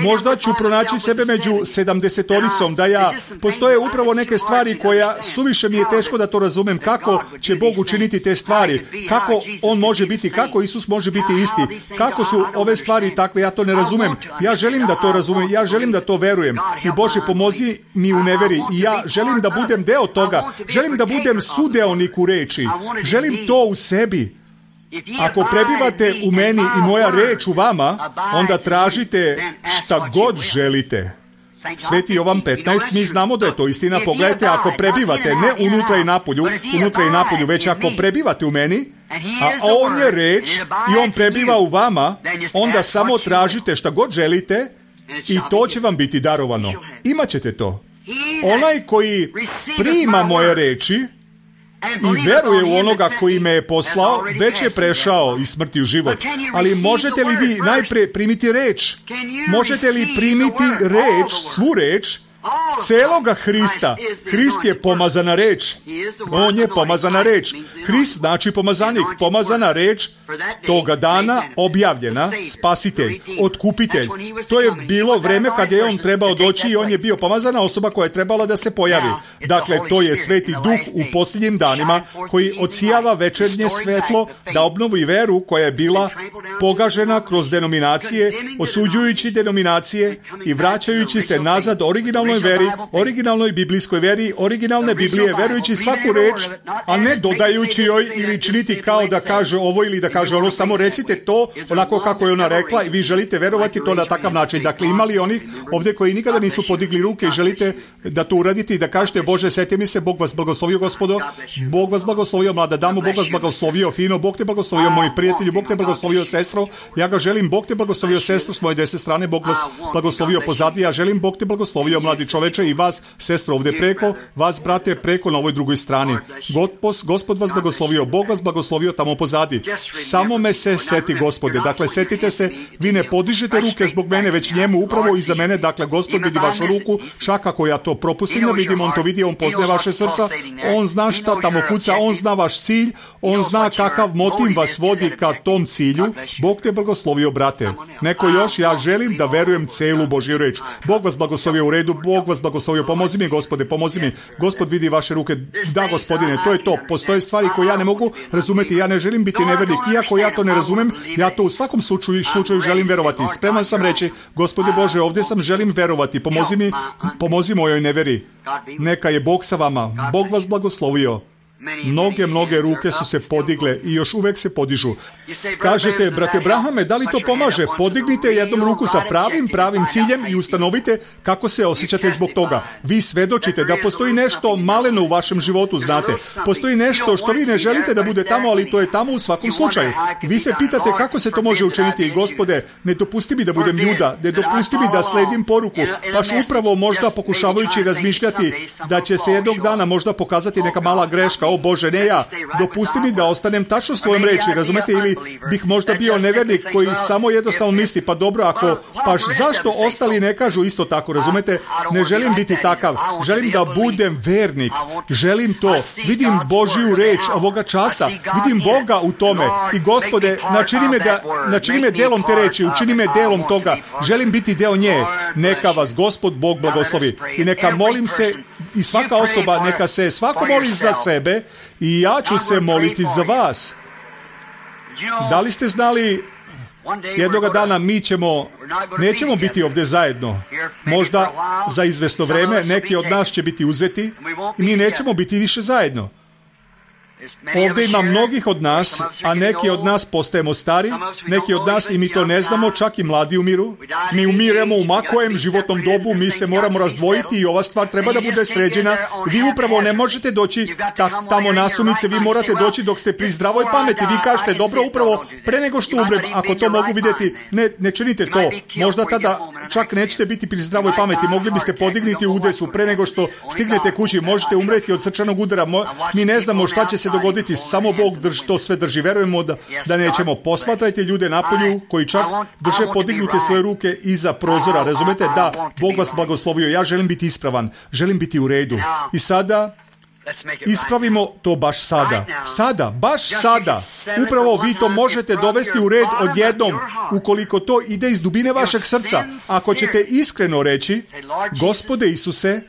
Možda ću pronaći sebe među sedamdesetoricom, da ja, postoje upravo neke stvari koja suviše mi je teško da to razumem, kako će Bog učiniti te stvari, kako On može biti, kako Isus može biti isti, kako su ove stvari takve, ja to ne razumem. Ja želim da to razumem, ja želim da to verujem. I Bože, pomozi mi u neveri, i ja želim da budem deo toga, želim da budem sudeonik u reči, želim to u sebi. Ako prebivate u meni i moja reč u vama, onda tražite šta god želite. Sveti Jovan petnaest, mi znamo da je to istina. Pogledajte, ako prebivate, ne unutra i napolju, unutra i napolju, već ako prebivate u meni, a On je reč i On prebiva u vama, onda samo tražite šta god želite i to će vam biti darovano. Imaćete to. Onaj koji prima moje reči i veruje u onoga koji me je poslao, već je prešao iz smrti u život. Ali možete li vi najprije primiti reč? Možete li primiti reč, svu reč, celoga Hrista? Hrist je pomazana reč. On je pomazana reč. Hrist znači pomazanik. Pomazana reč toga dana objavljena, spasitelj, otkupitelj. To je bilo vreme kad je on trebao doći i on je bio pomazana osoba koja je trebala da se pojavi. Dakle, to je Sveti Duh u posljednjim danima koji odsijava večernje svetlo da obnovi veru koja je bila pogažena kroz denominacije, osuđujući denominacije i vraćajući se nazad originalnoj veri, originalnoj biblijskoj veri, originalne Biblije, verujući svaku reč, a ne dodajući joj ili činiti kao da kaže ovo ili da kaže ono, samo recite to onako kako je ona rekla i vi želite verovati to na takav način. Dakle, imali onih ovdje koji nikada nisu podigli ruke i želite da to uradite i da kažete, Bože, seti mi se, Bog vas blagoslovio, gospodo, Bog vas blagoslovio, mlada damo, Bog vas blagoslovio, fino, Bog te blagoslovio, moji prijatelji, Bog te blagoslovio, sestro, ja ga želim, Bog te blagoslovio, sestro, s moje desne strane, Bog vas blagoslovio pozadi, ja želim, Bog te blagoslovio, mladi čoveče, i vas, sestro, ovdje preko, vas, brate, preko na ovoj drugoj strani. Gospod, Gospod vas blagoslovio, Bog vas blagoslovio tamo pozadi. Samo me se seti, Gospode. Dakle, setite se, vi ne podižete ruke zbog mene, već njemu upravo iza mene. Dakle, Gospod vidi vašu ruku, čak ako ja to propustim da vidim, on to vidi, on poznaje vaše srca, on zna šta tamo kuca, on zna vaš cilj, on zna kakav motiv vas vodi ka tom cilju. Bog te blagoslovio, brate. Neko još, ja želim da verujem celu Božju reč. Bog vas blagoslovio, u redu, Bog vas blagoslovio blagoslovio. Pomozi mi, Gospode, pomozi mi. Gospod vidi vaše ruke. Da, Gospodine, to je to. Postoje stvari koje ja ne mogu razumeti. Ja ne želim biti nevernik. Iako ja to ne razumem, ja to u svakom slučaju, slučaju želim verovati. Spreman sam reći, Gospode Bože, ovdje sam, želim verovati. Pomozi mi, pomozi mojoj neveri. Neka je Bog sa vama. Bog vas blagoslovio. Mnoge, mnoge ruke su se podigle i još uvek se podižu. Kažete, brate Brahame, da li to pomaže? Podignite jednom ruku sa pravim, pravim ciljem i ustanovite kako se osjećate zbog toga. Vi svedočite da postoji nešto maleno u vašem životu, znate. Postoji nešto što vi ne želite da bude tamo, ali to je tamo u svakom slučaju. Vi se pitate kako se to može učiniti i Gospode, ne dopusti mi da budem Juda, ne dopusti mi da sledim poruku, paš upravo možda pokušavajući razmišljati da će se jednog dana možda pokazati neka mala greška. O Bože, ne ja. Dopusti mi da ostanem tačno svojom reči, razumete, ili bih možda bio nevernik koji samo jednostavno misli, pa dobro, ako, paš zašto ostali ne kažu isto tako, razumete? Ne želim biti takav. Želim da budem vernik. Želim to. Vidim Božju reč ovoga časa. Vidim Boga u tome. I Gospode, načini me, da, načini me delom te reči, učini me delom toga. Želim biti deo nje. Neka vas Gospod Bog blagoslovi. I neka molim se, i svaka osoba, neka se svako moli za sebe, i ja ću se moliti za vas. Da li ste znali, jednoga dana mi ćemo, nećemo biti ovdje zajedno. Možda za izvesno vreme neki od nas će biti uzeti i mi nećemo biti više zajedno. Ovdje ima mnogih od nas, a neki od nas postajemo stari, neki od nas, i mi to ne znamo, čak i mladi umiru. Mi umiremo u makojem životnom dobu, mi se moramo razdvojiti i ova stvar treba da bude sređena. Vi upravo ne možete doći ta, tamo nasumice, vi morate doći dok ste pri zdravoj pameti. Vi kažete, dobro, upravo pre nego što umrem, ako to mogu vidjeti, ne, ne činite to. Možda tada čak nećete biti pri zdravoj pameti, mogli biste podignuti udesu pre nego što stignete kući, možete umreti od srčanog udara. Mi ne znamo šta će se dogoditi, samo Bog drži, to sve drži. Verujemo da, da nećemo. Posmatrajte ljude napolju koji čak drže podignute svoje ruke iza prozora. Razumete? Da, Bog vas blagoslovio. Ja želim biti ispravan. Želim biti u redu. I sada ispravimo to baš sada. Sada, baš sada. Upravo vi to možete dovesti u red odjednom, ukoliko to ide iz dubine vašeg srca. Ako ćete iskreno reći, Gospode Isuse,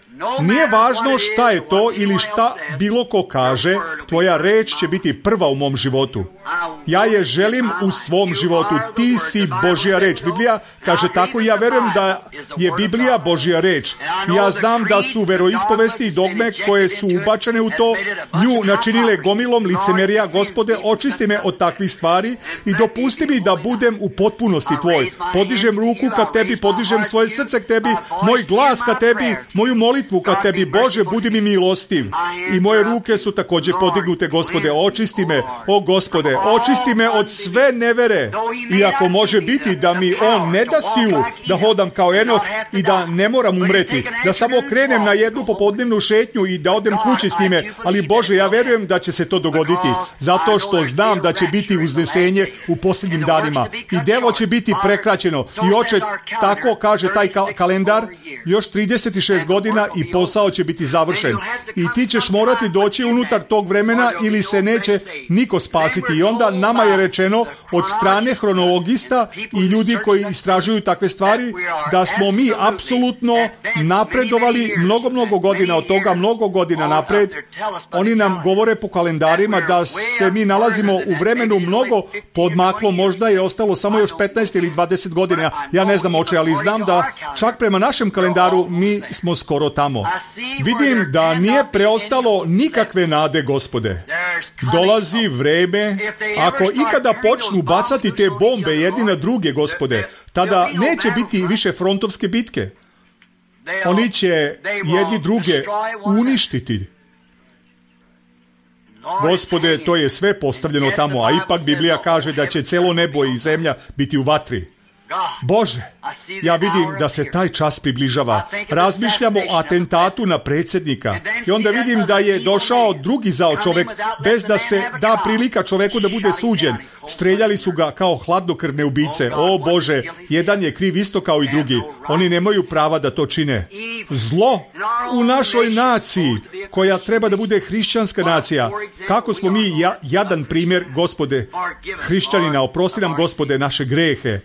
nije važno šta je to ili šta bilo ko kaže, tvoja reč će biti prva u mom životu. Ja je želim u svom životu. Ti si Božja reč. Biblija kaže tako i ja verujem da je Biblija Božja reč. Ja znam da su veroispovesti i dogme koje su ubačene u to nju načinile gomilom licemerija. Gospode, očisti me od takvih stvari i dopusti mi da budem u potpunosti tvoj. Podižem ruku ka tebi, podižem svoje srce k tebi, moj glas ka tebi, moju molitvu ka tebi. Bože, budi mi milostiv. I moje ruke su također podignute, Gospode. Očisti me, o Gospode, očisti me od sve nevere. Iako može biti da mi on ne da silu da hodam kao Enoh i da ne moram umreti, da samo krenem na jednu popodnevnu šetnju i da odem kući s njime, ali Bože, ja verujem da će se to dogoditi, zato što znam da će biti uznesenje u posljednjim danima i devo će biti prekraćeno. I oče, tako kaže taj kal- kalendar, još trideset šest godina i posao će biti završen. I ti ćeš morati doći unutar tog vremena ili se neće niko spasiti. I onda nama je rečeno od strane hronologista i ljudi koji istražuju takve stvari da smo mi apsolutno napredovali mnogo, mnogo godina od toga, mnogo godina napred. Oni nam govore po kalendarima da se mi nalazimo u vremenu mnogo podmaklo, možda je ostalo samo još petnaest ili dvadeset godina. Ja ne znam oče, ali znam da čak prema našem kalendaru mi smo skoro tamo. Vidim da nije preostalo nikakve nade, Gospode. Dolazi vreme, ako ikada počnu bacati te bombe jedni na druge, Gospode, tada neće biti više frontovske bitke. Oni će jedni druge uništiti. Gospode, to je sve postavljeno tamo, a ipak Biblija kaže da će celo nebo i zemlja biti u vatri. Bože, ja vidim da se taj čas približava. Razmišljamo o atentatu na predsjednika i onda vidim da je došao drugi zao čovjek bez da se da prilika čovjeku da bude suđen. Streljali su ga kao hladnokrvne ubice. O Bože, jedan je kriv isto kao i drugi. Oni nemaju prava da to čine. Zlo u našoj naciji, koja treba da bude hrišćanska nacija. Kako smo mi ja, jadan primjer, Gospode, hrišćanina, oprosti nam, Gospode, naše grehe.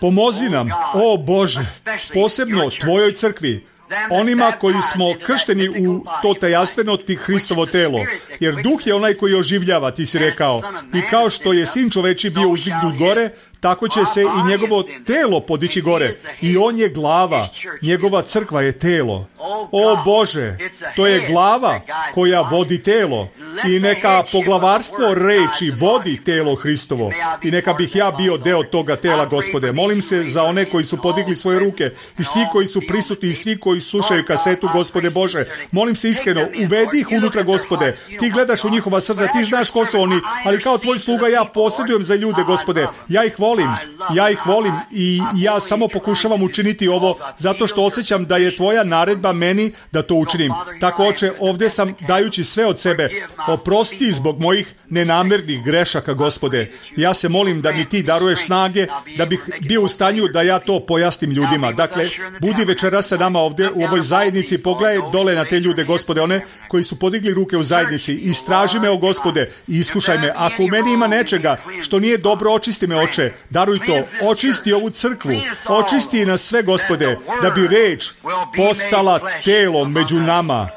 Pomozi nam, o Bože, posebno tvojoj crkvi, onima koji smo kršteni u to tajanstveno ti Hristovo telo. Jer duh je onaj koji oživljava, ti si rekao. I kao što je sin čoveči bio uzdignut gore, tako će se i njegovo telo podići gore. I on je glava. Njegova crkva je telo. O Bože, to je glava koja vodi telo. I neka poglavarstvo reči vodi telo Hristovo. I neka bih ja bio deo toga tela, Gospode. Molim se za one koji su podigli svoje ruke i svi koji su prisutni i svi koji slušaju kasetu, Gospode Bože. Molim se iskreno, uvedi ih unutra, Gospode. Ti gledaš u njihova srca, ti znaš ko su oni, ali kao tvoj sluga ja posjedujem za ljude, Gospode. Ja ih volim, ja ih volim i ja samo pokušavam učiniti ovo zato što osjećam da je tvoja naredba meni da to učinim. Tako, Oče, ovdje sam dajući sve od sebe. Oprosti zbog mojih nenamernih grešaka, Gospode. Ja se molim da mi ti daruješ snage, da bih bio u stanju da ja to pojasnim ljudima. Dakle, budi večeras sa nama ovdje u ovoj zajednici, pogledaj dole na te ljude, Gospode, one koji su podigli ruke u zajednici. Istraži me, o Gospode, i iskušaj me. Ako u meni ima nečega što nije dobro, očisti me, Oče. Daruj to. Očisti ovu crkvu. Očisti nas sve, Gospode, da bi reč postala telom među nama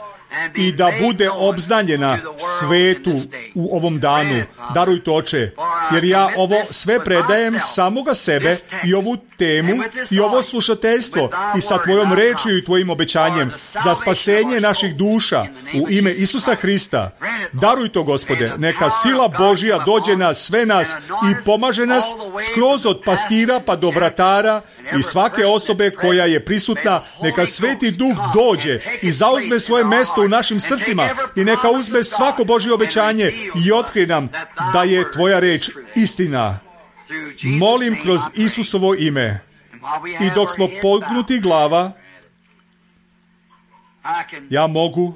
i da bude obznanjena svetu u ovom danu. Daruj to, Oče, jer ja ovo sve predajem samoga sebe i ovu temu i ovo slušateljstvo i sa tvojom rečju i tvojim obećanjem za spasenje naših duša u ime Isusa Hrista. Daruj to, Gospode, neka sila Božja dođe na sve nas i pomaže nas skroz od pastira pa do vratara i svake osobe koja je prisutna. Neka Sveti Duh dođe i zauzme svoje mesto u našim srcima i neka uzme svako Božje obećanje i otkrije nam da je tvoja reč istina. Molim kroz Isusovo ime. I dok smo pognuti glava, ja mogu,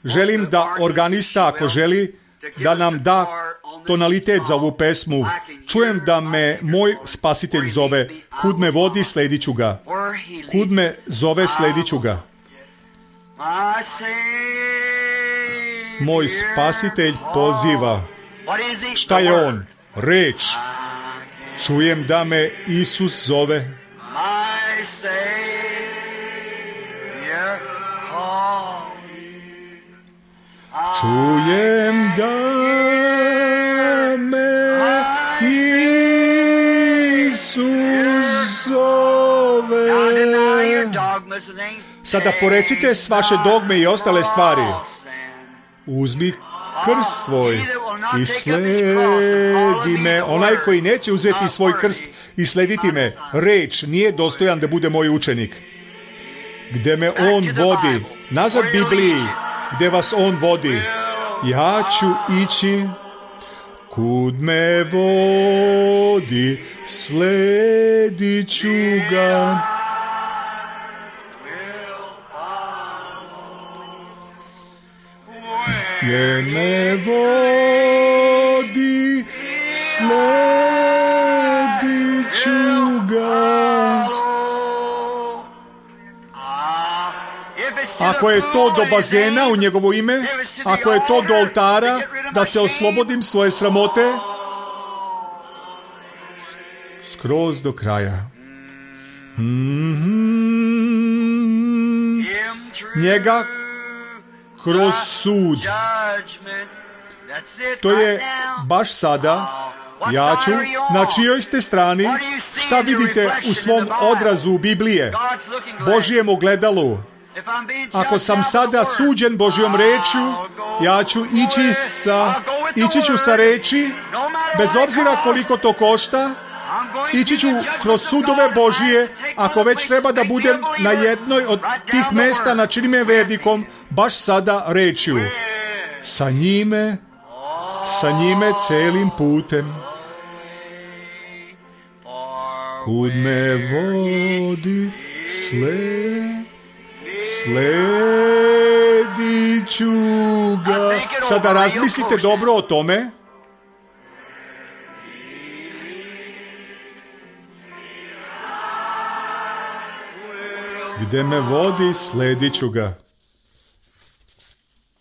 želim da organista, ako želi, da nam da tonalitet za ovu pesmu. Čujem da me moj spasitelj zove. Kud me vodi, sledit ću ga. Kud me zove, sledit ću ga. Moj spasitelj poziva. Šta je on? Reč. Čujem da me Isus zove. Čujem da me Isus zove. Sada porecite s vaše dogme i ostale stvari. Uzmi krst svoj i sledi me. Onaj koji neće uzeti svoj krst i slediti me, reč, nije dostojan da bude moj učenik. Gde me on vodi, nazad Bibliji, gde vas on vodi, ja ću ići. Kud me vodi, sledit ću ga. Gdje me vodi, sledit ću ga. Ako je to do bazena u njegovo ime, ako je to do oltara, da se oslobodim svoje sramote, skroz do kraja. Mm-hmm. Njega kroz sud. To je baš sada. Ja ću, na čijoj ste strani, šta vidite u svom odrazu Biblije, Božjem ogledalu. Ako sam sada suđen Božjom rečju, ja ću ići sa, ići ću sa reči, bez obzira koliko to košta, ići ću kroz sudove Božije, ako već treba da budem na jednoj od tih mesta na čini me vernikom, baš sada rečju. Sa njime, sa njime celim putem. Kud me vodi, sled, sledit ću ga. Sada razmislite dobro o tome. Gde me vodi, sledit ću ga.